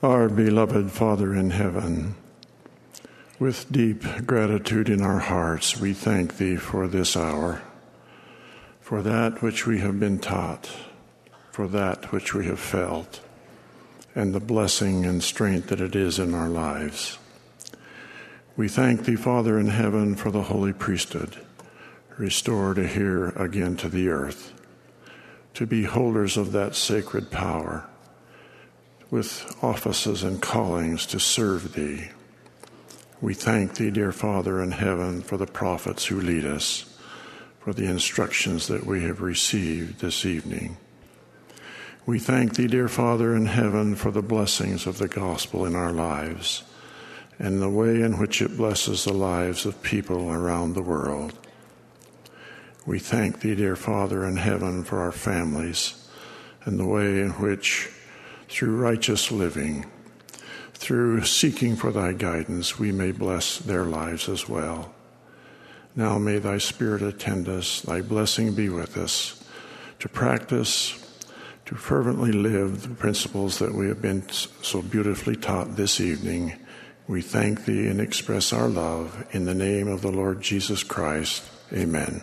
Our beloved Father in heaven, with deep gratitude in our hearts, we thank Thee for this hour, for that which we have been taught, for that which we have felt, and the blessing and strength that it is in our lives. We thank Thee, Father in heaven, for the holy priesthood, restored here again to the earth, to be holders of that sacred power, with offices and callings to serve Thee. We thank Thee, dear Father in heaven, for the prophets who lead us, for the instructions that we have received this evening. We thank Thee, dear Father in heaven, for the blessings of the gospel in our lives and the way in which it blesses the lives of people around the world. We thank Thee, dear Father in heaven, for our families and the way in which, through righteous living, through seeking for Thy guidance, we may bless their lives as well. Now may Thy Spirit attend us, Thy blessing be with us, to practice, to fervently live the principles that we have been s- so beautifully taught this evening. We thank Thee and express our love in the name of the Lord Jesus Christ. Amen.